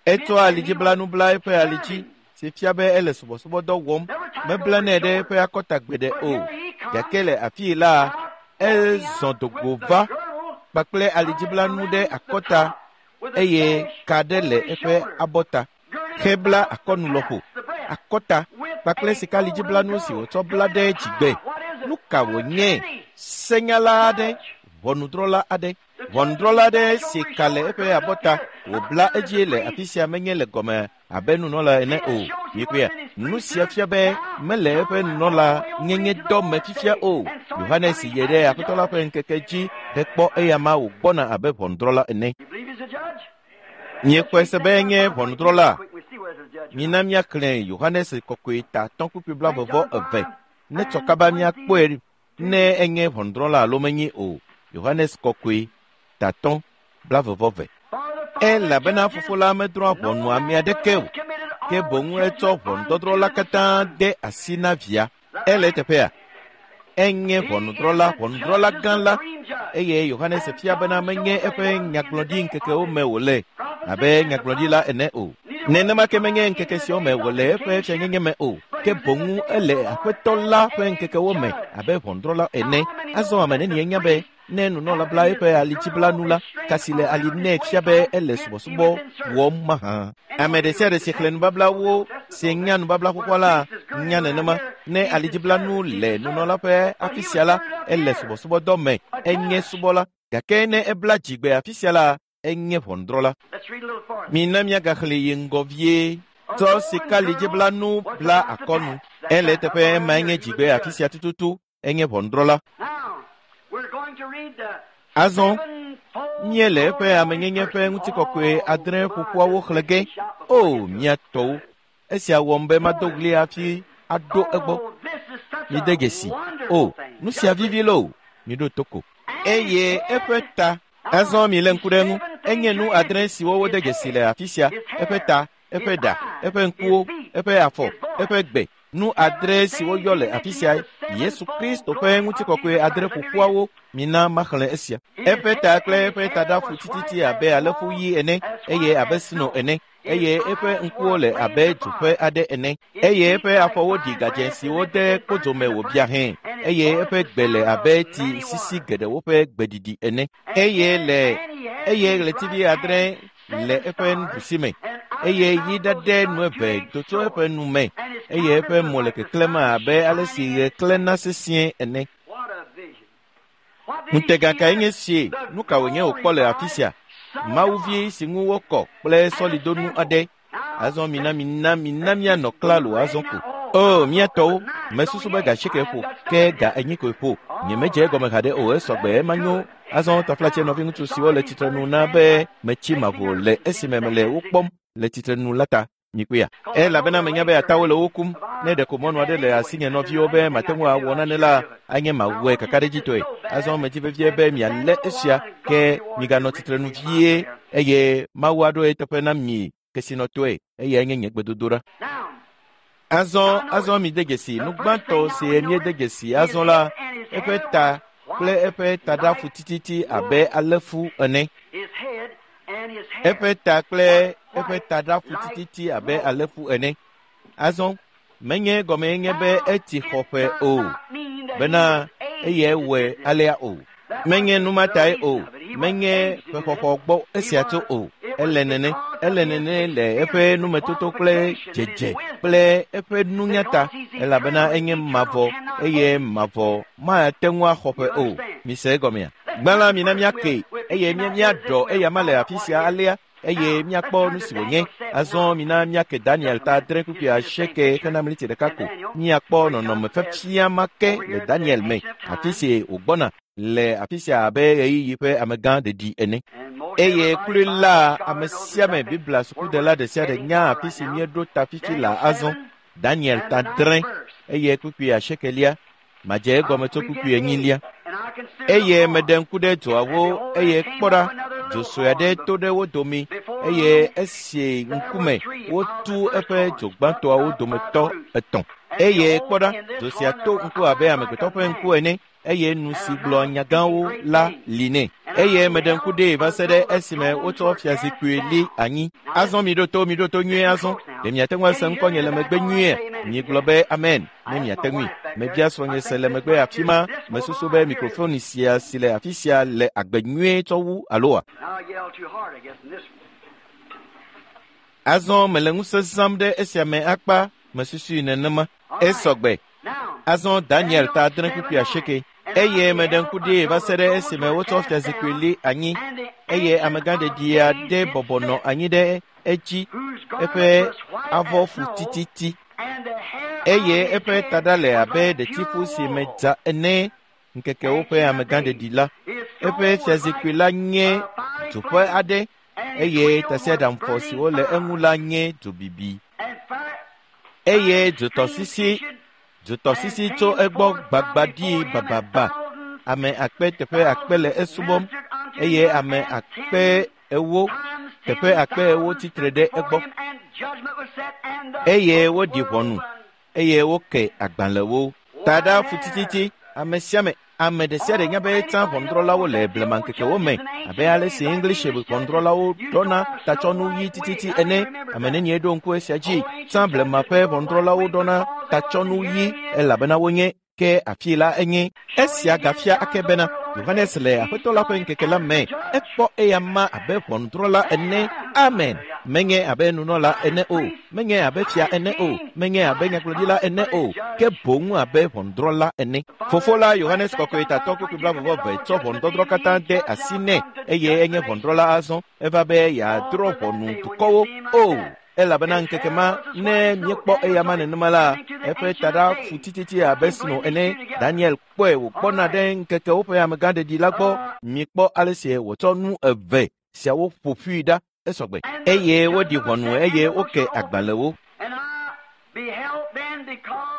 Etsɔa alidziblanu bla eƒe ali dzi si fia be ele subɔsubɔdɔ wɔm. Meblanɛ ɖe eƒe akɔta gbeɖe o. Gake le afii la, ezɔ dogo va kpakple alidziblanu ɖe akɔta eye ka ɖe le eƒe abɔta. Hebla akɔnu lɔƒo, akɔta kpakple sikalidziblanu si wòtsɔ bla ɖe dzigbe. Nu ka wònye? Senyala aɖe, ʋɔnudrɔ̃la aɖe. Ʋɔnudrɔ̃la aɖe si ka le eƒe abɔta wòbla edzie le afi sia menye le gɔme abe nunɔla ene o. Miekpɔea? Nu sia fia be mele eƒe nunɔla nyenye dɔ me fifia o. Yohanes yi ɖe Aƒetɔ la ƒe ŋkeke dzi hekpɔ eyama wògbɔna abe ʋɔnudrɔ̃la ene. Miexɔe se be enye ʋɔnudrɔ̃la? Mina míaxlẽ Yohanes kɔkɔe ta 5:22 ne tsɔ kaba míakpɔe ne enye ʋɔnudrɔ̃la alo menye o. Yohanes kɔkɔe ta 5:22. Elabena fofo la medrɔ̃a ʋɔnu ame aɖeke o, ke boŋ etsɔ ʋɔnudɔdrɔ̃ la katã de asi na via. Ele eteƒea? Enye ʋɔnudrɔ̃la, ʋɔnudrɔ̃la gã la, eye Yohanes fia bena menye eƒe nyagblɔɖi ŋkekewo me wòle abe nyagblɔɖila ene o. Nenema ke menye ŋkeke siawo me wòle eƒe fianyenye me o, ke boŋ ele Aƒetɔ la ƒe ŋkekewo me abe ʋɔnudrɔ̃la ene. Azɔ ame nenie nya be ne nunɔla bla eƒe alidziblanu la, ka si le ali nɛ fia be ele subɔsubɔ wɔm mahã. Ame ɖe sia ɖe si xlẽ nubablawo si nya nubabla xoxoa la nya nenema. Ne alidziblanu le nunɔla ƒe afi sia la, ele subɔsubɔdɔ me, enye subɔla. Gake ne ebla dzigbe afi sia la, enye ʋɔnudrɔ̃la. Mina míagaxlẽ yi ŋgɔ vie. Tsɔ sikalidziblanu bla akɔnu. Ele eteƒe ema enye dzigbe afi sia tututu, enye ʋɔnudrɔ̃la. Azɔ míele eƒe amenyenye ƒe ŋutikɔkɔe 8 ƒoƒoawo xlẽ ge. O, mía tɔwo! Esia wɔm be mado ɣli hafi aɖo egbɔ. Mide dzesi. O, nu sia vivi loo! Miɖo to ko. Eye eƒe ta. Azɔ milé ŋku ɖe eŋu. Enye nu 8 siwo wode dzesi le afi sia. Eƒe ta, eƒe ɖa, eƒe ŋkuwo, eƒe afɔ, eƒe gbe. Nu 8 siwo yɔ le afi sia. Yesu Kristo ƒe ŋutikɔkɔe 8 ƒoƒoawo. Mina maxlẽ esia. Eƒe ta kple eƒe taɖafu tititi abe alẽfu ɣi ene, eye abe sno ene, eye eƒe ŋkuwo le abe dzoƒe aɖe ene, eye eƒe afɔwo ɖi gadzẽ siwo de kpodzo me wòbia hẽ, eye eƒe gbe le abe tsi sisi geɖewo ƒe gbeɖiɖi ene, eye le eye ɣletivi 8 le eƒe nuɖusi me, eye yi ɖaɖɛ nu eve do tso eƒe nu me, eye eƒe mo le keklẽm abe ale si ɣe klẽna sesĩe ene. Ŋutega kae nye sie? Nu ka wònye wòkpɔ le afi sia? Mawuvi si ŋu wokɔ kple sɔlidonu aɖe. Azɔ mina mina mina míanɔ klalo azɔ ko. O, mía tɔwo, mesusu be ga 8 ƒo, ke ga 4 koe ƒo. Nyemedze egɔme haɖe o, esɔgbe ema nyo. Azɔ taflatse nɔviŋutsu siwo le tsitrenu na be metsi mavo le esime mele wo kpɔm le tsitrenu la ta. Mikpɔea? Elabena menya be atawo le wo kum. Ne ɖeko mɔnu aɖe le asinye nɔviwo be mate ŋu awɔ nane la, anye mawɔe kakaɖedzitɔe. Azɔ medzi vevie be mialé esia, ke miganɔ tsitrenu vie, eye Mawu aɖo eteƒe na mi kesinɔtɔe, eye enye nye gbedodoɖa. Azɔ mide dzesi nu gbãtɔ si míede dzesi azɔ la, eƒe ta kple eƒe taɖafu tititi abe alẽfu ene. Eƒe ta kple eƒe taɖafu tititi abe alẽfu ene. Azɔ menye gɔmee nye be etsi xɔƒe o, bena eyae wɔe alea o. Menye nu ma tae o, menye ƒexɔxɔ gbɔ esia tso o. Ele nene, ele nene le eƒe numetoto kple dzedze kple eƒe nunya ta, elabena enye mavɔ eye mavɔ mate ŋu axɔ ƒe o. Mise egɔmea? Gbã la, mina míake eye míaɖɔ eyama le afi sia alea. eye míakpɔ nu si wònye. Azɔ mina míake Daniel ta 8 kpukpui 8 hena miniti ɖeka ko. Míakpɔ nɔnɔme fefia ma ke le Daniel me, afi si wògbɔna le afi sia abe ɣeyiɣi ƒe amegã ɖeɖi ene. Eye kloe la, ame sia ame Biblia sukudela ɖe sia ɖe nya afi si míeɖo ta fifi la azɔ. Daniel ta 8 eye kpukpui 8. Madze egɔme tso kpukpui 4. Eye meɖe ŋku ɖe dzoawo eye kpɔ ɖa, dzo sue aɖe to ɖe wo dome eye esi ŋkume wotu eƒe dzo gbãtɔawo dometɔ 3. Eye kpɔ ɖa, dzo sia to ŋku abe amegbetɔ ƒe ŋku ene eye nu si gblɔ nyagãwo la li nɛ. Eye meɖe ŋku ɖee va se ɖe esime wotsɔ fiazikpui li anyi. Azɔ miɖo to, miɖo to nyuie azɔ. Ɖe miate ŋu ase ŋkɔnye le megbe nyuie? Migblɔ be amen ne miate ŋui. Mebia srɔ̃nye se le megbe afi ma. Mesusu be mikrofoni sia si le afi sia le agbe nyuie tsɔ wu aloa? Azɔ mele ŋusẽ zãm ɖe esia me akpa mesusui nenema. Esɔgbe. Azɔ Daniel ta 8 kpukpui 8. Eye meɖe ŋku ɖee va se ɖe esime wotsɔ fiazikpui li anyi eye amegã ɖeɖi aɖe bɔbɔ nɔ anyi ɖe edzi eƒe avɔ fu tititi eye eƒe taɖa le abe ɖetifu si me dza ene ŋkekewo ƒe amegã ɖeɖi la. Eƒe fiazikpui la nye dzoƒe aɖe eye tasiaɖamfɔ siwo le eŋu la nye dzobibi. Eye dzotɔsisi tso egbɔ gbagba ɖi bababa. Ame akpe teƒe akpe le esubɔm eye ame akpe 40 teƒe akpe 40 tsitre ɖe egbɔ. Eye woɖi ʋɔnu eye woke agbalẽwo. Taɖa fu tititi ame sia ame ame ɖe sia ɖe nya be tsã ʋɔnudrɔ̃lawo le blemaŋkekewo me abe ale si English ʋɔnudrɔ̃lawo ɖɔna tatsɔnu ɣi tititi ene. Ame nenie ɖo ŋku esia dzi? Tsã blema ƒe ʋɔnudrɔ̃lawo ɖɔna tatsɔnu ɣi elabena wonye ke afi la enye. Esia gafia ake bena Yohanes le Aƒetɔ la ƒe ŋkeke la me ekpɔ eya ma abe ʋɔnudrɔ̃la ene. Amen. Menye abe nunɔla ene o, menye abe fia ene o, menye abe nyagblɔɖila ene o, ke boŋ abe ʋɔnudrɔ̃la ene. Fofo la Yohanes Kɔkɔe tatɔ kpukpui 20 tsɔ ʋɔnudɔdrɔ̃ katã de asi nɛ eye enye ʋɔnudrɔ̃la azɔ. Eva be yeadrɔ̃ ʋɔnu dukɔwo o. Elabena ŋkeke ma ne míekpɔ eya ma nenema la, eƒe taɖa fu tititi abe sno ene. Daniel kpɔe wògbɔna ɖe ŋkekewo ƒe amegã ɖeɖi la gbɔ. Mikpɔ ale si wòtsɔ nu eve siawo ƒo ƒui ɖa esɔgbe. Eye woɖi ʋɔnu eye woke agbalẽwo.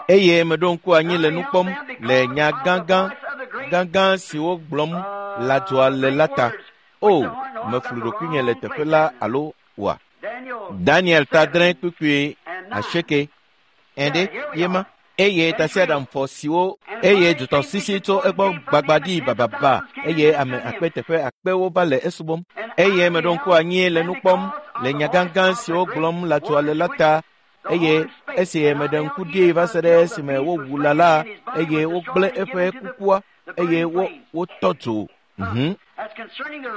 Eye meɖo ŋku anyi le nu kpɔm le nya gãgã gãgã siwo gblɔm lãdzoa le la ta. O, meflu ɖokuinye le teƒe la alo oa? Daniel ta 8 kpukpui 8 ɛɖe yema. Eye tasiaɖamfɔ siwo eye dzotɔsisi tso egbɔ gbagba ɖi bababa eye ame akpe teƒe akpewo va le esubɔm. Eye meɖo ŋku anyi le nu kpɔm le nya gãgã siwo gblɔm lãdzoa le la ta. Eye esi meɖe ŋku ɖee va se ɖe esime wowu lã la eye wogblẽ eƒe kukua eye wotɔ dzo.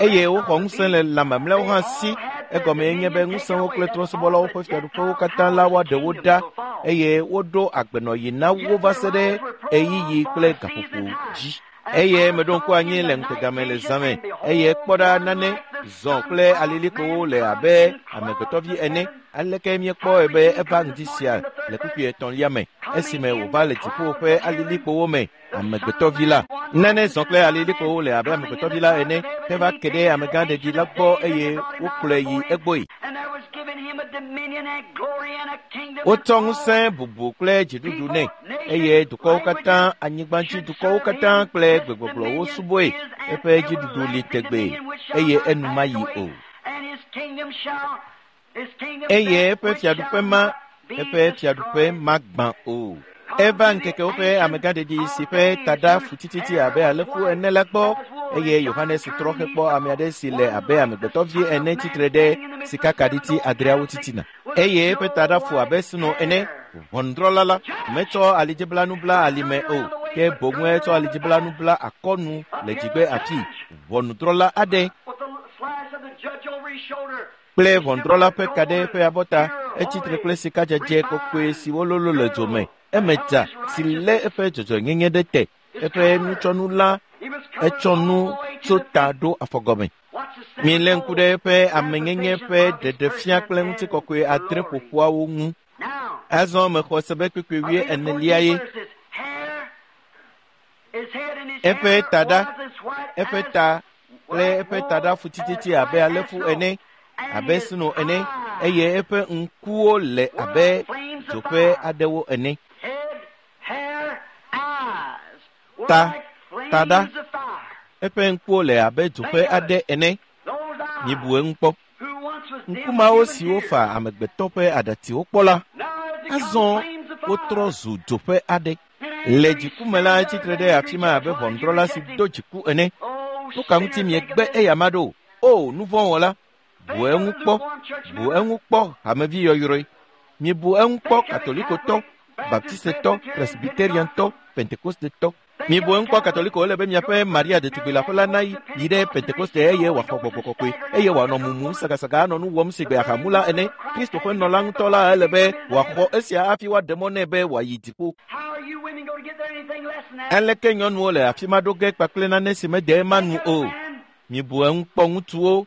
Eye woxɔ ŋusẽ le lã mamlɛawo hã si. Egɔme nye be ŋusẽwo kple trɔ̃subɔlawo ƒe fiaɖuƒewo katã la woaɖe wo ɖa eye woɖo agbenɔɣi na wo va se ɖe ɣeyiɣi kple gaƒoƒo dzi. Eye meɖo ŋku anyi le ŋutegame le zã me eye kpɔ ɖa nane zɔ kple alilikpowo le abe amegbetɔvi ene. Aleke míekpɔe be eva ŋdi sia le kpukpui 3 me esime wòva le dziƒo ƒe alilikpowo me amegbetɔvi la. Nane zɔ kple alilikpowo le abe amegbetɔvi la ene heva ke ɖe amegã ɖeɖi la gbɔ eye wokplɔe yi egbɔe. Wotsɔ ŋusẽ bubu kple dziɖuɖu nɛ eye dukɔwo katã, anyigbadzi dukɔwo katã kple gbegbɔgblɔwo subɔe. Eƒe dziɖuɖu li tegbee eye enu mayi o. Eye eƒe fiaɖuƒe ma, eƒe fiaɖuƒe magbã o. Eva ŋkekewo ƒe amegã ɖeɖi si ƒe taɖa fu tititi abe alẽfu ene la gbɔ eye Yohanes trɔ hekpɔ ame aɖe si le abe amegbetɔvi ene tsitre ɖe sikakaɖiti 8 titina. Eye eƒe taɖa fu abe sno ene. Ʋɔnudrɔ̃la la metsɔ alidziblanu bla alime o, ke boŋue tsɔ alidziblanu bla akɔnu le dzigbe afi. Ʋɔnudrɔ̃la aɖe kple ʋɔnudrɔ̃la ƒe ka ɖe eƒe abɔta etsitre kple sikadzedze kɔkɔe siwo lolo le dzo me. Eme dza si lé eƒe dzɔdzɔenyenye ɖe te. Eƒe nutsɔnu la etsɔ nu tso ta ɖo afɔgɔme. Milé ŋku ɖe eƒe amenyenye ƒe ɖeɖefia kple ŋutikɔkɔe adre ƒoƒuawo ŋu. Azɔ mexɔ se be kpukpui wuienelia ye. Eƒe taɖa, eƒe ta kple eƒe taɖa fu tititi abe alẽfu ene, abe sno ene, eye eƒe ŋkuwo le abe dzo ƒe aɖewo ene. Ta, taɖa, eƒe ŋkuwo le abe dzo ƒe aɖe ene. Mibu eŋu kpɔ. Ŋku mawo siwo fa amegbetɔ ƒe aɖatsiwo kpɔ la, azɔ wotrɔ zu dzo ƒe aɖe. Le dziku me la, etsitre ɖe afi ma abe ʋɔnudrɔ̃la si do dziku ene. Nu ka ŋuti miegbe eyama ɖo? O, nu vɔ̃ wɔla! Bu eŋu kpɔ, bu eŋu kpɔ, hamevi yɔyrɔe. Mibu eŋu kpɔ, Katolikotɔ, Baptistetɔ, Presbyteriantɔ, Pentekostetɔ. Mibu eŋu kpɔ, Katoliko, ele be miaƒe Maria ɖetugbi leaƒe la nayi yi ɖe Pentekoste eye wòaxɔ gbɔgbɔ kɔkɔe, eye wòanɔ mumum sagasaga anɔ nu wɔm sigbe ahamula ene. Kristo ƒe nɔla ŋutɔ la ele be wòaxɔ esia hafi woaɖe mɔ nɛ be wòayi dziƒo. Aleke nyɔnuwo le afi ma ɖo ge kpakple nane si mede ema nu o? Mibu eŋu kpɔ, ŋutsuwo,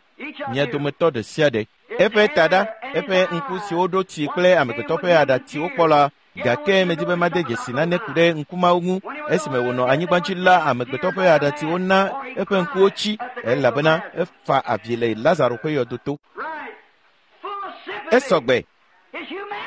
mia dometɔ ɖe sia ɖe. Eƒe taɖa, eƒe ŋku siwo ɖo tsi kple amegbetɔ ƒe aɖatsiwo kpɔ la, gake medi be made dzesi nane ku ɖe ŋku mawo ŋu. Esime wònɔ anyigba dzi la, amegbetɔ ƒe aɖatsiwo na eƒe ŋkuwo tsi, elabena efa avi le Lazaro ƒe yɔdo to. Esɔgbe.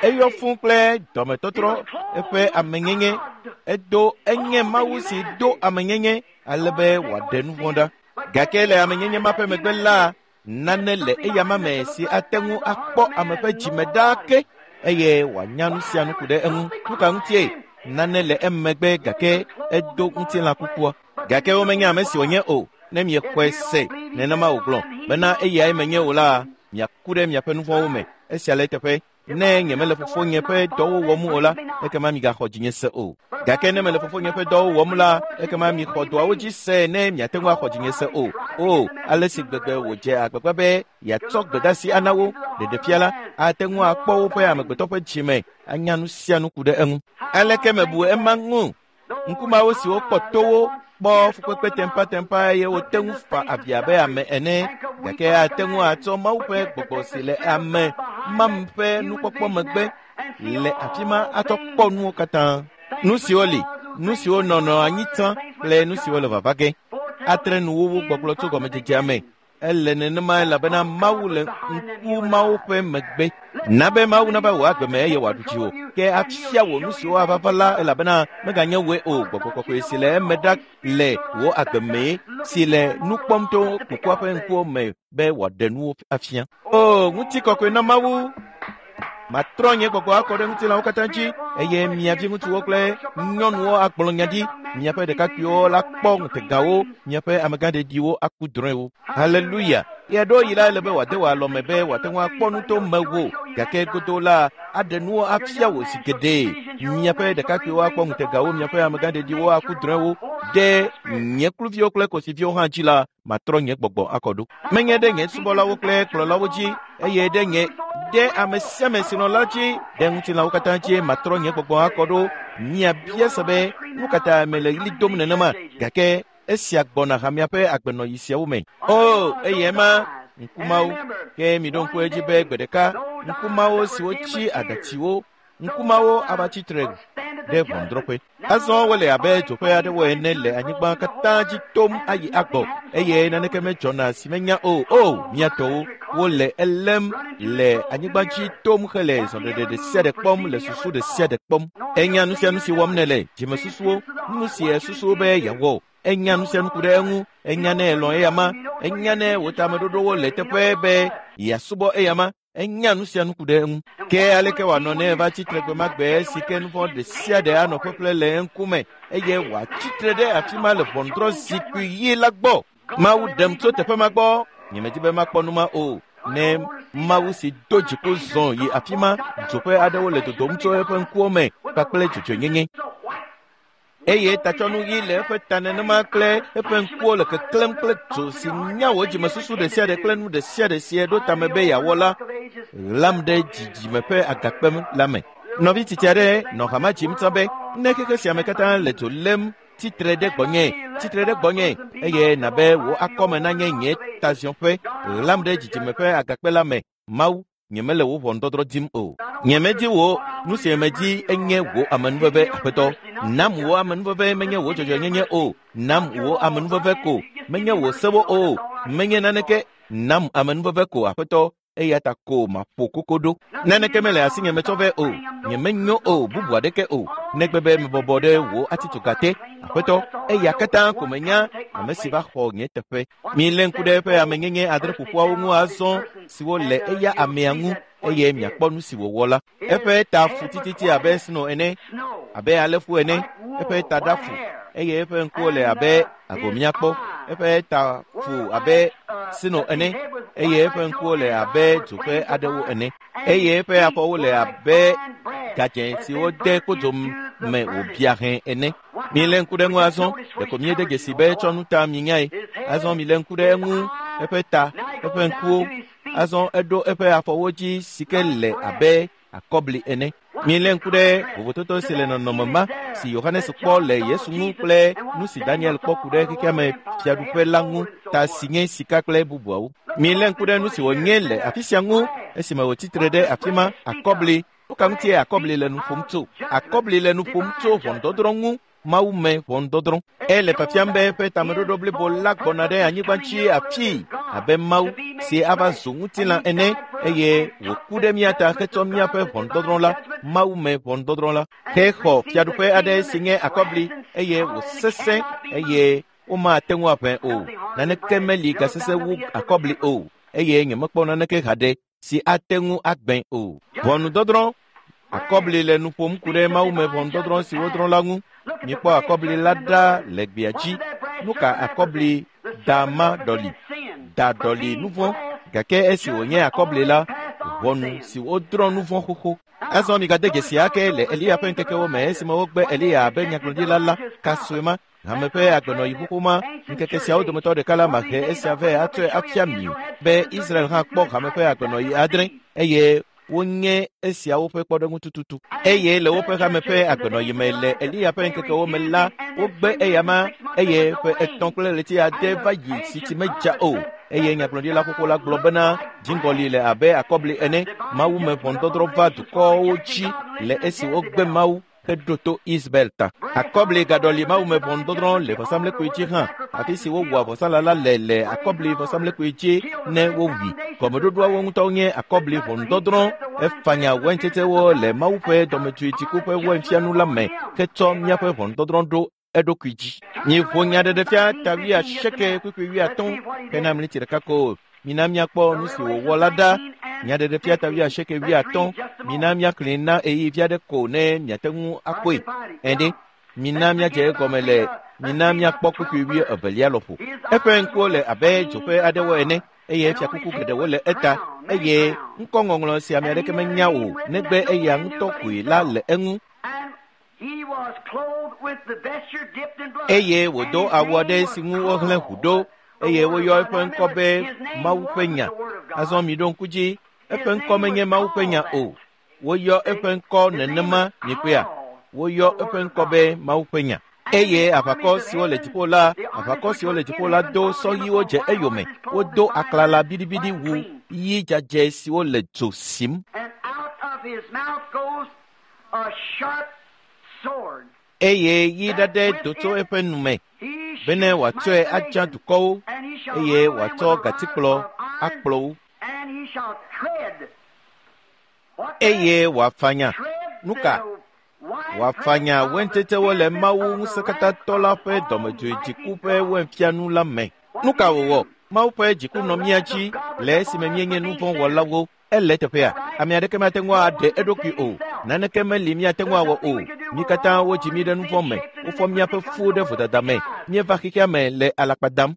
Eyɔ fũ kple dɔmetɔtrɔ, eƒe amenyenye. Edo enye Mawu si do amenyenye ale be wòaɖe nu vɔ̃ ɖa. Gake le amenyenye ma ƒe megbe la, nane le eyama me si ate ŋu akpɔ ame ƒe dzime ɖaa ke eye wòanya nu sia nu ku ɖe eŋu. Nu ka ŋutie? Nane le emegbe gake edo ŋutilã kukua. Gake womenya ame si wònye o. Ne miexɔe se nenema wògblɔ bena eyae menye o la, miaku ɖe miaƒe nu vɔ̃wo me. Esia le eteƒe. Ne nyemele fofonye ƒe dɔwo wɔm o la, ekema migaxɔ dzinye se o. Gake ne mele fofonye ƒe dɔwo wɔm la, ekema mixɔ dɔawo dzi se ne miate ŋu axɔ dzinye se o. O, ale si gbegbe wòdze agbagba be yeatsɔ gbedeasi ana wo, ɖeɖefia la, ate ŋu akpɔ woƒe amegbetɔ ƒe dzime, anya nu sia nu ku ɖe eŋu. Aleke mebu ema ŋu? Ŋku mawo siwo kpɔ towo, kpɔ fukpekpe tempatempa eye wote ŋu fa avi abe ame ene, gake ate ŋu atsɔ Mawu ƒe gbɔgbɔ si le ame mam ƒe nukpɔkpɔ megbe le afi ma atsɔ kpɔ nuwo katã. Nu siwo li, nu siwo nɔnɔ anyi tsã kple nu siwo le vava ge. Atre nuwuwu gbɔgblɔ tso gɔmedzedzea me. Ele nenema elabena Mawu le ŋku mawo ƒe megbe. Na be Mawu nava wò agbe me eye wòaɖu dziwò, ke afia wò nu siwo ava va la elabena meganye wòe o. Gbɔgbɔ kɔkɔe si le eme ɖa le wò agbe mee, si le nu kpɔm to kukua ƒe ŋkuwo me be wòaɖe nuwo afia. O, ŋutikɔkɔe na Mawu! Matrɔ nye gbɔgbɔ akɔ ɖe ŋutilãwo katã dzi, eye mia viŋutsuwo kple nyɔnuwo agblɔ nya ɖi, miaƒe ɖekakpuiwo la kpɔ ŋutegawo, miaƒe amegãɖeɖiwo aku drɔ̃ewo. Haleluya! Ɣeaɖewoɣi la, ele be wòade wò alɔme be wòate ŋu akpɔ nu to mewò, gake godoo la, aɖe nuwo afia wò zi geɖe. Miaƒe ɖekakpuiwo akpɔ ŋutegawo, miaƒe amegãɖeɖiwo aku drɔ̃ewo. Ɖe nye kluviwo kple kosiviwo hã dzi la, matrɔ nye gbɔgbɔ akɔ ɖo. Menye ɖe nye subɔlawo kple kplɔlawo dzi, eye ɖe nye ɖe ame sia ame si nɔ la dzi, ɖe ŋutilãwo katã dzie matrɔ nye gbɔgbɔ akɔ ɖo. Miabia se be, nu ka ta mele ɣli dom nenema? Gake esia gbɔna hamea ƒe agbenɔɣi siawo me. O, eye ema, ŋku mawo. Ke miɖo ŋku edzi be gbe ɖeka, ŋku mawo siwo tsi aɖatsiwo, ŋku mawo ava tsi tre ɖe ʋɔnudrɔ̃ƒe. Azɔ wole abe dzoƒe aɖewo ene le anyigba katã dzi tom ayi agbɔ, eye naneke medzɔna si menya o. O, mía tɔwo, wole elém le anyigba dzi tom hele zɔɖeɖe ɖe sia ɖe kpɔm, le susu ɖe sia ɖe kpɔm. Enya nu sia nu si wɔm nèle, dzimesusuwo, nu si èsusu be yeawɔ. Enya nu sia nu ku ɖe eŋu. Enya ne èlɔ̃ eyama. Enya ne wò tameɖoɖowo le teƒe be yeasubɔ eyama. Enya nu sia nu ku ɖe eŋu. Ke aleke wòanɔ ne eva tsi tre gbe ma gbe si ke nu vɔ̃ ɖe sia ɖe anɔ ƒeƒle le eŋkume eye wòatsi tre ɖe afi ma le ʋɔnudrɔ̃zikpui ɣi la gbɔ? Mawu ɖem tso teƒe ma gbɔ. Nyemedi be makpɔ nu ma o. Ne Mawu si do dziku zɔ yi afi ma, dzoƒe aɖewo le dodom tso eƒe ŋkuwo me kpakple dzɔdzɔenyenye. Eye tatsɔnu ɣi le eƒe ta nenema kple eƒe ŋkuwo le keklẽm kple dzo si nya wò dzimesusu ɖe sia ɖe kple nu ɖe sia ɖe si eɖo tame be yeawɔ la, ɣlam ɖe dzidzime ƒe agakpe la me. Nɔvi tsitsi aɖe nɔ hama dzim tsã be, ne xexe sia me katã le dzo lém Tsitre ɖe gbɔnye, tsitre ɖe gbɔnye, eye nabe wò akɔme nanye nye taziɔƒe. Ɣlam ɖe dzidzime ƒe agakpe la me. Mawu, nyemele wò ʋɔnudɔdrɔ̃ dim o. Nyemedi wò, nu si medi enye wò amenuveve, Aƒetɔ. Nam wò amenuveve menye wò dzɔdzɔenyenye o. Nam wò amenuveve ko, menye wò sewo o. Menye naneke. Nam amenuveve ko, Aƒetɔ, eya ta ko maƒo koko ɖo. Naneke mele asinye metsɔ vɛ o. Nyemenyo o, bubu aɖeke o. Negbe be mebɔbɔ ɖe wò atitsoga te, Aƒetɔ, eya katã ko menya ame si va xɔ nye teƒe. Milé ŋku ɖe eƒe amenyenye adre ƒoƒuawo ŋu azɔ siwo le eya amea ŋu, eye miakpɔ nu si wòwɔ la. Eƒe ta fu tititi abe sno ene, abe alẽfu ene, eƒe ta ɖa fu, eye eƒe ŋkuwo le abe agomiakpɔ. Eƒe ta fu abe sno ene, eye eƒe ŋkuwo le abe dzo ƒe aɖewo ene, eye eƒe afɔwo le abe gadzẽ si wode kodzo me wòbia hẽ ene. Milé ŋku ɖe eŋu azɔ, ɖeko míede dzesi be etsɔ nu ta minyae. Azɔ milé ŋku ɖe eŋu, eƒe ta, eƒe ŋkuwo. Azɔ eɖo eƒe afɔwo dzi si ke le abe akɔbli ene. Milé ŋku ɖe vovototo si le nɔnɔme ma si Yohanes kpɔ le Yesu ŋu kple nu si Daniel kpɔ ku ɖe xexea me fiaɖuƒe la ŋu, ta si nye sika kple bubuawo. Milé ŋku ɖe nu si wònye le afi sia ŋu esime wòtsitre ɖe afi ma, akɔbli. Nu ka ŋutie akɔbli le nu ƒom tso? Akɔbli le nu ƒom tso ʋɔnudɔdrɔ̃ ŋu, Mawu me ʋɔnudɔdrɔ̃. Ele fiafiam be eƒe tameɖoɖo blibo la gbɔna ɖe anyigba dzi afii abe Mawu si ava zu ŋutilã ene, eye wòku ɖe mía ta hetsɔ míaƒe ʋɔnudɔdrɔ̃ la, Mawu me ʋɔnudɔdrɔ̃ la, hexɔ fiaɖuƒe aɖe si nye akɔbli, eye wòsesẽ, eye womate ŋu aʋẽ o. Naneke meli gasesẽ wu akɔbli o, eye nyemekpɔ naneke haɖe si ate ŋu agbẽ o. Ʋɔnudɔdrɔ̃. Akɔbli le nu ƒom ku ɖe Mawu me ʋɔnudɔdrɔ̃ si wodrɔ̃ la ŋu. Mikpɔ akɔbli la ɖa le gbea dzi. Nu ka akɔbli da ma ɖɔli? Da ɖɔli nu vɔ̃, gake esi wònye akɔbli la, ʋɔnu si wodrɔ̃ nu vɔ̃ xoxo. Azɔ migade dzesi ake le Eliya ƒe ŋkekewo me esime wogbe Eliya abe nyagblɔɖila la, kasue ma, hame ƒe agbenɔyi xoxo ma, ŋkeke siawo dometɔ ɖeka la mahe esia vɛ atsɔe afia mi be Israel hã kpɔ hame ƒe agbenɔyi adre, eye wonye esiawo ƒe kpɔɖeŋu tututu. Eye le woƒe hame ƒe agbenɔyi me le Eliya ƒe ŋkekewo me la, wogbe eyama, eye ƒe 3 kple ɣleti 6 va yi si tsi medza o. Eye nyagblɔɖila xoxo la gblɔ bena dziŋgɔli le abe akɔbli ene. Mawu me ʋɔnudɔdrɔ̃ va dukɔwo dzi le esi wogbe Mawu heɖo to Isabel ta. Akɔbli gaɖɔli Mawu me ʋɔnudɔdrɔ̃ le vɔsamlekpui dzi hã, afi si wowɔa vɔsalã la le akɔbli vɔsamlekpui dzi ne wowui. Gɔmeɖoɖoawo ŋutɔ nye akɔbli ʋɔnudɔdrɔ̃. Efanya waintsetsewo le Mawu ƒe dɔmedzoe dziku ƒe wainfianu la me hetsɔ míaƒe ʋɔnudɔdrɔ̃ ɖo eɖokui dzi. Miƒo nyaɖeɖefia ta 80 kpukpui 50 hena mliti ɖeka ko. Mina míakpɔ nu si wòwɔ la ɖa. Nyaɖeɖefia ta 80 50. Mina míaxlẽe na ɣeyiɣi vi aɖe ko ne miate ŋu akpɔe. Ɛɖe, mina míadze egɔme le mina míakpɔ kpukpui 22 lɔƒo. Eƒe ŋkuwo le abe dzoƒe aɖewo ene, eye fiakuku geɖewo le eta, eye ŋkɔŋɔŋlɔ si ame aɖeke menya o negbe eya ŋutɔ koe la le eŋu. Eye wòdo awu aɖe si ŋu wohlẽ ʋu ɖo, eye woyɔ eƒe ŋkɔ be Mawu ƒe nya. Azɔ miɖo ŋku dzi, eƒe ŋkɔ menye Mawu ƒe nya o. Woyɔ eƒe ŋkɔ nenema mikpɔea? Woyɔ eƒe ŋkɔ be Mawu ƒe nya. Eye aʋakɔ siwo le dziƒo la, aʋakɔ siwo le dziƒo la do sɔhiwo dze eyome. Wodo aklala biɖibiɖi wu ɣi dzadzɛ siwo le dzo sim. Eye ɣi ɖaɖɛ do tso eƒe nu me bene wòatsɔe adza dukɔwo, eye wòatsɔ gatikplɔ akplɔ wo. Eye wòafanya nu ka? Wòafanya waintsetsewo le Mawu ŋusẽkatãtɔ la ƒe dɔmedzoe dziku ƒe wainfianu la me. Nu ka wòwɔ? Mawu ƒe dziku nɔ mía dzi le esime míenye nu vɔ̃ wɔlawo. Ele teƒea, ame aɖeke mate ŋu aɖe eɖokui o. Naneke meli míate ŋu awɔ o. Mí katã wodzi mí ɖe nu vɔ̃ me. Wofɔ míaƒe fuwo ɖe vodada me. Míeva xexea me le alakpa dam.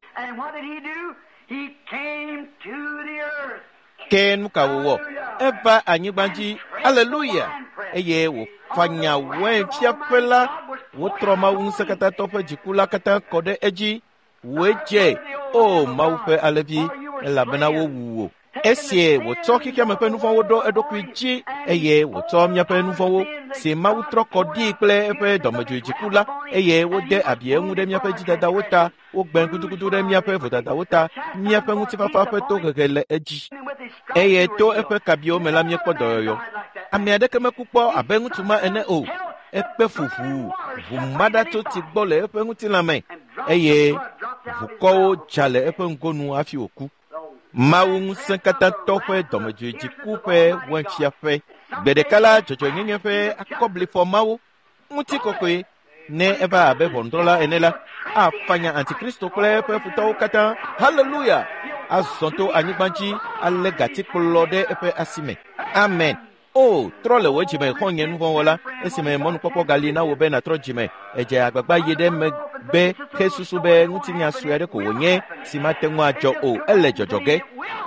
Ke nu ka wòwɔ? Eva anyigba dzi. Aleluya! Eye wòfanya wainfiaƒe la. Wotrɔ Mawu ŋusẽkatãtɔ ƒe dziku la katã kɔ ɖe edzi. Wòe dze, o Mawu ƒe alẽvi, elabena wowu wò. Esie wòtsɔ xexeame ƒe nuvɔ̃wo ɖo eɖokui dzi eye wòtsɔ míaƒe nuvɔ̃wo si Mawu trɔ kɔ ɖii kple eƒe dɔmedzoe dziku la eye wode abi eŋu ɖe míaƒe dzidadawo ta, wogbe gudugudu ɖe míaƒe vodadawo ta, míaƒe ŋutifafa ƒe tohehe le edzi. Eye to eƒe kabiwo me la míekpɔ dɔyɔyɔ. Ame aɖeke meku kpɔ abe ŋutsu ma ene o. Ekpe fu ʋuu, ʋu ma ɖa tso tsi gbɔ le eƒe ŋutilã me eye ʋukɔwo dza le eƒe ŋgonu hafi wòku. Mawu ŋusẽkatãtɔ ƒe dɔmedzoe dziku ƒe wainfiaƒe. Gbe ɖeka la dzɔdzɔenyenye ƒe akɔblifɔ mawo ŋutikɔkɔe ne eva abe ʋɔnudrɔ̃la ene la afanya antikristo kple eƒe futɔwo katã. Haleluya! Azɔ to anyigba dzi alé gatikplɔ ɖe eƒe asi me. Amen. O, trɔ le wò dzime xɔ̃nye nuvɔ̃wɔla esime mɔnukpɔkpɔ gali na wò be nàtrɔ dzime. Edze agbagba yi ɖe megbe hesusu be ŋutinya sue aɖe ko wònye si mate ŋu adzɔ o. Ele dzɔdzɔ ge.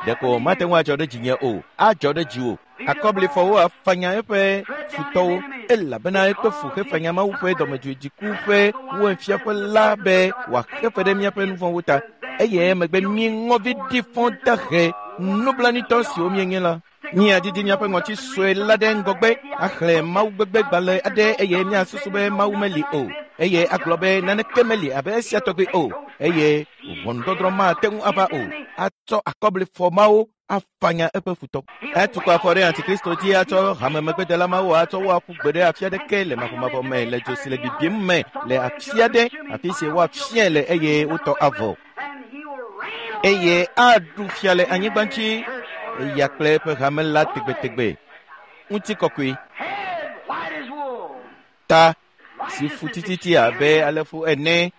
Ɖeko mate ŋu adzɔ ɖe dzinye o. Adzɔ ɖe dziwò. Akɔblifɔwo afanya eƒe futɔwo elabena ekpe fu hefanya Mawu ƒe dɔmedzoe dziku ƒe wainfiaƒe la be wòaxe fe ɖe míaƒe nuvɔ̃wo ta. Eye emegbe mí ŋɔvi ɖi fɔ dahe nublanuitɔ siwo míenye la. Míadidi míaƒe ŋɔti sue la ɖe ŋgɔgbe axlẽ Mawu gbegbe gbalẽ aɖe eye míasusu be Mawu meli o eye agblɔ be naneke meli abe esia tɔgbi o eye ʋɔnudɔdrɔ̃ mate ŋu ava o. Atsɔ akɔblifɔ mawo afanya eƒe futɔ. Etukɔ afɔ ɖe antikristo dzi atsɔ hamemegbedela mawo atsɔ wo aƒu gbe ɖe afi aɖeke le mavɔmavɔ me le dzo si le bibim me le afi aɖe afi si woafiae le eye wotɔ avɔ. Eye aɖu fia le anyigba dzi eya kple eƒe hame la tegbetegbe. Ŋutikɔkɔe. Ta si fu tititi abe alẽfu ene,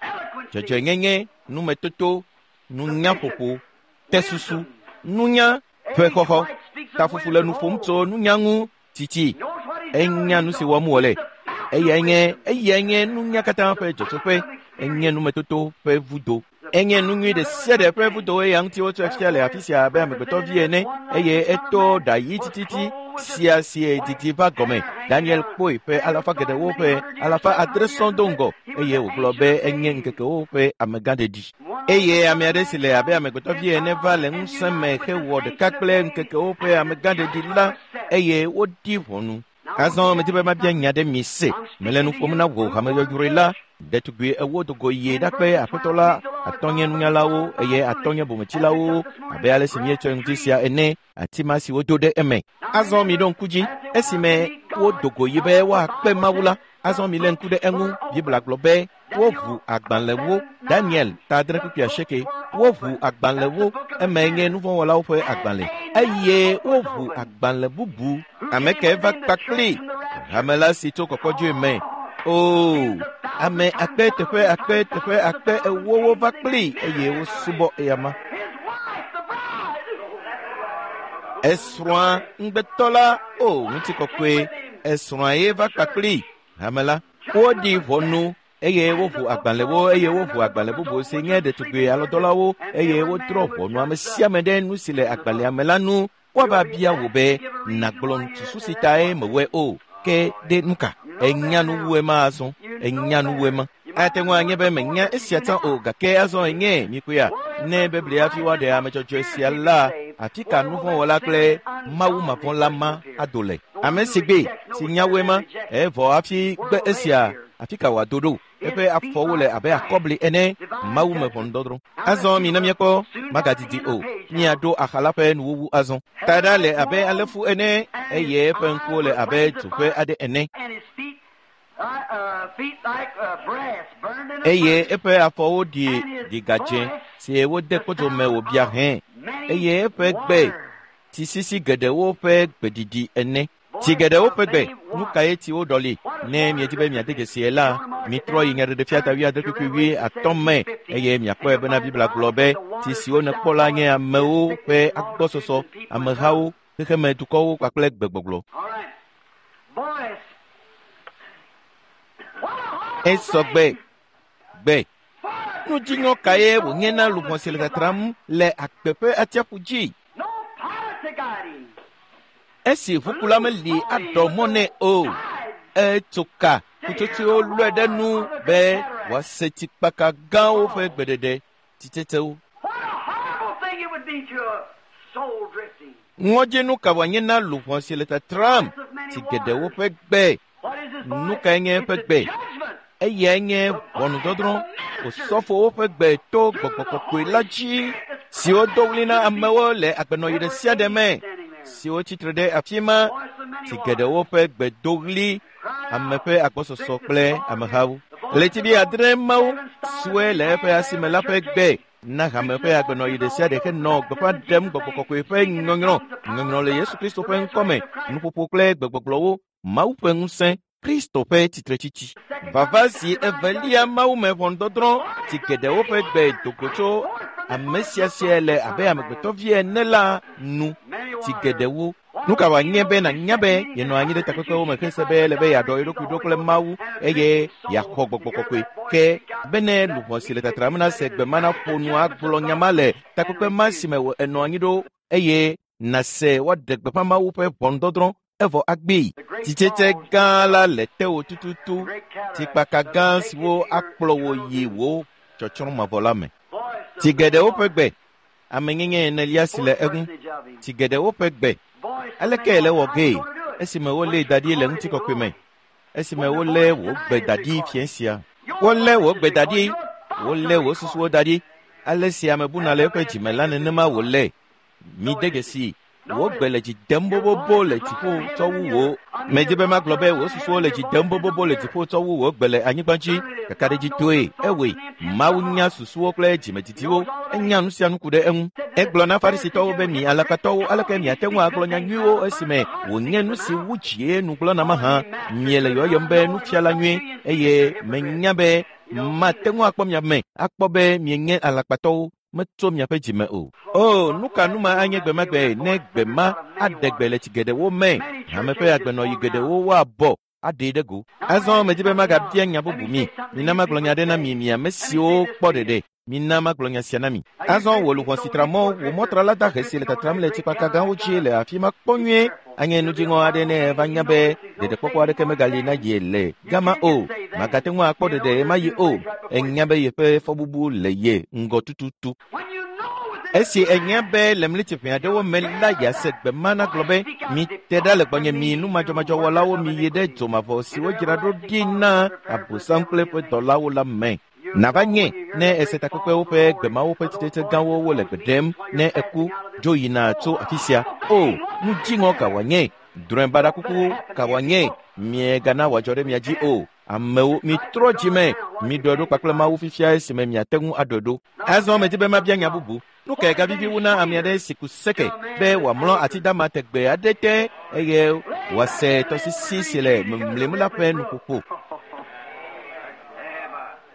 dzɔdzɔenyenye, numetoto, nunyaƒoƒo, tesusu, nunya ƒe xɔxɔ. Tafufu le nu ƒom tso nunya ŋu titi. Enya nu si wɔm wòle. Eyae nye eyae nye nunya katã ƒe dzɔtsoƒe. Enye numetoto ƒe vudo. Enye nu nyui ɖe sia ɖe ƒe vudo eya ŋuti wotsɔe fia le afi sia abe amegbetɔvi ene eye eto ɖa ɣi tititi sia si didi va gɔme. Daniel kpɔe ƒe alafa geɖewo ƒe alafa adre sɔŋ do ŋgɔ eye wògblɔ be enye ŋkekewo ƒe amegãɖeɖi. Eye ame aɖe si le abe amegbetɔvi ene va le ŋusẽ me hewɔ ɖeka kple ŋkekewo ƒe amegãɖeɖi la eye woɖi ʋɔnu. Azɔ medi be mabia nya ɖe mi se. Mele nu ƒom na wò hameyɔyɔe la. Ɖetugbi ewo do go yi ɖakpe aƒetɔ la atɔ̃ nye nunyalawo eye atɔ̃ nye bometsilawo abe ale si míetsɔe ŋuti sia ene ati ma si wodo ɖe eme. Azɔ miɖo ŋku dzi esime wodo go yi be woakpe Mawu la. Azɔ milé ŋku ɖe eŋu. Biblia gblɔ be woʋu agbalẽwo. Daniel ta adre kpukpui asieke. Woʋu agbalẽwo eme nye nuvɔ̃wɔlawo ƒe agbalẽ eye woʋu agbalẽ bubu. Ame ke va kpakpli hame la si tso kɔkɔdzoe me. Oo, ame akpe teƒe akpe teƒe akpe ewowo va kpli eye wosubɔ eyama. Esrɔ̃a ŋugbetɔ la o ŋutikɔkɔe. Esrɔ̃a ye va kpakpli hame la. Woɖi ʋɔnu eye woʋu agbalẽwo eye woʋu agbalẽ bubu si nye ɖetugbi alɔdɔlawo eye wodrɔ̃ ʋɔnu ame sia ame ɖe nu si le agbalẽa me la nu. Woava bia wò be nàgblɔ susu si tae mewɔe o. Ke ɖe nu ka? Enya nu wu ema azɔ. Enya nu wu ema. Ate ŋu anye be menya esia tsã o gake azɔ enye mikpɔea ne Biblia hafi woaɖe ame dzɔdzɔe sia la afi ka nuvɔ̃wɔla kple Mawu mavɔ̃la ma ado le. Ame si gbe si nya wu ema evɔ hafi gbe esia afi ka wòado ɖo. Eƒe afɔwo le abe akɔbli ene. Mawu me ʋɔnudɔdrɔ̃. Azɔ mina míekpɔ magadidi o. Míaɖo axa la ƒe nuwuwu azɔ. Taɖa le abe alẽfu ene eye eƒe ŋkuwo le abe dzo ƒe aɖe ene. Eye eƒe afɔwo ɖi ɖigadze si wode kpodzo me wòbia hẽ eye eƒe gbe tsisisi geɖewo ƒe gbeɖiɖi ene. Tsi geɖewo ƒe gbe, nu kae tsiwo ɖɔli? Ne miedi be miade dzesi la, mitrɔ yi Nyaɖeɖefia ta wuiadre kpukpui wuiatɔ̃ me eye miakpɔe bena Biblia gblɔ be tsi siwo nèkpɔ la nye amewo ƒe agbɔsɔsɔ, amehawo, xexeme dukɔwo kpakple gbegbɔgblɔ. Esɔ gbe gbe. Nudziŋɔ kae wònye na luʋɔ si le tatram le agbe ƒe atsiaƒu dzi? Esi ʋukula meli aɖɔ mɔ nɛ o. Etso ka ƒutsotsoewo lɔe ɖe nu be wòase tsikpaka gãwo ƒe gbeɖeɖe, tsitsetsewo. What a horrible thing it would be to a Ŋɔdzinu ka wòanye na luʋɔ si le tatram tsi geɖewo ƒe gbe? Nu kae nye eƒe gbe? Eyae nye ʋɔnudɔdrɔ̃, osɔfowo ƒe gbe to Gbɔgbɔ Kɔkɔe la dzi, siwo do ɣli na amewo le agbenɔɣi ɖe sia ɖe me, siwo tsitre ɖe afi ma, tsi geɖewo ƒe gbe do ɣli ame ƒe agbɔsɔsɔ kple amehawo. Ɣletivi adre mawo siwoe le eƒe asime la ƒe gbe na hame ƒe agbenɔɣi ɖe sia ɖe henɔ gbeƒã ɖem Gbɔgbɔ Kɔkɔe ƒe nyɔnyrɔ, nyɔnyrɔ le Yesu Kristo ƒe ŋkɔme, nuƒoƒo kple gbegbɔgblɔwo, Mawu ƒe ŋusẽ, Kristo ƒe tsitretsitsi. Vava zi evelia Mawu me ʋɔnudɔdrɔ̃ tsi geɖewo ƒe gbe do go tso ame sia sia le abe amegbetɔvi ene la nu tsi geɖewo. Nu ka wòanye be nànya be yenɔ anyi ɖe takpekpewo me hese be ele be yeaɖɔ ye ɖokui ɖo kple Mawu eye yeaxɔ Gbɔgbɔ Kɔkɔe ke bene luʋɔ si le tatram nase gbe ma naƒo nu agblɔ nya ma le takpekpe ma si me ènɔ anyi ɖo eye nàse woaɖe gbeƒã Mawu ƒe ʋɔnudɔdrɔ̃ evɔ agbee. Titsetse gã la le tewò tututu, tsikpaka gã siwo akplɔ wò yi wò tsɔtsrɔ̃ mavɔ la me. Tsi geɖewo ƒe gbe, amenyenye enelia si le eŋu. Tsi geɖewo ƒe gbe. Aleke le wɔ gee esime wolée da ɖi le ŋutikɔkɔe me? Esime wolé wò gbe da ɖi fiẽ sia. Wolé wò gbe da ɖi, wolé wò susuwo da ɖi. Ale si ame buna le eƒe dzime la nenema wòle. Mide dzesi, wò gbe le dzi dem bobobo le dziƒo tsɔ wu wò. Medi be magblɔ be wò susuwo le dzi dem bobobo le dziƒo tsɔ wu wò gbe le anyigba dzi. Kakaɖedzitɔe, ewɔe. Mawu nya susuwo kple dzimedidiwo. Enya nu sia nu ku ɖe eŋu. Egblɔ na Farisitɔwo be mi alakpatɔwo, aleke miate ŋu agblɔ nya nyuiwo esime wònye nu si wu dzie nu gblɔna mahã? Miele yɔyɔm be nufiala nyui eye menya be mate ŋu akpɔ mia me akpɔ be mienye alakpatɔwo. Metso miaƒe dzime o. O, nu ka nu ma anye gbemagbe ne gbe ma aɖe gbe le tsi geɖewo me? Hame ƒe agbenɔɣi geɖewo woabɔ aɖee ɖe go. Azɔ medi be magabia nya bubu mi. Mina magblɔ nya aɖe na mi, mi ame siwo kpɔ ɖeɖe. Mina magblɔ nya sia na mi. Azɔ wò luʋɔ si tra mɔ, wò mɔtrala dahe si le tatram le tsikpaka gãwo dzi le afi ma kpɔ nyuie. Anye nudziŋɔ aɖe ne eva nya be ɖeɖekpɔkpɔ aɖeke megali na ye le gama o. Magate ŋu akpɔ ɖeɖe ɣemaɣi o. Enya be yeƒe fɔbubu le ye ŋgɔ tututu. Esi enya be le mlitiƒe aɖewo me la yease gbe ma nagblɔ be, mite ɖa le gbɔnye mi numadzɔmadzɔwɔlawo miyi ɖe dzomavɔ si wodzra ɖo ɖi na Abosam kple eƒe dɔlawo la me. Nava nye ne ese takpekpewo ƒe gbemawo ƒe tsitsetse gãwo wole gbe ɖem ne eku dzo yina tso afi sia. O, nu dziŋɔ ka wòanye? Drɔ̃e baɖa kuku ka wòanye? Miegana wòadzɔ ɖe mia dzi o. Amewo, mitrɔ dzime, miɖɔe ɖo kpakple Mawu fifia esime miate ŋu aɖɔe ɖo. Azɔ medi be mabia nya bubu. Nu kae gavivi wu na ame aɖe si ku seke be wòamlɔ ati dama tegbe aɖe te eye wòase tɔsisi si le mlimlim la ƒe nuƒoƒo?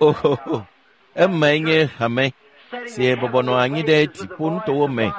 Ohoho, emae nye hame si bɔbɔ nɔ anyi ɖe dziƒonutowo me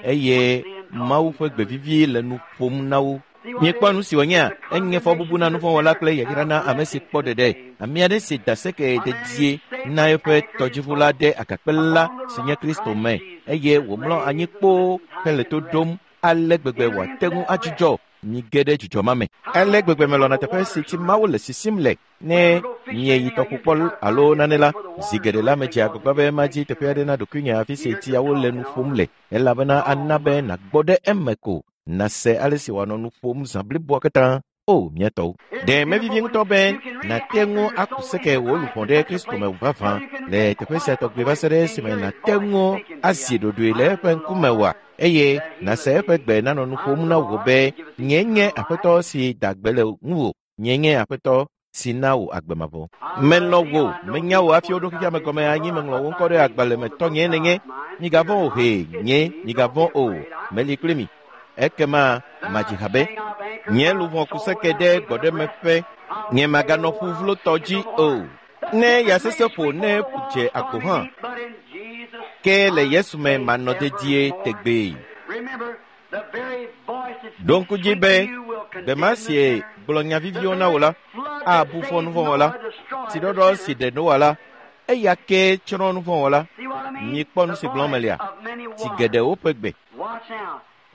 eye Mawu ƒe gbe vivi le nu ƒom na wo. Miekpɔ nu si wònyea? Enye fɔbubu na nuvɔ̃wɔla kple yayra na ame si kpɔ ɖeɖe. Ame aɖe si da seke dedie na eƒe tɔdziʋu la ɖe agakpe la si nye Kristo me eye wòmlɔ anyi kpoo hele to ɖom ale gbegbe wòate ŋu adzudzɔ. Mige ɖe dzudzɔ ma me. Ale gbegbe melɔ̃na teƒe si tsi Mawu le sisim le. Ne mieyi tɔƒo kpɔ alo nane la, zi geɖe la medze agbagba be madzi teƒe aɖe na ɖokuinye afi si tsiawo le nu ƒom le elabena ana be nàgbɔ ɖe eme ko nase ale si wòanɔ nu ƒom zã bliboa katã. O, mía tɔwo. Ɖe mevivi ŋutɔ be nàte ŋu aku seke wò luʋɔ ɖe Kristo me vavã le teƒe sia tɔgbi va se ɖe esime nàte ŋu azi ɖoɖoe le eƒe ŋkume oa? Eye nàse eƒe gbe nanɔ nu ƒom na wò be, nye nye Aƒetɔ si da gbe le ŋuwò, nye nye Aƒetɔ si na wò agbe mavɔ. Melɔ̃ wò, menya wò hafi woɖo xexea me gɔme anyi, meŋlɔ wò ŋkɔ ɖe agbalẽ me tɔnye nenye. Migavɔ̃ o hee, nye, migavɔ̃ o, meli kpli mi. Ekema madzi ha be, nye luʋɔ ku seke ɖe gbɔɖemeƒe, nye maganɔ ƒu vlotɔ dzi o. Ne ya sesẽ ƒo ne ƒu dze agbo hã, ke le Yesu me manɔ dedie tegbee. Ɖo ŋku dzi be gbe ma si gblɔ nya viviwo na wò la abu fɔ nuvɔ̃wɔla. Tsiɖɔɖɔ si ɖe Noa la, eya kee tsrɔ̃ nuvɔ̃wɔla. Mikpɔ nu si gblɔm melia? Tsi geɖewo ƒe gbe.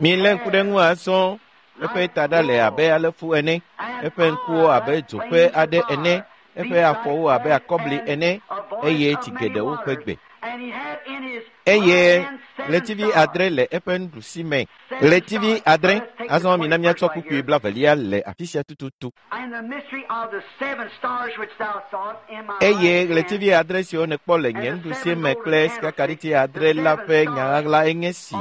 Milé ŋku ɖe ŋu azɔ. Eƒe taɖa le abe alefu ene, eƒe ŋkuwo abe dzoƒe aɖe ene, eƒe afɔwo abe akɔbli ene, eye tsi geɖewo ƒe gbe. Eye ɣletivi 7 le eƒe nuɖusi me. Ɣletivi 7. Azɔ mina míatsɔ kpukpui 22 le afi sia tututu. Eye ɣletivi 7 siwo nèkpɔ le nye nuɖusi me kple sikakaɖiti 7 la ƒe nya ɣaɣla enye si.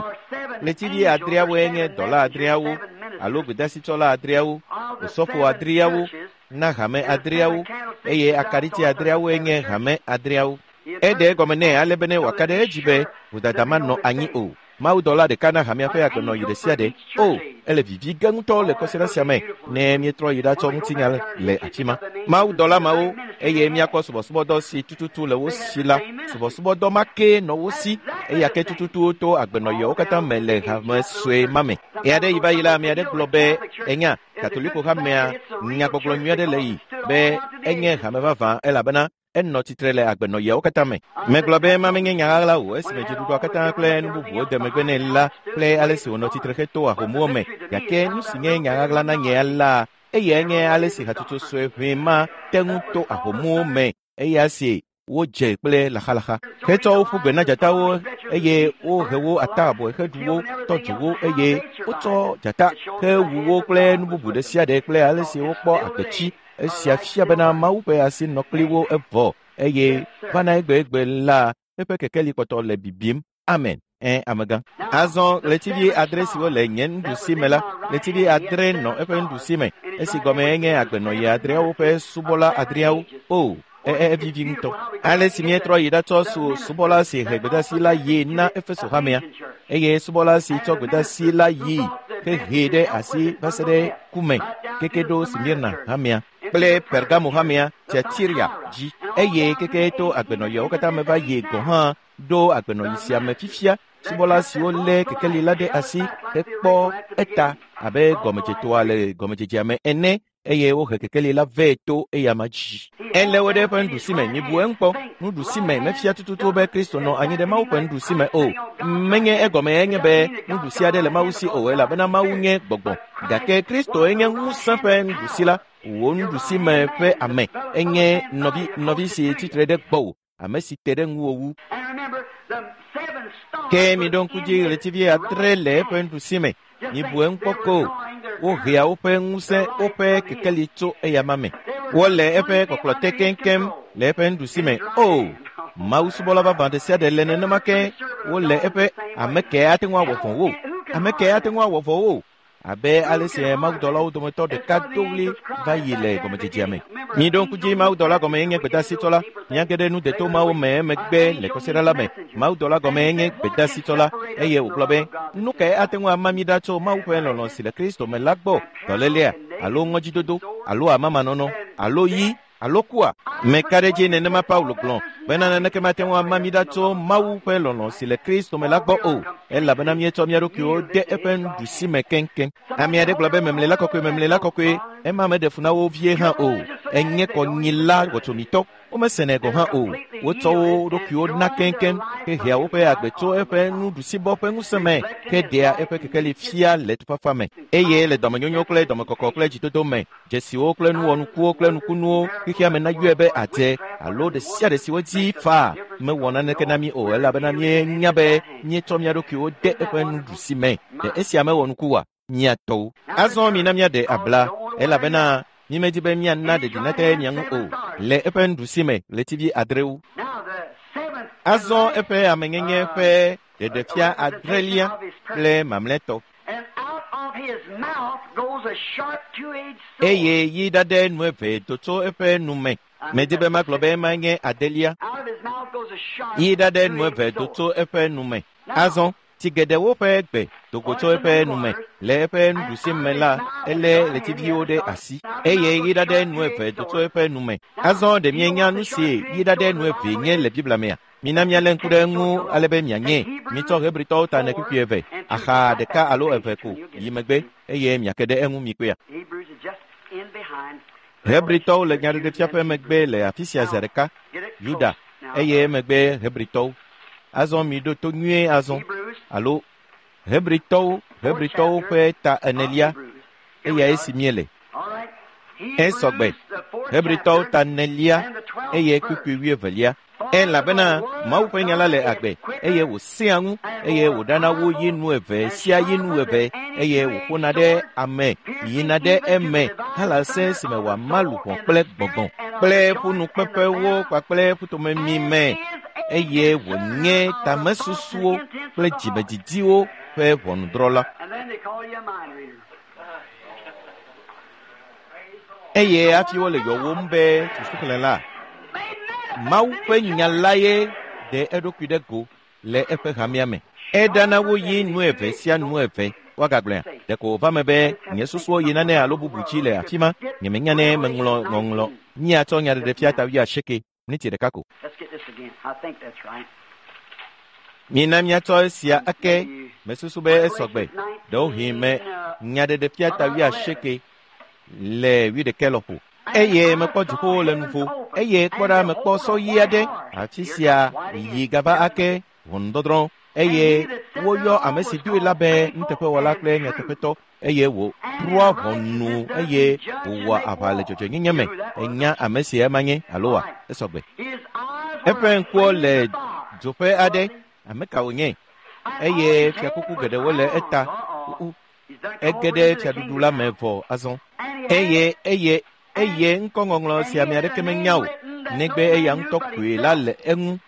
Ɣletivi 7 nye dɔla 7 alo gbedasitsɔla 7, osɔfo 7 na hame 7, eye akaɖiti 7 nye hame 7. Eɖe egɔme nɛ ale be ne wòaka ɖe edzi be vodada manɔ anyi o. Mawudɔla ɖeka na hamea ƒe agbenɔɣi ɖe sia ɖe. O, ele vivi ge ŋutɔ le kɔsiɖa sia me ne míetrɔ yi ɖatsɔ ŋutinya le afi ma. Mawudɔla mawo, eye míakpɔ subɔsubɔdɔ si tututu le wo si la, subɔsubɔdɔ ma kee nɔ wo si, eya ke tututu to agbenɔɣiawo katã me le hame sue ma me. Ɣe aɖe yi va yi la, ame aɖe gblɔ be, enya, Katoliko hamea nyagbɔgblɔ nyui aɖe le yi be enye hame vavã elabena enɔ tsitre le agbenɔɣiawo katã me. Megblɔ be ema menye nya ɣaɣla o esime dziɖuɖua katã kple nu bubuwo de megbe nɛ la kple ale si wònɔ tsitre heto ahomuwo me. Gake nu si nye nya ɣaɣla na nye la, eyae nye ale si hatsotso sue ʋɛ ma te ŋu to ahomuwo me eya si wodze kple laxalaxa. Hetsɔ wo ƒu gbe na dzatawo eye wohe wo ata abɔe heɖu wo, tɔ dzo wo eye wotsɔ dzata hewu wo kple nu bubu ɖe sia ɖe kple ale si wokpɔ agbetsi. Esia fia bena Mawu ƒe asi nɔ kpli wo evɔ eye vana egbegbe la eƒe kekeli kpɔtɔ le bibim. Amen. Amegã. Azɔ ɣletivi 7 siwo le nye nuɖusi me la, ɣletivi 7 nɔ eƒe nuɖusi me, esi gɔme nye agbenɔɣi 7 ƒe subɔla 7. O, evivi ŋutɔ. Ale si míetrɔ yi ɖatsɔ subɔla si he gbedasi la yi na Efeso hamea, eye subɔla si tsɔ gbedasi la yi hehee ɖe asi va se ɖe ku me keke ɖo Smirna hamea kple Pergamo hamea, Tiatira dzi, eye keke to agbenɔɣiawo katã me va yi gɔ̃ hã ɖo agbenɔɣi sia me fifia. Subɔla siwo lé kekeli la ɖe asi hekpɔ eta abe gɔmedzetoa le gɔmedzedzea me ene, eye wohe kekeli la vɛ to eyama dzi. Elé wo ɖe eƒe nuɖusi me. Mibu eŋu kpɔ. Nuɖusi me mefia tututu be Kristo nɔ anyi ɖe Mawu ƒe nuɖusi me o. Menye egɔme enye be nuɖusi aɖe le Mawu si o, elabena Mawu nye gbɔgbɔ. Gake Kristo enye ŋusẽ ƒe nuɖusi la. Wò nuɖusi me ƒe ame enye nɔvi si tsitre ɖe gbɔwò, ame si te ɖe ŋuwò wu. Ke miɖo ŋku dzi ɣletivi 7 le eƒe nuɖusi me. Mibu eŋu kpɔ ko. Wohea woƒe ŋusẽ, woƒe kekeli tso eyama me. Wole eƒe kpɔkplɔ te keŋkeŋ le eƒe nuɖusi me. O, Mawu subɔla vavã ɖe sia ɖe le nenema ke. Wole eƒe ame ke ate ŋu awɔ vɔ̃ wo. Ame ke ate ŋu awɔ vɔ̃ wo. Abe ale si mawudɔlawo dometɔ ɖeka do ɣli va yi le gɔmedzedzea me. Miɖo ŋku dzi, mawudɔla gɔme nye gbedasitsɔla. Míage ɖe nu deto mawo me emegbe le kɔsiɖa la me. Mawudɔla gɔme nye gbedasitsɔla, eye wògblɔ be, nu kae ate ŋu ama mí ɖa tso Mawu ƒe lɔlɔ̃ si le Kristo me la gbɔ? Dɔlélea, alo ŋɔdzidodo, alo amamanɔnɔ, alo yi, alo kua? Meka ɖe edzi nenema Paulo gblɔ bena naneke mate ŋu ama mí ɖa tso Mawu ƒe lɔlɔ̃ si le Kristo me la gbɔ o, elabena míetsɔ mía ɖokuiwo de eƒe nuɖusi me keŋkeŋ. Ame aɖe gblɔ be memle la kɔkɔe, memle la kɔkɔe, ema meɖe fu na wo vie hã o. Enye kɔnyila wɔtsomitɔ, womesenɛ gɔ̃ hã o. Wotsɔ wo ɖokuiwo na keŋkeŋ hehea woƒe agbe tso eƒe nuɖusibɔ ƒe ŋusẽ me heɖea eƒe kekeli fia le tufafa me, eye le dɔmenyonyo kple dɔmekɔkɔ kple dzidodo me, dzesiwo kple nuwɔnukuwo kple nukunuwo xexea me nayɔe be adze alo ɖe sia ɖe si wodzi faa mewɔ naneke na mí o, elabena míenya be míetsɔ mía ɖokuiwo de eƒe nuɖusi me. Ɖe esia mewɔ nuku oa? Mía tɔwo. Azɔ mina míaɖe abla, elabena mímedi be míana ɖeɖi nate mia ŋu o, le eƒe nuɖusi me ɣletivi 7. Azɔ eƒe amenyenye ƒe ɖeɖefia 7 kple mamlɛtɔ. Eye yi ɖaɖe nu eve do tso eƒe nu me. Medi be magblɔ be ema nye 8. Yi ɖaɖe nu eve do tso eƒe nu me. Azɔ tsi geɖewo ƒe gbe do go tso eƒe nu me. Le eƒe nuɖusi me la, elé ɣletiviwo ɖe asi. Eye yi ɖaɖe nu eve do tso eƒe nu me. Azɔ ɖe mienya nu si yi ɖaɖe nu eve nye le Biblia mea? Mina míalé ŋku ɖe eŋu ale be mianye. Mitsɔ Hebritɔwo ta ne kpukpui 2, axa 1 alo 2 ko yi megbe, eye miake ɖe eŋu mikpɔea. Hebritɔwo le nyaɖeɖefia ƒe megbe le afi sia zi ɖeka, Yuda, eye emegbe Hebritɔwo. Azɔ miɖo to nyuie azɔ, alo Hebritɔwo, Hebritɔwo ƒe ta 4, eyae si míele. Esɔgbe, Hebritɔwo ta 4, eye kpukpui 22. Elabena Mawu ƒe nya la le agbe, eye wòsẽa ŋu, eye wòɖana wo yi nu eve sia yi nu eve, eye wòƒona ɖe ame yina ɖe eme halase si me wòama luʋɔ kple gbɔgbɔ kple ƒunukpeƒewo kpakple ƒutomemi me, eye wònye tamesusuwo kple dzimedidiwo ƒe ʋɔnudrɔ̃la. Eye hafi wole yɔwom be susuxlẽla, Mawu ƒe nya lae ɖe eɖokui ɖe go le eƒe hamea me. Eɖana wo yi nu eve sia nu eve. Woagagblɔea, ɖeko wòva me be nye susuwo yi nane alo bubu dzi le afi ma. Nyemenya ne meŋlɔ ŋɔŋlɔ. Míatsɔ nyaɖeɖefia ta 80, miniti ɖeka ko. Mina míatsɔ esia ake. Mesusu be esɔgbe. Ɖewohĩ me nyaɖeɖefia ta 80 le 11 lɔƒo. Eye mekpɔ dziƒowo le nuvo, eye kpɔ ɖa mekpɔ sɔ ɣi aɖe. Afi sia yi gava ake ʋɔnudɔdrɔ̃, eye woyɔ ame si doe la be nuteƒewɔla kple nyateƒetɔ, eye wòtrɔa ʋɔnu eye wòwɔa aʋa le dzɔdzɔenyenye me. Enya ame si ema nye alo wa? Esɔgbe. Eƒe ŋkuwo le dzoƒe aɖe. Ame ka wònye? Eye fiakuku geɖewo le eta. Ege ɖe fiaɖuɖu la me vɔ azɔ. Eye eye eye ŋkɔŋɔŋlɔ si ame aɖeke menya o, negbe eya ŋutɔ koe la le eŋu.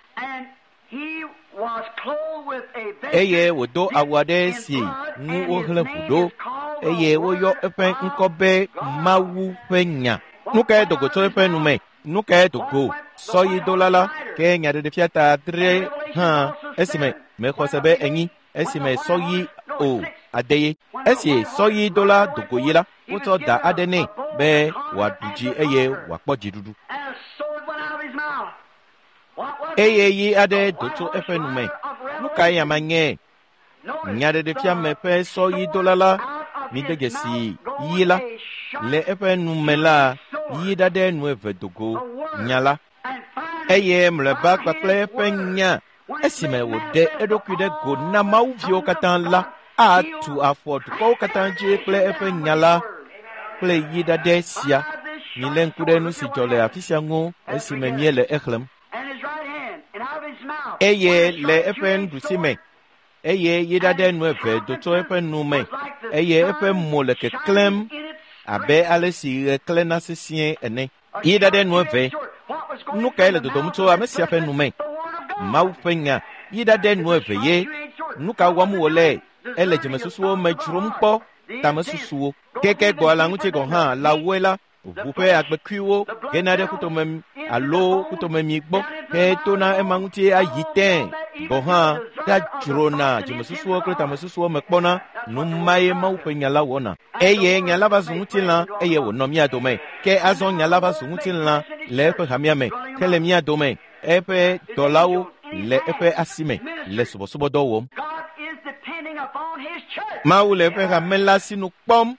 Eye wòdo awu aɖe si ŋu wohlẽ ʋu ɖo, eye woyɔ eƒe ŋkɔ be Mawu ƒe nya. Nu kae do go tso eƒe nu me? Nu kae do go? Sɔyidola la ke nyaɖeɖefia ta 3 hã esime mexɔ se be 4 esime sɔyi o adeye. Esi sɔyidola do go yi la, wotsɔ da aɖe nɛ be wòaɖu dzi eye wòakpɔ dziɖuɖu. Eye yi aɖe do tso eƒe nu me. Nu kae ama nye? Nyaɖeɖefia me ƒe sɔyidola la, mide dzesi yi la. Le eƒe nu me la, yi ɖaɖɛ nu eve do go nya la. Eye mlɔeba kpakple eƒe nya esime wòɖe eɖokui ɖe go na mawuviwo katã la, atu afɔ dukɔwo katã dzi kple eƒe nya la kple yi ɖaɖɛ sia. Milé ŋku ɖe nu si dzɔ le afi sia ŋu esime míele exlẽm. Eye le eƒe nuɖusi me, eye yi ɖaɖɛ nu eve do tso eƒe nu me, eye eƒe mo le keklẽm abe ale si ɣe klẽna sesĩe ene. Yi ɖaɖɛ nu eve. Nu kae le dodom tso ame sia ƒe nu me? Mawu ƒe nya. Yi ɖaɖɛ nu eve ye. Nu ka wɔm wòle? Ele dzimesusuwo me dzrom kpɔ, tamesusuwo. Keke gbɔ la ŋuti gɔ̃ hã lãwoe la, ʋu ƒe agbekuiwo gena ɖe ƒutomemi alo ƒutomemi gbɔ hetona ema ŋuti ayi tẽ. Gɔ̃ hã ɖadzrona dzimesusuwo kple tamesusuwo me kpɔna. Nu mae Mawu ƒe nya la wɔna. Eye nya la va zu ŋutilã eye wònɔ mía dome. Ke azɔ nya la va zu ŋutilã le eƒe hamea me, hele mía dome. Eƒe dɔlawo le eƒe asi me le subɔsubɔdɔ wɔm. Mawu le eƒe hame la sinu kpɔm.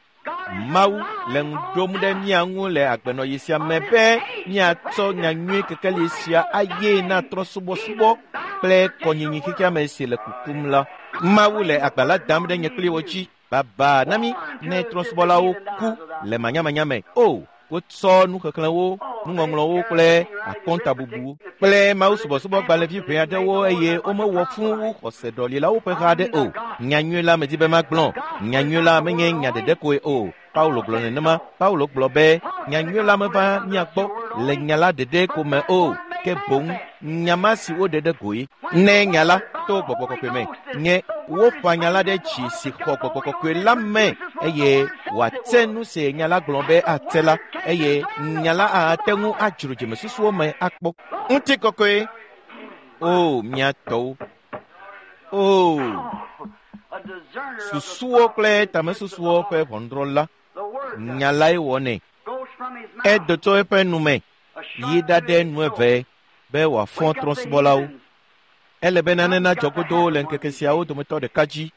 Mawu le ŋu ɖom ɖe mía ŋu le agbenɔɣi sia me be míatsɔ nyanyui kekeli sia aye na trɔ̃subɔsubɔ kple kɔnyinyi xexeame si le kukum la. Mawu le agba la dam ɖe nye kpli wo dzi. Baba na mí ne trɔ̃subɔlawo ku le manyamanya me. O, wotsɔ nuxexlẽwo, nuŋɔŋlɔwo kple akɔntabubuwo kple Mawu subɔsubɔ gbalẽvi ʋɛ aɖewo eye womewɔ fũ wu xɔseɖɔlilawo ƒe ha aɖe o. Nyanyui la medi be magblɔ. Nyanyui la menye nya ɖeɖe koe o. Paulo gblɔ nenema. Paulo gblɔ be nyanyui la meva mía gbɔ le nya la ɖeɖe ko me o, ke boŋ nya ma si woɖe ɖe goe. Ne nya la to gbɔgbɔ kɔkɔe me nye woƒã nya la ɖe dzi si xɔ gbɔgbɔ kɔkɔe la me, eye wòate nu si nya la gblɔ be ate la, eye nya la ate ŋu adzro dzimesusuwo me akpɔ. Ŋutikɔkɔe, o mía tɔwo, o susuwo kple tamesusuwo ƒe ʋɔnudrɔ̃la, nya lae wɔnɛ. Edo tso eƒe nu me yi ɖaɖɛ nu eve be wòafɔ trɔ̃subɔlawo. Ele be nane nadzɔ godoo le ŋkeke siawo dometɔ ɖeka dzi.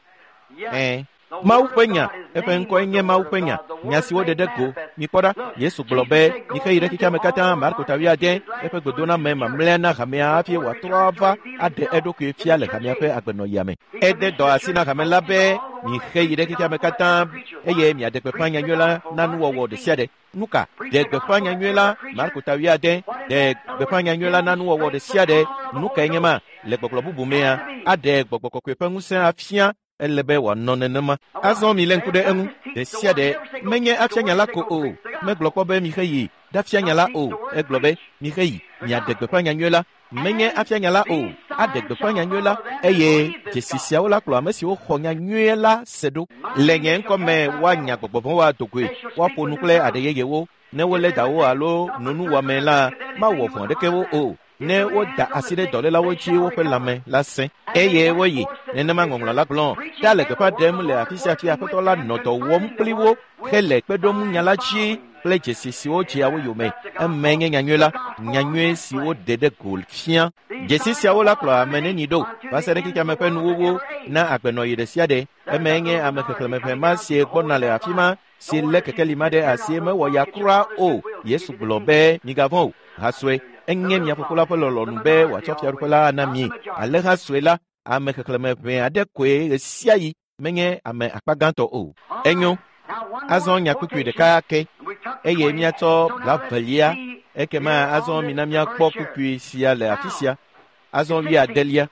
Mawu ƒe nya, eƒe ŋkɔe nye Mawu ƒe nya, nya si woɖe ɖe go. Mikpɔ ɖa, Yesu gblɔ be, mixe yi ɖe xexea me katã, Marko ta wuiade, eƒe gbedoname mamlɛa na hamea hafi wòatrɔ ava aɖe eɖokui fia le hamea ƒe agbenɔɣia me. Ede dɔ asi na hame la be, mixe yi ɖe xexea me katã eye miaɖe gbeƒã nyanyui la na nuwɔwɔ ɖe sia ɖe. Nu ka? Ɖe gbeƒã nyanyui la, Marko ta wuiade, ɖe gbeƒã nyanyui la na nuwɔwɔ ɖe sia ɖe. Nu kae nye ma? Le gbɔgblɔ bubu mea, aɖe gbɔgbɔ kɔkɔe ƒe ŋusẽ afia. Ele be wòanɔ nenema. Azɔ milé ŋku ɖe eŋu. Ɖe sia ɖe menye afia nya la ko o. Megblɔ kpɔ be mixe yi ɖafia nya la o. Egblɔ be mixe yi miaɖe gbeƒã nyanyui la. Menye afia nya la o. Aɖe gbeƒã nyanyui la eye dzesi siawo la kplɔ ame siwo xɔ nyanyui la se ɖo. Le nye ŋkɔ me woanya gbɔgbɔ vɔ̃wo ado goe, woaƒo nu kple aɖe yeyewo. Ne wolé dawo alo no nuwɔame la, mawɔ vɔ̃ aɖeke wo o. Ne woda asi ɖe dɔlélawo dzi woƒe lãme la sẽ eye woyi. Nenema ŋɔŋlɔ la gblɔ. Ta le gbeƒã ɖem le afi sia afi Aƒetɔ la nɔ dɔ wɔm kpli wo hele kpe ɖom nya la dzi kple dzesi siwo dzea wo yome. Eme nye nyanyui la, nyanyui si woɖe ɖe go fia. Dzesi siawo la kplɔ ame neni ɖo va se ɖe xexeame ƒe nuwuwu na agbenɔɣi ɖe sia ɖe. Eme nye ame xexlẽme ʋɛ ma si gbɔna le afi ma si lé kekeli ma ɖe asi mewɔ ya kura o. Yesu gblɔ be migavɔ̃ o. Ha sue, enye mia fofo la ƒe lɔlɔ̃nu be wòatsɔ fiaɖuƒe la ana mi. Ale ha sue la, ame xexlẽme ʋɛ aɖe koe ɣe sia ɣi, menye ame akpa gãtɔ o. Enyo, azɔ nya kpukpui ɖeka ke eye míatsɔ blaevelia. Ekema azɔ mina míakpɔ kpukpui sia le afi sia. Azɔ wuiadelia.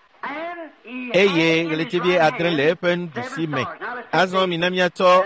Eye ɣletivi adre le eƒe nuɖusi me. Azɔ mina míatsɔ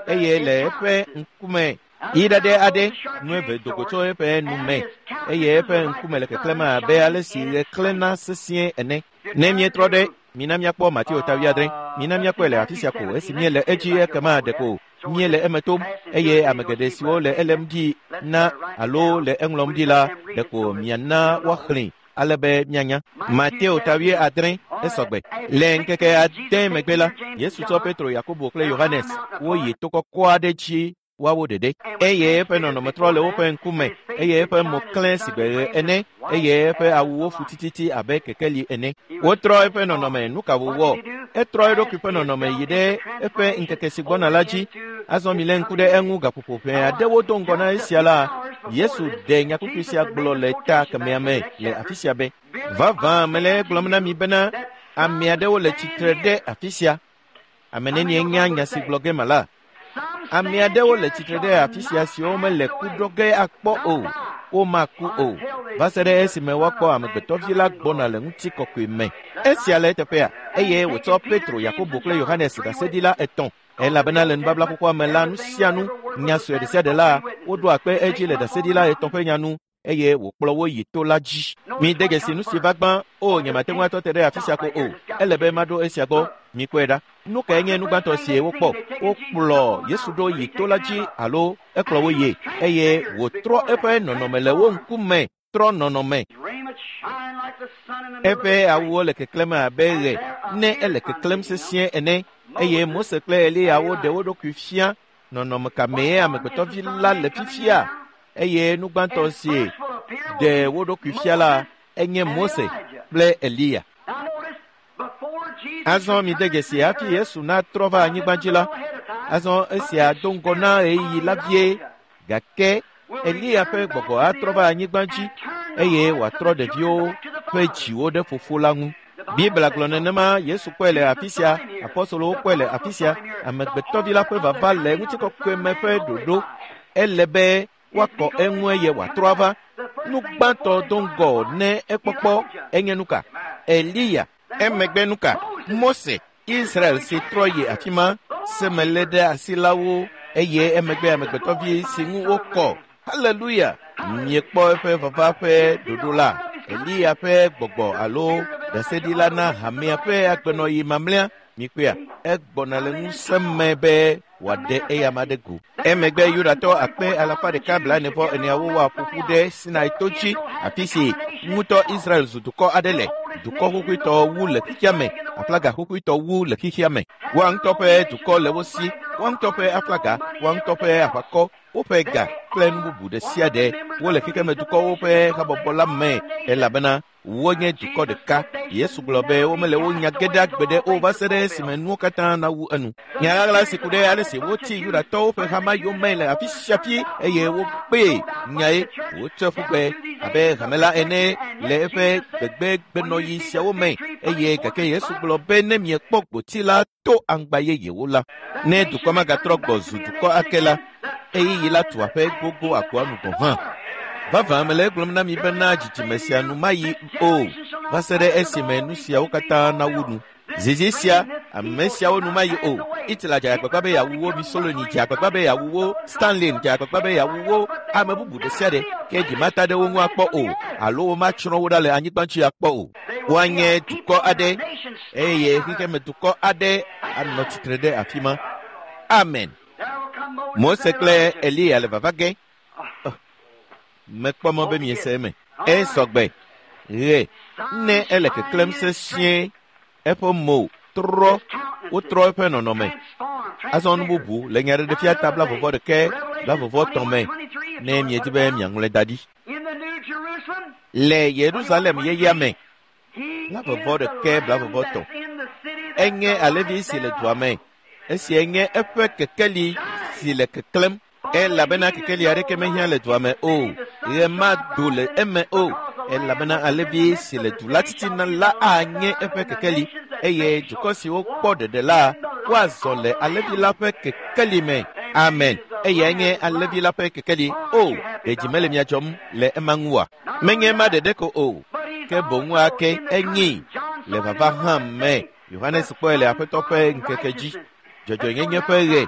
eye le eƒe ŋkume yi ɖaɖɛ aɖe, nu eve do go tso eƒe nu me eye eƒe ŋkume le keklẽm abe ale si ɣe klẽna sesĩe ene. Ne míetrɔ ɖe, mina míakpɔ Mateo ta wuiadre. Mina míakpɔe le afi sia ko esi míele edzi ekema ɖeko míele eme tom eye ame geɖe siwo le elém ɖi na alo le eŋlɔm ɖi la ɖeko miana woaxlẽe ale be mianya. Mateo ta wuiadre esɔgbe. Le ŋkeke ade megbe la, Yesu tsɔ Petro, Yakobo kple Yohanes woyi to kɔkɔ aɖe dzi woawo ɖeɖe. Eye eƒe nɔnɔme trɔ le woƒe ŋkume eye eƒe mo klẽ sigbe ɣe ene eye eƒe awuwo fu tititi abe kekeli ene. Wotrɔ eƒe nɔnɔme. Nu ka wòwɔ? Etrɔ eɖokui ƒe nɔnɔme yi ɖe eƒe ŋkeke si gbɔna la dzi. Azɔ milé ŋku ɖe eŋu gaƒoƒo ʋɛ aɖewo do ŋgɔ na esia la, Yesu ɖe nyakpukpui sia gblɔ le ta kemɛa me le afi sia be, vavã mele egblɔm na mi bena ame aɖewo le tsitre ɖe afi sia. Ame nenie nya nya si gblɔ ge mala? Ame aɖewo le tsitre ɖe afi sia siwo mele ku ɖɔ ge akpɔ o, womaku o, va se ɖe esime woakpɔ amegbetɔvi la gbɔna le ŋutikɔkɔe me. Esia le eteƒea, eye wòtsɔ Petro, Yakobo kple Yohanes ɖaseɖila etɔ̃. Elabena le nubabla xoxoa me la, nu sia nu, nya sue ɖe sia ɖe la, woɖoa kpe edzi le ɖaseɖila etɔ̃ ƒe nya nu eye wòkplɔ wo yi to la dzi. Mide dzesi nu si va gbã. O, nyemate ŋu atɔ te ɖe afi sia ko o. Ele be maɖo esia gbɔ. Mikpɔe ɖa. Nu kae nye nu gbãtɔ si wokpɔ? Wokplɔ Yesu ɖo yi to la dzi alo ekplɔ wo yie eye wòtrɔ eƒe nɔnɔme le wo ŋkume. Trɔ nɔnɔme. Eƒe awuwo le keklẽm abe ɣe ne ele keklẽm sesĩe ene eye Mose kple Eliya woɖe wo ɖokui fia. Nɔnɔme ka mee amegbetɔvi la le fifia? Eye nu gbãtɔ si ɖe wo ɖokui fia la enye Mose kple Eliya. Azɔ mide dzesi hafi Yesu natrɔ va anyigba dzi la. Azɔ esia do ŋgɔ na ɣeyiɣi la vie, gake Eliya ƒe gbɔgbɔ atrɔ va anyigba dzi eye wòatrɔ ɖeviwo ƒe dziwo ɖe fofo la ŋu. Biblia gblɔ nenema. Yesu kpɔe le afi sia, apɔstolowo kpɔe le afi sia. Amegbetɔvi la ƒe vava le ŋutikɔkɔe me ƒe ɖoɖo. Ele be woakɔ eŋu eye wòatrɔ ava. Nu gbãtɔ do ŋgɔ ne ekpɔkpɔ enye nu ka? Eliya. Emegbe nu ka? Mose, Israel si trɔ yi afi ma, semele ɖe asi la wo eye emegbe amegbetɔvi si ŋu wokɔ. Haleluya! Miekpɔ eƒe vava ƒe ɖoɖo la. Eliya ƒe gbɔgbɔ alo ɖaseɖila na hamea ƒe agbenɔɣi mamlɛa. Mikpɔea, egbɔna le ŋusẽ me be wòaɖe eyama ɖe go. Emegbe Yudatɔ akpe alafa ɖeka blaene-vɔ-eneawo woaƒo ƒu ɖe Sinai to dzi, afi si ŋutɔ Israel zu dukɔ aɖe le, dukɔ xoxoetɔ wu le xexea me, aflaga xoxoetɔ wu le xexea me. Woa ŋutɔ ƒe dukɔ le wo si, woa ŋutɔ ƒe aflaga, woa ŋutɔ ƒe aʋakɔ, woƒe ga kple nu bubu ɖe sia ɖe. Wole xexeme dukɔwo ƒe habɔbɔ la me elabena Wonye dukɔ ɖeka. Yesu gblɔ be womele wo nya ge ɖe agbe ɖe o va se ɖe esime nuwo katã nawu enu. Nya ɣaɣla si ku ɖe ale si wotsi Yudatɔwo ƒe hama yome le afi sia afi eye wokpee nyae wotsɔe ƒu gbe abe hame la ene le eƒe gbegbegbenɔɣi siawo me eye gake Yesu gblɔ be ne miekpɔ gboti la to aŋgba yeyewo la, ne dukɔ magatrɔ gbɔ zu dukɔ ake la, ɣeyiɣi la tu aƒe gbogbo agoa nu gɔ̃ hã. Vavã mele egblɔm na mi bena dzidzime sia nu mayi o va se ɖe esime nu siawo katã nawu nu. Zizi sia, ame siawo nu mayi o. Hitler dze agbagba be yeawu wo, Mussolini dze agbagba be yeawu wo, Stalin dze agbagba be yeawu wo, ame bubu ɖe sia ɖe ke dzi mata ɖe wo ŋu akpɔ o alo womatsrɔ̃ wo ɖa le anyigba dzi akpɔ o. Woanye dukɔ aɖe eye xexeme dukɔ aɖe anɔ tsitre ɖe afi ma. Amen. Mose kple Eliya le vava ge. Mekpɔ mɔ be miese eme. Esɔgbe. Ɣe ne ele keklẽm sesĩe eƒe mo trɔ wotrɔ eƒe nɔnɔme. Azɔ nu bubu le nyaɖeɖefia ta 21 23 me ne miedi be miaŋlɔe da ɖi. Le Yerusalem yeyea me 21 23 enye alẽvi si le dua me. Esia nye eƒe kekeli si le keklẽm elabena kekeli aɖeke mehiã le dua me o. Ɣe mado le eme o elabena alẽvi si le du la titina la anye eƒe kekeli eye dukɔ siwo kpɔ ɖeɖe la woazɔ le alẽvi la ƒe kekeli me. Amen. Eyae nye alẽvi la ƒe kekeli. O, ɖe dzi mele mia dzɔm le ema ŋu oa? Menye ema ɖeɖe ko o, ke boŋ ake enyee le vava hã me. Yohanes kpɔe le Aƒetɔ ƒe ŋkeke dzi. Dzɔdzɔenyenye ƒe ɣe.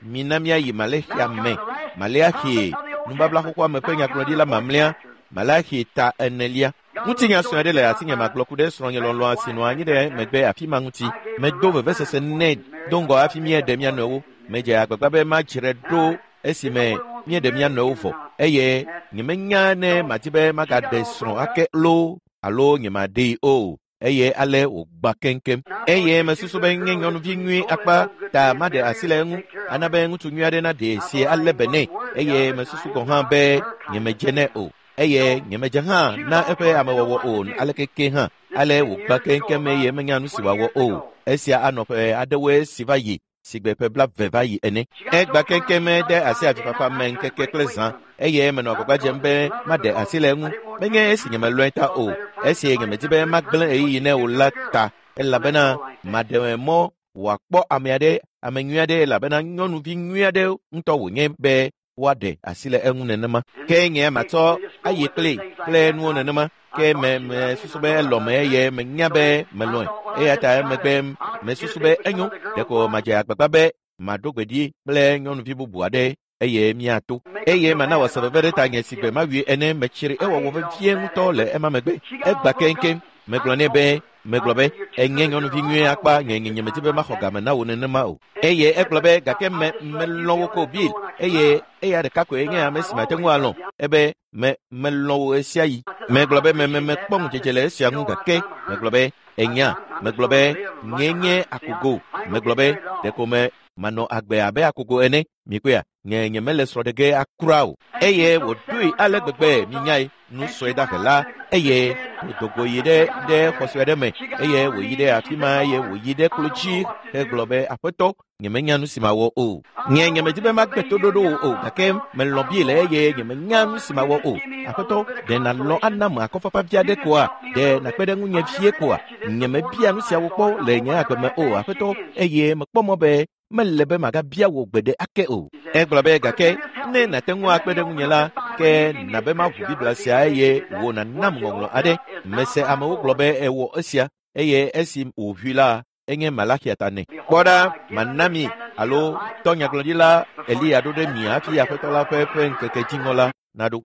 Mina míayi Malexia me. Maleaxi, nubabla xoxoa me ƒe nyagblɔɖila mamlɛa, Malaxi ta 4. Ŋutinya sue aɖe le asinye magblɔ ku ɖe srɔ̃nye lɔlɔ̃a si nɔ anyi ɖe megbe afi ma ŋuti. Medo vevesese nɛ do ŋgɔ hafi míeɖe mía nɔewo. Medze agbagba be madzre ɖo esime míeɖe mía nɔewo vɔ eye nyemenya ne madi be magaɖe srɔ̃ ake loo alo nyemaɖee o. Eye ale wògbã keŋkeŋ. Eye mesusu be nye nyɔnuvi nyui akpa ta maɖe asi le eŋu ana be ŋutsu nyui aɖe naɖee si alé be nɛ. Eye mesusu gɔ̃ hã be nyemedze nɛ o. Eye nyemedze hã na eƒe amewɔwɔ o aleke ke hã. Ale wògbã keŋkeŋ eye menya nu si wòawɔ o. Esia anɔ ƒe aɖewoe si va yi sigbe ƒe 20 va yi ene. Egbã keŋkeŋ de asi avifafa me ŋkeke kple zã eye menɔ agbagba dzem be maɖe asi le eŋu. Menye esi nyemelɔ̃e ta o, esi nyemedi be magblẽ ɣeyiɣi nɛ o la ta elabena maɖe mɔ wòakpɔ ame aɖe, ame nyui aɖe elabena nyɔnuvi nyui aɖe ŋutɔ wònye be woaɖe asi le eŋu nenema. Ke nye matsɔ ayi kplii kple nuwo nenema. Ke me mesusu be elɔ̃me eye menya be melɔ̃e. Eya ta emegbe mesusu be enyo ɖeko madze agbagba be maɖo gbe ɖi kple nyɔnuvi bubu aɖe eye míato. Eye mana wòase veve ɖe tanye si gbe mawui ene metsri ewɔwɔ vevie ŋutɔ le ema megbe. Egbã keŋkeŋ. Megblɔ nɛ be megblɔ be enye nyɔnuvi nyui akpa nye nyemedi be maxɔ game na wò nenema o. Eye egblɔ be gake me melɔ̃ wò ko Bill eye eya ɖeka koe nye ame si mate ŋu alɔ̃. Ebe me melɔ̃ wò ɣesiaɣi. Megblɔ be me mekpɔ ŋudzedze le esia ŋu gake megblɔ be enya megblɔ be nye nye akogo. Megblɔ be ɖeko me manɔ agbe abe akogo ene. Mikpɔea nye nyemele srɔ̃ ɖe ge akura o. Eye wòɖoe ale gbegbe minyae nu sue dahe la eye wòdo go yi ɖe xɔ sue aɖe me eye wòyi ɖe afi ma eye wòyi ɖe klo dzi hegblɔ be aƒetɔ nyemenya nu si mawɔ o. Nye nyemedi be magbe toɖoɖo wò o gake melɔ̃ Bill eye nyemenya nu si mawɔ o. Aƒetɔ ɖe nàlɔ̃ ana me akɔfafa vi aɖe koa? Ɖe nàkpe ɖe ŋunye vie koa? Nyemebia nu siawo kpɔ le nye agbe me o aƒetɔ eye mekpɔ mɔ be mele be magabia wò gbe ɖe ake o. Egblɔ be gake ne nàte ŋu akpe ɖe ŋunye la ke nabe maʋu Biblia sia eye wò nànam ŋɔŋlɔ aɖe. Mese amewo gblɔ be ewɔ esia eye esi wòʋui la enye Malaxia ta nɛ. Kpɔ ɖa mana mi alo tɔ nyagblɔɖila Eliya ɖo ɖe mi hafi Aƒetɔ la ƒe ƒe ŋkeke dziŋɔ la naɖo.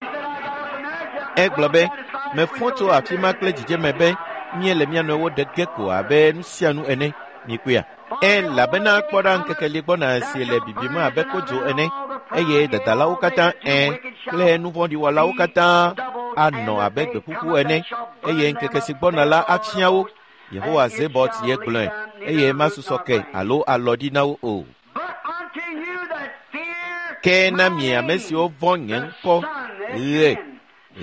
Egblɔ be mefɔ tso afi ma kple dzidzeme be míele mía nɔewo ɖe ge ko abe nu sia nu ene. Mikpɔea? Elabena kpɔ ɖa ŋkeke li gbɔna si le bibim abe kodzo ene eye dadalawo katã kple nuvɔ̃ɖiwɔlawo katã anɔ abe gbeƒuƒu ene eye ŋkeke si gbɔna la afia wo. Yehowa Zebɔt ye gblɔe eye masusɔ ke alo alɔ ɖi na wo o. Ke na mi ame siwo vɔ̃ nye ŋkɔ ɣe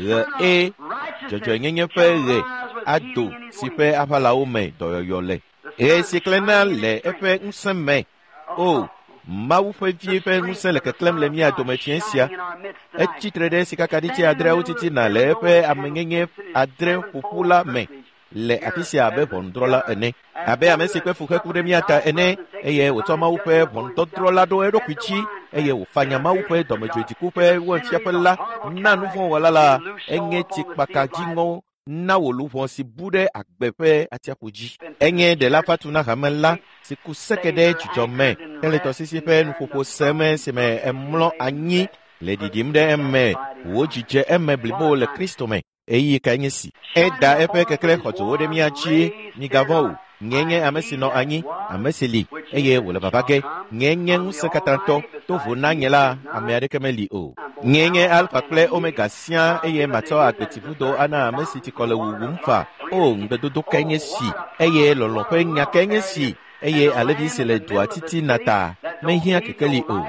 ɣe e dzɔdzɔenyenye ƒe ɣe ado si ƒe aʋalawo me dɔyɔyɔ le. Ɣe si klẽna le eƒe ŋusẽ me. O, Mawu ƒe vie ƒe ŋusẽ le keklẽm le mía dome fiẽ sia. Etsi tre ɖe sikakaɖitsi adreawo titina le eƒe amenyenye adre ƒoƒu la me le afi sia abe ʋɔnudrɔ̃la ene, abe ame si kpe fu heku ɖe mía ta ene, eye wòtsɔ Mawu ƒe ʋɔnudɔdrɔ̃ la ɖo eɖokui dzi, eye wòfanya Mawu ƒe dɔmedzoedziku ƒe wainfiaƒe la na nuvɔ̃wɔla la. Enye tsikpaka dziŋɔ na wò luʋɔ si bu ɖe agbe ƒe atsiaƒu dzi. Enye ɖela fatu na hame la si ku seke ɖe dzidzɔ me hele tɔsisi ƒe nuƒoƒo sem esime emlɔ anyi le ɖiɖim ɖe eme, wò dzi dze eme blibo le Kristo me. Ɣeyiɣi kae nye si? Eda eƒe keklẽ xɔdzowo ɖe mía dzi. Migavɔ̃ o. Nyee nye ame si nɔ anyi, ame si li, eye wòle vava ge. Nyee nye ŋusẽkatãtɔ. To vo na nye la, ame aɖeke meli o. Nyee nye Alfa kple Omega siaa, eye matsɔ agbetsivudo ana ame si tsikɔ le wuwum fa. O, ŋugbedodo kae nye si, eye lɔlɔ̃ ƒe nya kae nye si, eye alẽvi si le dua titina ta mehiã kekeli o.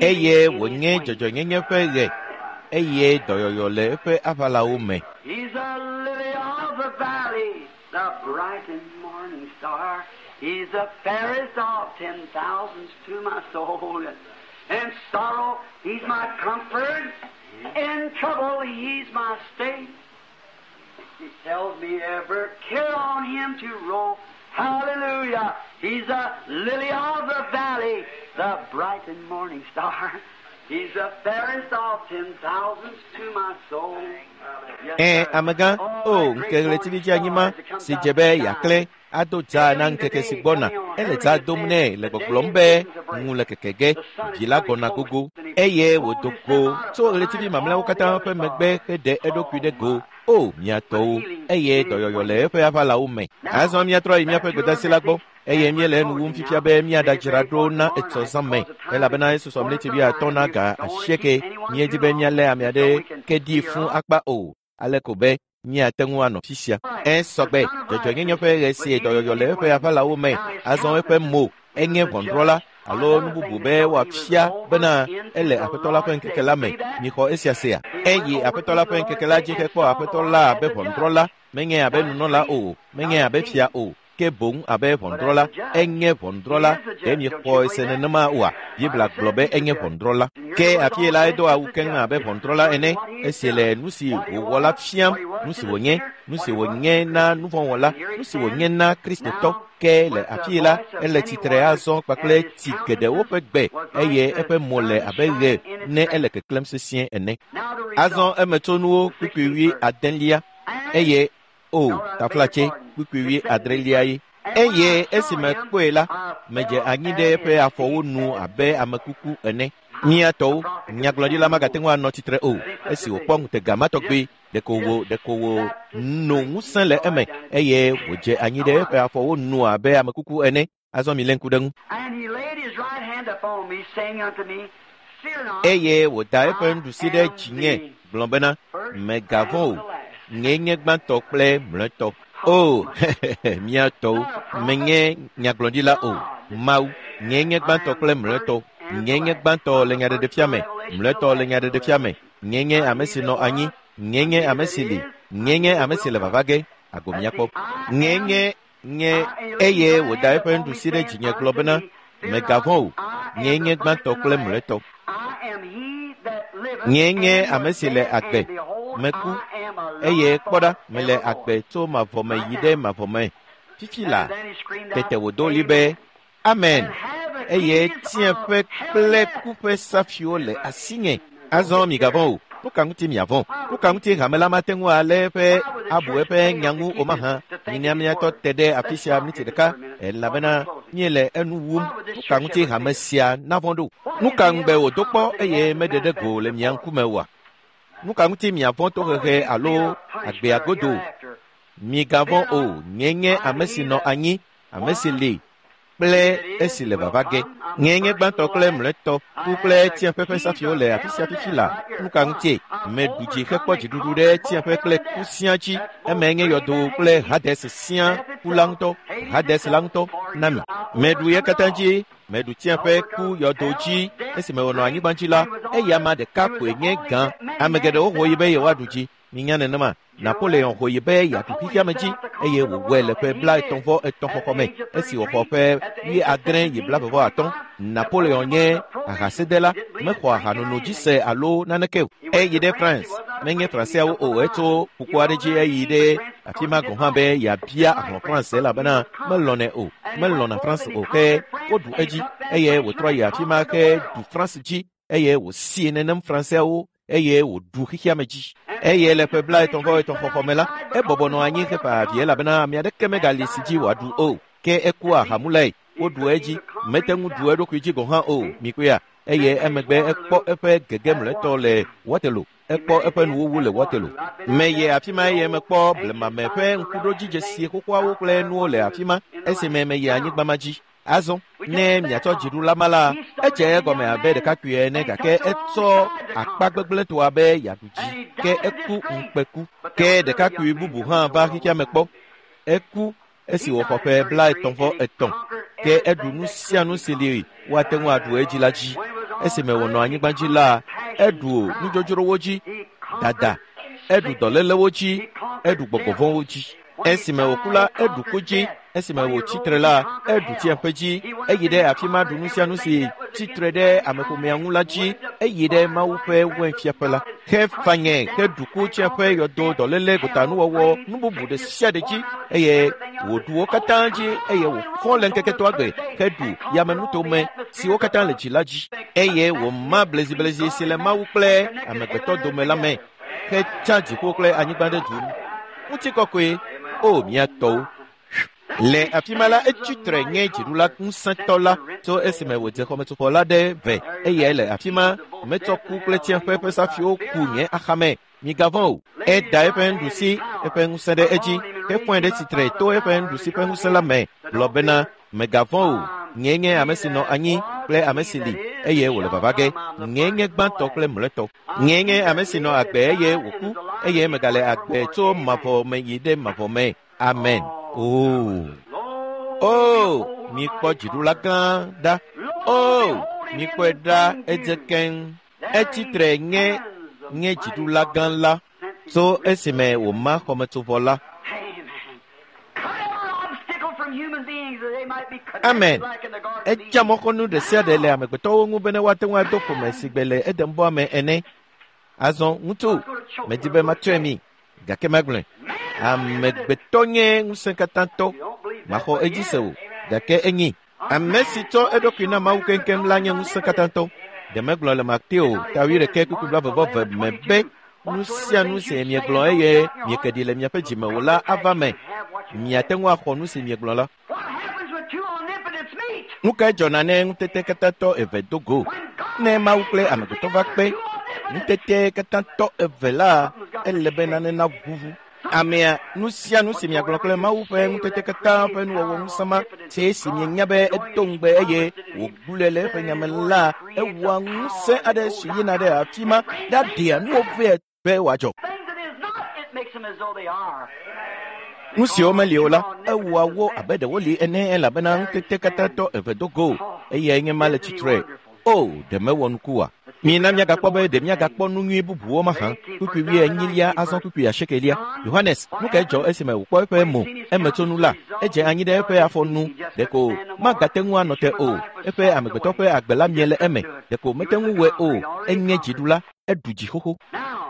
Eye wònye dzɔdzɔenyenye ƒe ɣe, eye dɔyɔyɔ le eƒe aʋalawo me. He's a lily of the valley, the bright and morning star. He's the fairest of 10,000s to my soul. In sorrow, he's my comfort. In trouble, he's my stay. He tells me ever care on him to roll. Hallelujah. He's a lily of the valley, the bright and morning star. He's the fairest of 10,000s to my soul. Yes, Ẽ, sir. amegã, o, ŋkeke ɣletivi dzi anyima si dze be yeaklẽ ado dza na ŋkeke si gbɔna. Ele dza dom nɛ le gbɔgblɔm be ŋu le keke ge, vi la gbɔna gogo. Eye wòdo go tso ɣletivi mamlɛawo katã ƒe megbe heɖe eɖokui ɖe go. O, mía tɔwo, eye dɔyɔyɔ le eƒe aʋalawo me. Azɔ míatrɔ yi míaƒe gbedasi la gbɔ, eye míele enu wum fifia be míaɖadzra ɖo na etsɔ zã me, elabena esusɔ mleti wuiatɔ̃ na ga asieke. Míedi be míalé ame aɖe ke ɖi fũu akpa o, ale ko be míate ŋu anɔ fi sia. Ẽ, sɔgbe, dzɔdzɔenyenye ƒe ɣe si dɔyɔyɔ le eƒe aʋalawo me. Azɔ eƒe mo enye ʋɔnudrɔ̃la alo nu bubu be wòafia bena ele Aƒetɔ la ƒe ŋkeke la me. Mixɔ esia sea? Eyi Aƒetɔ la ƒe ŋkeke la dzi hekpɔ Aƒetɔ la abe ʋɔnudrɔ̃la, menye abe nunɔla o, menye abe fia o, ke boŋ abe ʋɔnudrɔ̃la. Enye ʋɔnudrɔ̃la. Ɖe miexɔe se nenema oa? Biblia gblɔ be enye ʋɔnudrɔ̃la. Ke afie la edo awu keŋ abe ʋɔnudrɔ̃la ene, esi le nu si wòwɔ la fiam, nu si wònye, nu si wònye na nuvɔ̃wɔla, nu si wònye na Kristotɔ. Ke le afie la, ele tsitre azɔ kpakple tsi geɖewo ƒe gbe, eye eƒe mo le abe ɣe ne ele keklẽm sesĩe ene. Azɔ emetsonuwo kpukpui wui adelia, eye o, taflatse kpukpui wui adrelia ye. Eye esime kpɔe la, medze anyi ɖe eƒe afɔwo nu abe ame kuku ene. Mía tɔwo, nyagblɔɖila magate ŋu anɔ tsitre o, esi wòkpɔ ŋutega ma tɔgbi, ɖeko wò no ŋusẽ le eme, eye wòdze anyi ɖe eƒe afɔwo nu abe ame kuku ene. Azɔ milé ŋku ɖe ŋu. And he laid his right hand upon me, saying unto me, Fear not, Eye wòda eƒe nuɖusi ɖe dzinye gblɔ bena, Mègavɔ̃ o, nyee nye gbãtɔ kple mlɔetɔ. O, mía tɔwo, menye nyagblɔɖila o. Mawu, nyee nye gbãtɔ kple mlɔetɔ. Nyee nye gbãtɔ le nyaɖeɖefia me, mlɔetɔ le nyaɖeɖefia me. Nyee nye ame si nɔ anyi, nyee nye ame si li, nyee nye ame si le vava ge. Ago míakpɔ. Nyee nye nye eye wòda eƒe nuɖusi ɖe dzinye gblɔ bena, Mègavɔ̃ o, nyee nye gbãtɔ kple mlɔetɔ. I am he that liveth Nyee nye and ame was si le dead, agbe. and behold, Meku, I am alive eye kpɔ ɖa, mele forevermore. agbe tso mavɔ me yi ɖe mavɔ me. Fifi la, And then he screamed out, tete wòdo ɣli be, Amen. And have the Eye keys tsiẽƒe of hell kple and death. ku ƒe safiwo le asinye. Azɔ migavɔ̃ o. Nu ka ŋuti miavɔ̃? Nu ka ŋuti hame la mate ŋu alé eƒe abu eƒe nya ŋu o mahã? Mina míatɔ te ɖe afi sia miniti ɖeka, elabena míele enu wum. Nu ka ŋuti hame sia navɔ̃ ɖo? Nu ka ŋugbe wòdo kpɔ eye meɖe ɖe go le mia ŋkume oa? Nu ka ŋuti miavɔ̃ tohehe alo agbea godo? Migavɔ̃ o, nyee nye ame si nɔ anyi, ame si li kple esi le vava ge. Nyee nye gbãtɔ kple mlɔetɔ, ku kple tsiẽƒe ƒe safiwo le afi sia fifi la. Nu ka ŋutie? Meɖu dzi hekpɔ dziɖuɖu ɖe tsiẽƒe kple ku siaa dzi. Emae nye yɔdo kple Hades siaa ku la ŋutɔ, Hades la ŋutɔ na mi. Meɖu ye katã dzi, meɖu tsiẽƒe ku yɔdo dzi esime wònɔ anyigba dzi la, eya ame ɖeka koe nye gã. Ame geɖewo ho yi be yewoaɖu dzi. Minya nenema. Napoleon ho yi be yeaɖu xexeame dzi eye wòwɔe le ƒe 33 xɔxɔ me esi wòxɔ ƒe 70 yi 25. Napoleon nye ahasedela, mexɔ ahanono dzi se alo naneke o. Eyi ɖe France, menye Franseawo o, etso ƒukpo aɖe dzi eyi ɖe afi ma gɔ̃ hã be yeabia ahlɔ̃ France elabena melɔ̃nɛ o, melɔ̃na France o ke woɖu edzi eye wòtrɔ yi afi ma ke ɖu France dzi eye wòsie nenem Franseawo eye wòɖu xexeame dzi. Eye le ƒe 33 xɔxɔ me la, ebɔbɔ nɔ anyi heƒe avi elabena ame aɖeke megali si dzi wòaɖu o. Ke eku ahamulae, woɖu edzi, mete ŋu ɖu eɖokui dzi gɔ̃ hã o, mikpɔea. Eye emegbe ekpɔ eƒe gege mlɔetɔ le Waterloo. Ekpɔ eƒe nuwuwu le Waterloo. Meye afi ma eye mekpɔ blemame ƒe ŋkuɖodzidzesi xoxoawo kple nuwo le afi ma esime meyi anyigba ma dzi. Azɔ, ne miatsɔ dziɖula ma la, edze egɔme abe ɖekakpui ene gake etsɔ akpa gbegblẽtɔa be yeaɖu dzi ke eku ŋukpeku. Ke ɖekakpui bubu hã va xexeame kpɔ. Eku esi wòxɔ ƒe 33 ke eɖu nu sia nu si li woate ŋu aɖu edzi la dzi. Esime wònɔ anyigba dzi la, eɖu nudzodzrowo dzi, dada, eɖu dɔlélewo dzi, eɖu gbɔgbɔvɔ̃wo dzi. Esime wòku la, eɖu ku dzi. Esime wòtsi tre la, eɖu tsiaƒe dzi. Eyi ɖe afi ma ɖu nu sia nu si tsi tre ɖe ameƒomea ŋu la dzi. Eyi ɖe Mawu ƒe wɛnfiaƒe la. Hefanye heɖu ku tsiaƒe yɔdo dɔléle gotanuwɔwɔ nu bubu ɖe sia ɖe dzi eye wòɖu wo katã dzi eye wòfɔ le ŋkeke etɔ̃a gbe heɖu yamenutome siwo katã le dzi la dzi eye wòma bleziblezi si le Mawu kple amegbetɔ dome la me hetsa dziƒo kple anyigba ɖe du. Ŋutikɔkɔe, o mía tɔwo. Le afi ma la, etsi tre nye dziɖula ŋusẽtɔ la tso esime wòdze xɔmetsofɔ la ɖe ve eyae le afi ma metsɔ ku kple tsiaƒe ƒe safiwo ku nye axame. Migavɔ̃ o. Eda eƒe nuɖusi, eƒe ŋusẽ ɖe edzi, hefɔe ɖe tsitre to eƒe nuɖusi ƒe ŋusẽ la me, gblɔ bena, megavɔ̃ o. Nyee nye ame si nɔ anyi kple ame si li eye wòle vava ge. Nyee nye gbãtɔ kple mlɔetɔ. Nyee nye ame si nɔ agbe eye wòku eye megale agbe tso mavɔ me yi ɖe mavɔ me. Amen. Oh. Oh, mikpɔ dziɖula gã ɖa. Oh, mikpɔe ɖa edze keŋ. Etsi tre nye nye dziɖula gã la tso esime wòma xɔmetsovɔ la. Amen. Etsa mɔxɔnu ɖe sia ɖe le amegbetɔwo ŋu bene woate ŋu ado ƒome si gbe le Edenbɔa me ene. Azɔ ŋutsu, medi be matsɔe mi, gake magblɔe. Amegbetɔ nye ŋusẽkatãtɔ. Maxɔ edzi se o, gake enyi. Ame si tsɔ eɖokui na Mawu keŋkeŋ la nye ŋusẽkatãtɔ. Ɖe megblɔ le Mateo ta 21 kpukpui 22 me be nu sia nu si miegblɔ eye mieke ɖi le miaƒe dzime o la ava me. Miate ŋu axɔ nu si miegblɔ la. Nu kae dzɔna ne ŋutetekatãtɔ eve do go? Ne Mawu kple amegbetɔ va kpe ŋutetekatãtɔ eve la, ele be nane naʋuʋu. Amea, nu sia nu si miagblɔ kple Mawu ƒe ŋutete katã ƒe nuwɔwɔ ŋusẽ ma, si esi mienya be edo ŋugbe eye wògblɔe le eƒe nyame la, ewɔa ŋusẽ aɖe si yina ɖe afi ma ɖaɖea nuwo vɛ be wòadzɔ. Nu siwo meli o la, ewɔa wo abe ɖe woli ene elabena ŋutete katãtɔ eve do go eyae nye ma le tsitre. O, ɖe mewɔ nuku oa? Mina miagakpɔ be ɖe miagakpɔ nu nyui bubuwo mahã. Kpukpui 40 azɔ kpukpui 8. Yohanes, nu kae dzɔ esime wòkpɔ eƒe mo emetsonu la? Edze anyi ɖe eƒe afɔ nu. Ɖeko magate ŋu anɔ te o. Eƒe amegbetɔ ƒe agbe la mie le eme. Ɖeko mete ŋu wɔe o. Enye dziɖula. Eɖu dzi xoxo.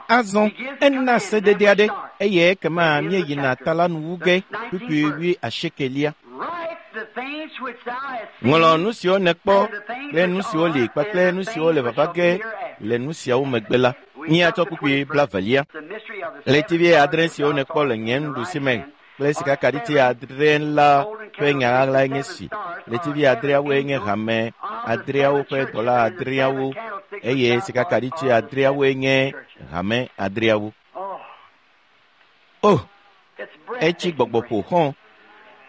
Azɔ, ena sedede aɖe eye ekema míeyina ta la nu wu ge kpukpui 80. Ŋlɔ nu siwo nèkpɔ kple nu siwo li kpakple nu siwo le vava ge le nu siawo megbe la. Míatsɔ kpukpui 20. Ɣletivi 8 siwo nèkpɔ le nye nuɖusi me kple sikakaɖiti 8 la ƒe nya ɣaɣlae nye si. Ɣletivi 8 nye hame 8 ƒe dɔla 8 eye sikakaɖiti 8 nye hame 8. Oh, etsi gbɔgbɔ ƒo xɔ̃.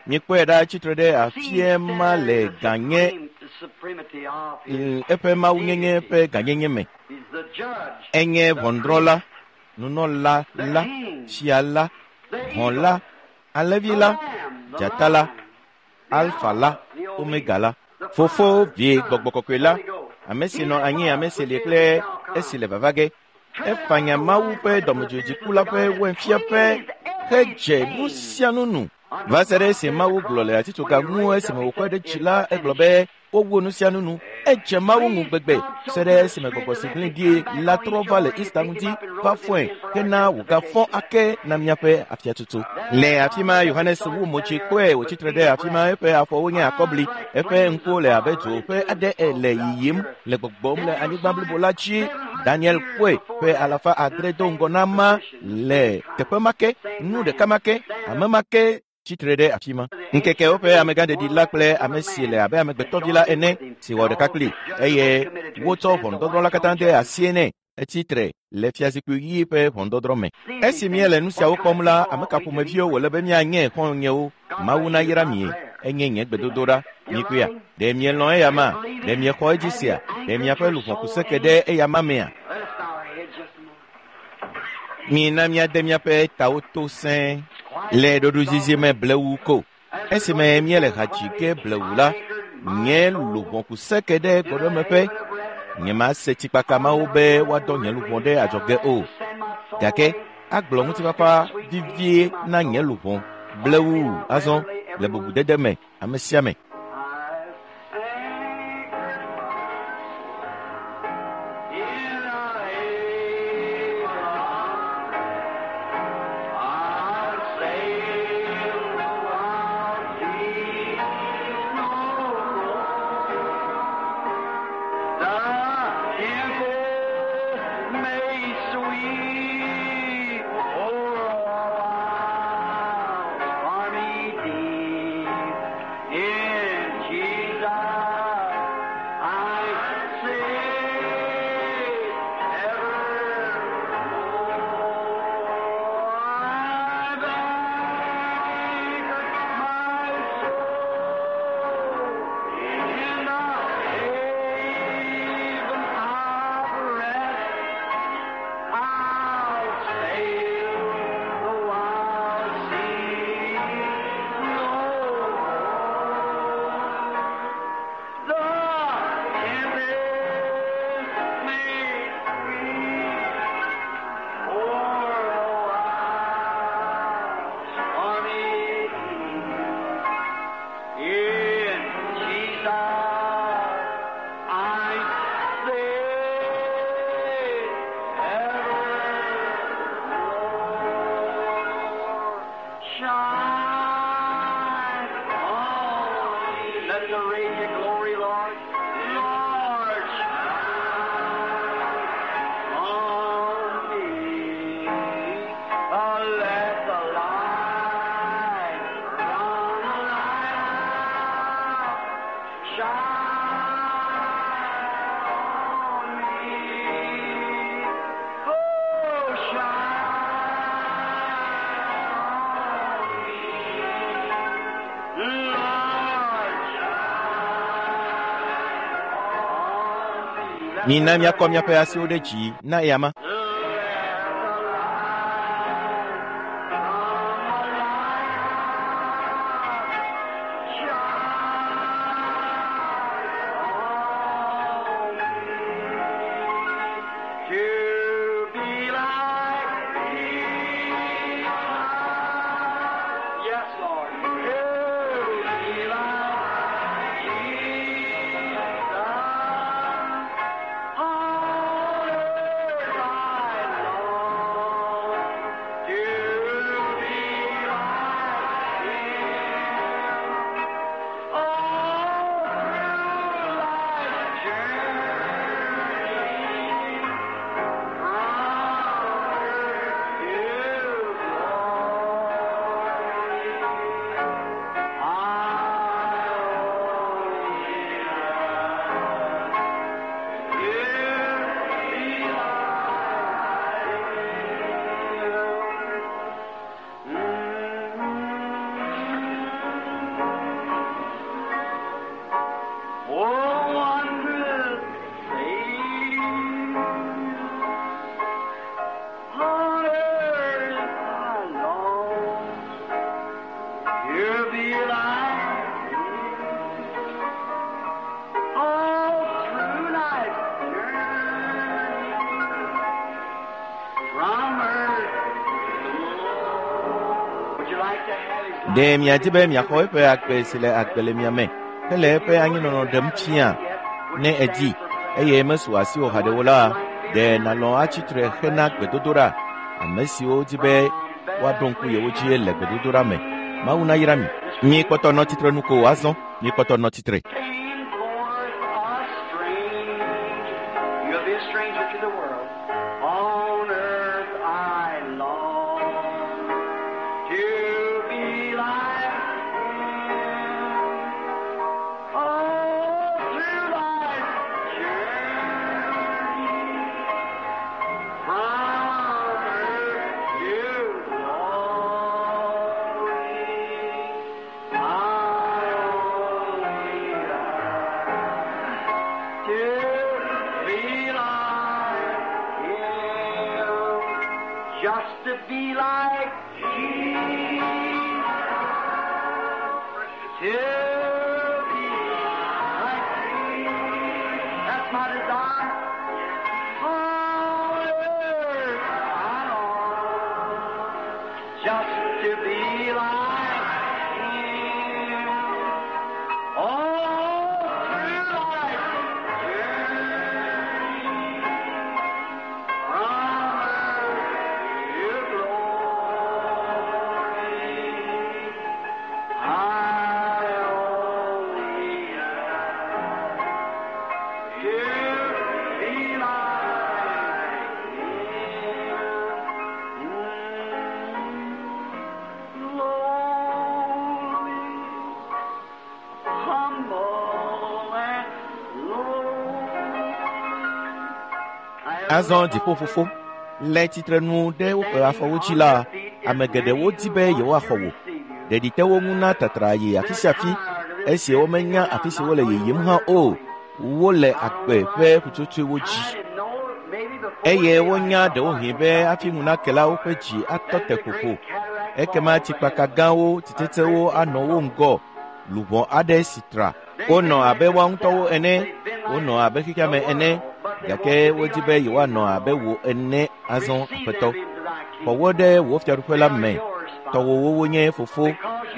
Mikpɔe ɖa tsitre ɖe afie ma le ganye eƒe mawunyenye ƒe gãnyenye me. Enye ʋɔnudrɔ̃la, nunɔla la, fia la, hɔ̃ la, alẽvi la, dzata la, alfa la, omega la, Fofo, Vi, Gbɔgbɔ Kɔkɔe la, ame si nɔ anyi, ame si li kple esi le vava ge. Efanya Mawu ƒe dɔmedzoedziku la ƒe wainfiaƒe hedze nu sia nu nu. Va se ɖe esi Mawu gblɔ le atitsoga ŋu esime wòkɔe ɖe dzi la, egblɔ be wowu nu sia nu nu. Edze Mawu ŋu gbegbe se ɖe esime gbɔgbɔ si gblẽ ɖi la trɔ va le Easter ŋdi va fɔe hena wògafɔ ake na míaƒe afiatutu. Le afi ma Yohanes wu mo dzi kpɔe wòtsi tre ɖe afi ma eƒe afɔwo nye akɔbli, eƒe ŋkuwo le abe dzo ƒe aɖe le yiyim le gbɔgbɔm le anyigba blibo la dzi. Daniel kpɔe ƒe 700 do ŋgɔ na ma le teƒe ma ke, nu ɖeka ma ke, ame ma ke tsitre ɖe afi ma. Ŋkekewo ƒe amegãɖeɖi la kple ame si le abe amegbetɔvi la ene si wɔ ɖeka kpli eye wotsɔ ʋɔnudɔdrɔ̃ la katã de asie nɛ. Etsitre le fiazikpui ɣi ƒe ʋɔnudɔdrɔ̃ me. Esi míele nu siawo kpɔm la, ame ka ƒomeviwo wòle be míanye xɔ̃nyewo? Mawu nayra mie, enye nye gbedodoɖa. Mikpɔea? Ɖe mielɔ̃ eya ma? Ɖe miexɔ edzi sia? Ɖe miaƒe luʋɔ ku seke ɖe eya ma mea? Mina míade míaƒe tawo to sẽe le ɖoɖoezizi me blewu ko. Esime míele ha dzi ge blewu la, nye luʋɔ ku seke ɖe gbɔɖemeƒe. Nyemase tsikpaka mawo be woadɔ nye luʋɔ ɖe adzɔge o. Gake agblɔ ŋutifafa vivie na nye luʋɔ blewu azɔ le bubudede me ame sia ame. Mina míakɔ míaƒe asiwo ɖe dzi na eya ma. Yes, Lord. To be like Jesus. Ɖe miadi be miaxɔ eƒe agbe si le agbe le mia me hele eƒe anyinɔnɔ ɖem fia? Ne èdi eye mesu asiwò haɖe o la, ɖe nàlɔ̃ atsi tre hena gbedodoɖa? Ame siwo di be woaɖo ŋku yewo dzi le gbedodoɖa me. Mawu nayra mi. Mikpɔtɔ nɔ tsitre nu ko azɔ. Mikpɔtɔ nɔ tsitre. Came forth a stranger. You'll be a stranger to the world. On earth I long to be like him. Oh, through life's journey, from earth to glory, I only long to be like him, just to be like Jesus, to be like Jesus. That's my desire. On earth I long just to be like him. All through life's journey, from earth to glory, I only long to be like him. Lowly, humble and low. Azɔ dziƒofofo le tsitrenu ɖe woƒe afɔwo dzi la, ame geɖewo di be yewoaxɔ wò. Ɖeɖi te wo ŋu na tatra yi afi sia afi esi womenya afi si wole yiyim hã o. Wole agbe ƒe ƒutsotsoewo dzi eye wonya ɖewohĩ be hafi ŋu nake la, woƒe dzi atɔ te ƒoƒo. Ekema tsikpaka gãwo, tsitsetsewo anɔ wo ŋgɔ, luʋɔ aɖe si tra. Wonɔ abe woa ŋutɔwo ene, wonɔ abe xexea me ene, gake wodi be yewoanɔ abe wò ene azɔ, Aƒetɔ. Xɔ wo ɖe wò fiaɖuƒe la me. Tɔwòwo wonye fofo,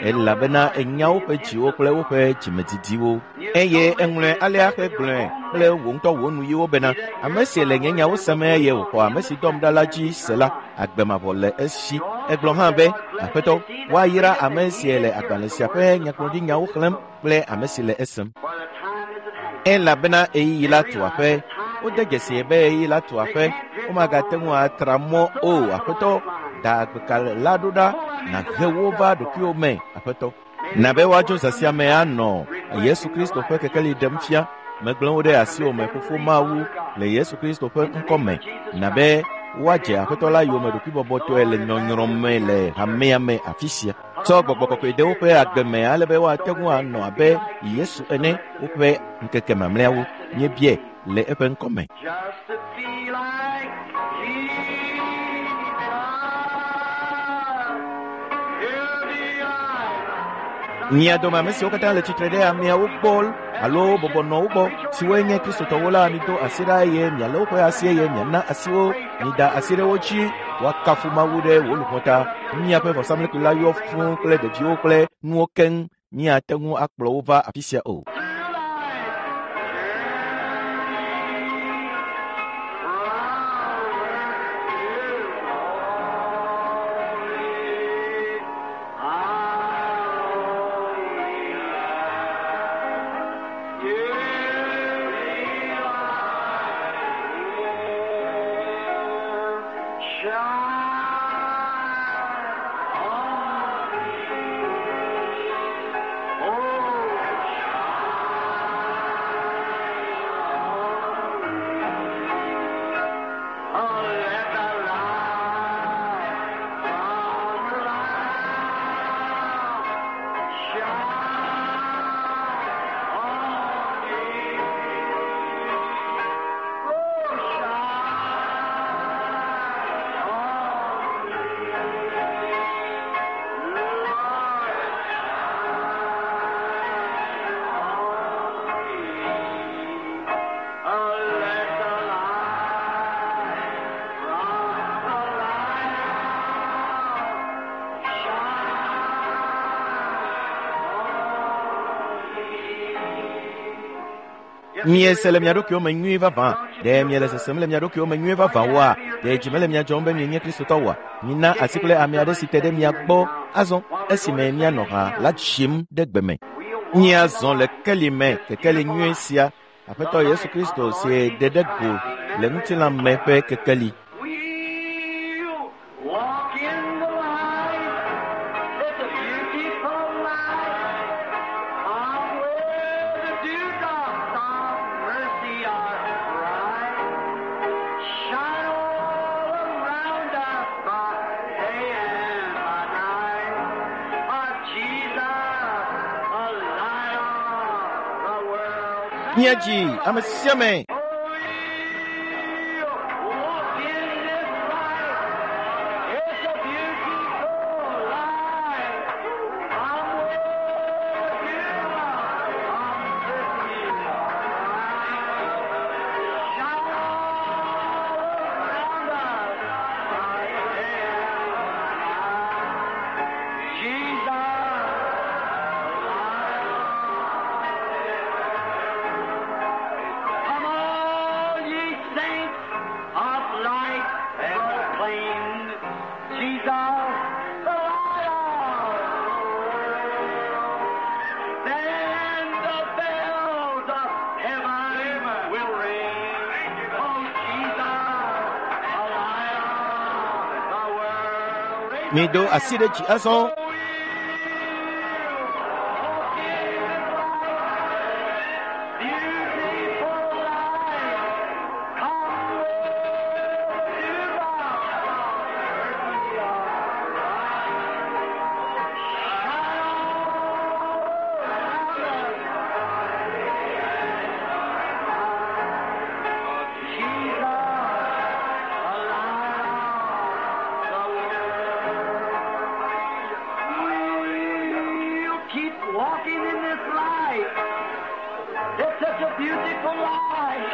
elabena ènya woƒe dziwo kple woƒe dzimedidiwo. Eye èŋlɔe alea hegblɔe kple wò ŋutɔ wò nuyiwo bena, ame si le nye nyawo sem eye wòxɔ ame si dɔm ɖa la dzi se la, agbe mavɔ le esi. Egblɔ hã be, Aƒetɔ, woayra ame si le agbalẽ sia ƒe nyagblɔɖinyawo xlẽm kple ame si le esem. For the time is at hand. Elabena ɣeyiɣi la tu aƒe. Wode dzesi be ɣeyiɣi la tu aƒe. Womagate ŋu atra mɔ o. Aƒetɔ, da agbeka la ɖo ɖa, nàhe wo va ɖokuiwò me, Aƒetɔ. Na be woadzo zã sia me anɔ Yesu Kristo ƒe kekeli ɖem fia. Megblẽ wo ɖe asiwò me, Fofo Mawu, le Yesu Kristo ƒe ŋkɔ me. Na be woadze Aƒetɔ la yome ɖokuibɔbɔtɔe le nyɔnyrɔ me le hamea me afi sia. Tsɔ gbɔgbɔ kɔkɔe de woƒe agbe me ale be woate ŋu anɔ abe Yesu ene woƒe ŋkeke mamlɛawo. Míebiae le eƒe ŋkɔ me. Just to be like Jesus, to be like Mia dome ame siwo katã le tsitre ɖe ameawo gbɔ alo bɔbɔ nɔ wo gbɔ, siwoe nye Kristotɔwo la, mido asi ɖa eye mialé woƒe asi eye miana asi wo. Mida asi ɖe wo dzi, woakafu Mawu ɖe wò luʋɔ ta. Miaƒe vɔsamlekpui la yɔ fũu kple ɖeviwo kple nuwo keŋ. Miate ŋu akplɔ wo va afi sia o. through life's journey, from earth to glory, I only long to be like Him. Shine on me, oh, shine. Miese le mia ɖokuiwo me nyuie vavã. Ɖe miele sesem le mia ɖokuiwo me nyuie vavã oa? Ɖe dzi mele mia dzɔm be mienye Kristotɔ oa? Mina asi kple ame aɖe si te ɖe mia gbɔ azɔ esime mianɔ ha la dzim ɖe gbe me. Miazɔ le keli me, kekeli nyuie sia, Aƒetɔ Yesu Kristo si ɖe ɖe go le ŋutilã me ƒe kekeli. We'll walk in the light. It's a beautiful light. Come where the dewdrops of mercy are bright. Shine all around us by day and by night. Our Jesus, the light of the world. Míadzi ame sia ame. Oh, we'll walk in this light. It's a beautiful light. Come where you are, come with me. Shine all around us by day and night. Jesus, Come all ye saints of light, proclaim Jesus, the light of the world. Then the bells of heaven will ring. Oh, Jesus, the light of the world. Mido asi ɖe dzi azɔ. We'll keep walking in this light. It's such a beautiful light.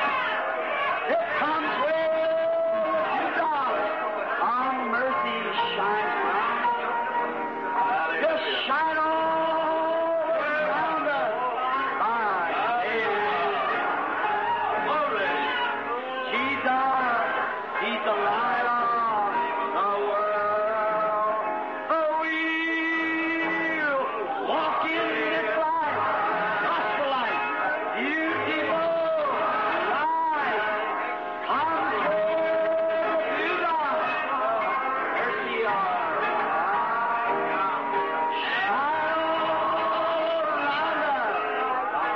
It comes where you die. Our mercy shines bright. Just shine all around us by day and night. Jesus, He's the light of the world. Oh, we'll walk in this light, gospel light, beautiful light. Comes where you are, mercy are. Shine all around us by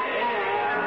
day and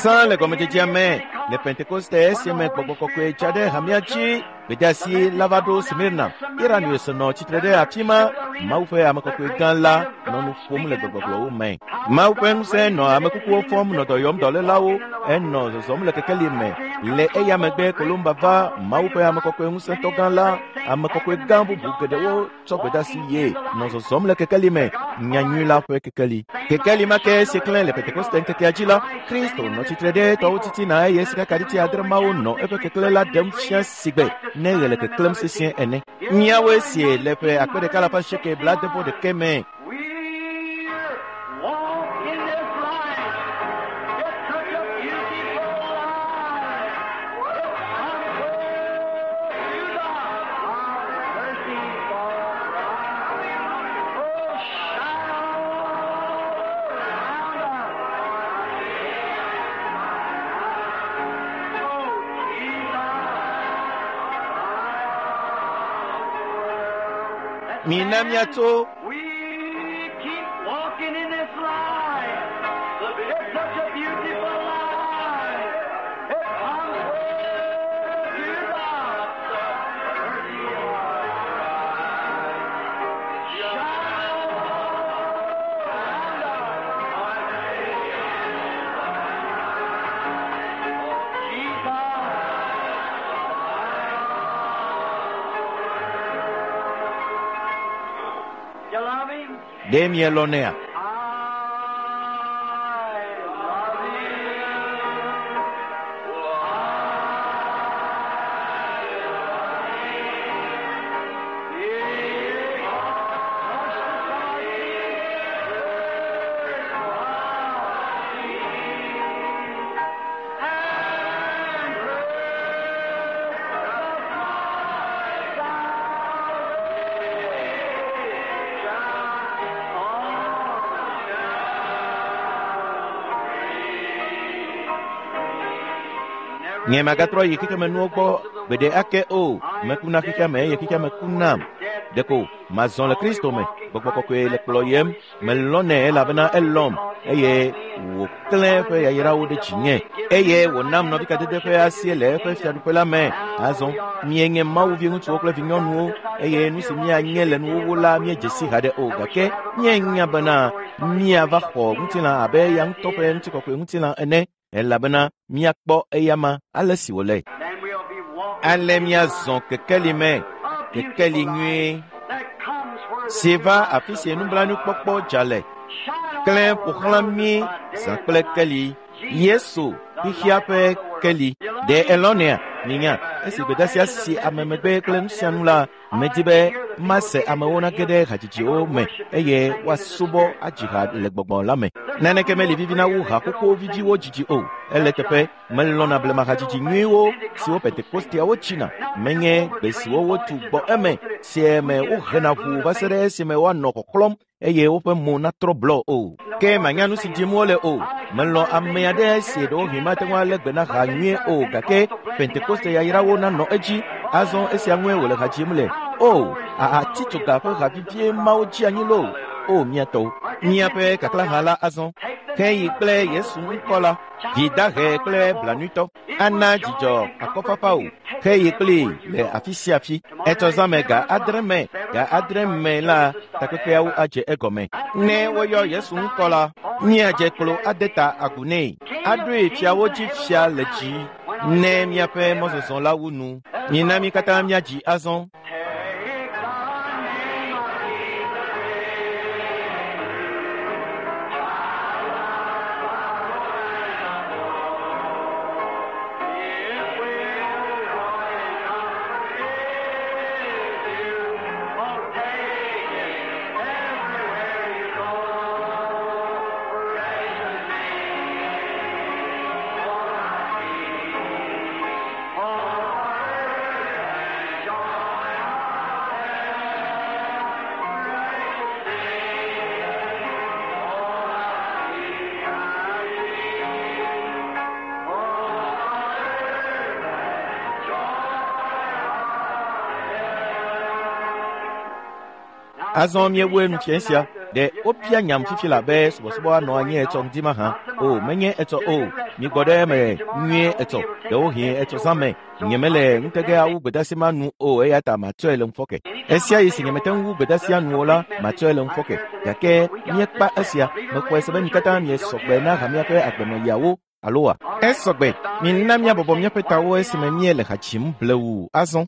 Sã le gɔmedzedzea me le Pentekoste esime gbɔgbɔ kɔkɔe tsa ɖe hamea dzi gbedeasi la va ɖo Smirna. Irenaeus nɔ tsitre ɖe afi ma. Mawu ƒe ame kɔkɔe gã la nɔ nu ƒom le gbegbɔgblɔwo me. Mawu ƒe ŋusẽ nɔ ame kukuwo fɔm nɔ dɔ yɔm dɔlélawo enɔ zɔzɔm le kekeli me. Le eya megbe Kolumba va Mawu ƒe ame kɔkɔe ŋusẽtɔ gã la ame kɔkɔe gã bubu geɖewo tsɔ gbedeasi ye nɔ zɔzɔm le kekeli me nyanyui la ƒe kekeli. Kekeli ma ke si klẽ le Pentekoste ŋkekea dzi la, Kristo nɔ tsitre ɖe tɔwo titina eye sikakaɖiti adre mawo nɔ eƒe keklẽ la ɖem fia sigbe ne ɣe le keklẽm sesĩe ene. Míawoe sie le ƒe akpe ɖeka alafa asieke blaade-vɔ-ɖekɛ me. We walk in this light. It's such a beautiful light. It comes where you are. Our mercy for Oh, shine all around us. Oh, Jesus. Mina míatso We keep walking in this light. It's such a beautiful light. It comes where you are. Mercy Shine around us. Jesus. You love him? ɖe mielɔnɛa? I love him. Nye magatrɔ yi xexemenuwo gbɔ gbeɖe ake o. Meku na xexeame eye xexeame ku nam. Ɖeko mazɔ le Kristo me. Gbɔgbɔ kɔkɔe le kplɔyem. Melɔ̃nɛ elabena elɔ̃m eye wòklẽ eƒe yayrawo ɖe dzinye eye wònam nɔvikadede ƒe asie le eƒe fiaɖuƒe la me. Azɔ míenye Mawu viŋutsuwo kple vinyɔnuwo eye nu si míanye le nuwuwu la míedze si haɖe o, gake míenya bena míava xɔ ŋutilã abe eya ŋutɔ ƒe ŋutikɔkɔe ŋutilã ene, elabena míakpɔ eyama ale si wòle. Ale míazɔ kekeli me, kekeli nyuie si va afi si nublanuikpɔkpɔ dza le, klẽ ƒo xlã mí zã kple keli. Yesu, xexea ƒe keli. Ɖe elɔ̃nɛa? Minya, esi gbedeasia si ame megbe kple nu sia nu la, medi be mase amewo nage ɖe hadzidziwo me eye woasubɔ adzi ha le gbɔgbɔ la me. Naneke meli vivina wu haƒoƒo viviwo dzidzi o. Ele teƒe, melɔ̃na blema hadzidzi nyuiwo siwo Pentekosteawo tsina, menye gbe siwo wotu gbɔ eme si me wohena ʋuu va se ɖe esime woanɔ xɔxlɔ̃m eye woƒe mo natrɔ blɔ o. Ke manya nu si dzim wole o. Melɔ̃ ame aɖe si ɖewohĩ mate ŋu alé gbe na ha nyuie o, gake Pentekoste yayrawo nanɔ edzi. Azɔ esia ŋue wòle ha dzim le. O, ahatitsoga ƒe ha vivie mawo dzi anyi loo. O, mía tɔwo. Míaƒe kaklãha la azɔ. Heyi kple Yesu ŋkɔ la, vi dahe kple blanuitɔ, ana dzidzɔ akɔfafa o. Heyi kplii le afi sia afi. Etsɔ zã me ga 8 me, ga 8 me la, takpekpeawo adze egɔme. Ne woyɔ Yesu ŋkɔ la, míadze klo ade ta agu nɛ. Aɖoe fiawo dzi fia le dzi ne míaƒe mɔzɔzɔ la wu nu. Mina mí katã míadzi azɔ. Azɔ míewoe nu fia sia. Ɖe wobia nyam fifi la be subɔsubɔ anɔ anyi etsɔ ŋdi mahã? O, menye etsɔ o. Migbɔ ɖe eme nyuie etsɔ. Ɖewohĩ etsɔ zã me. Nyemele ŋutege awu gbedeasi ma nu o, eya ta matsɔe le ŋufɔke. Esia yi si nyemete ŋu wu gbedeasia nu o la, matsɔe le ŋufɔke. Gake míekpa esia. Mexɔe se be mi katã miesɔgbe na hamea ƒe agbenɔɣiawo, alo wa? Esɔgbe. Mina míabɔbɔ míaƒe tawo esime míele ha dzim blewu azɔ.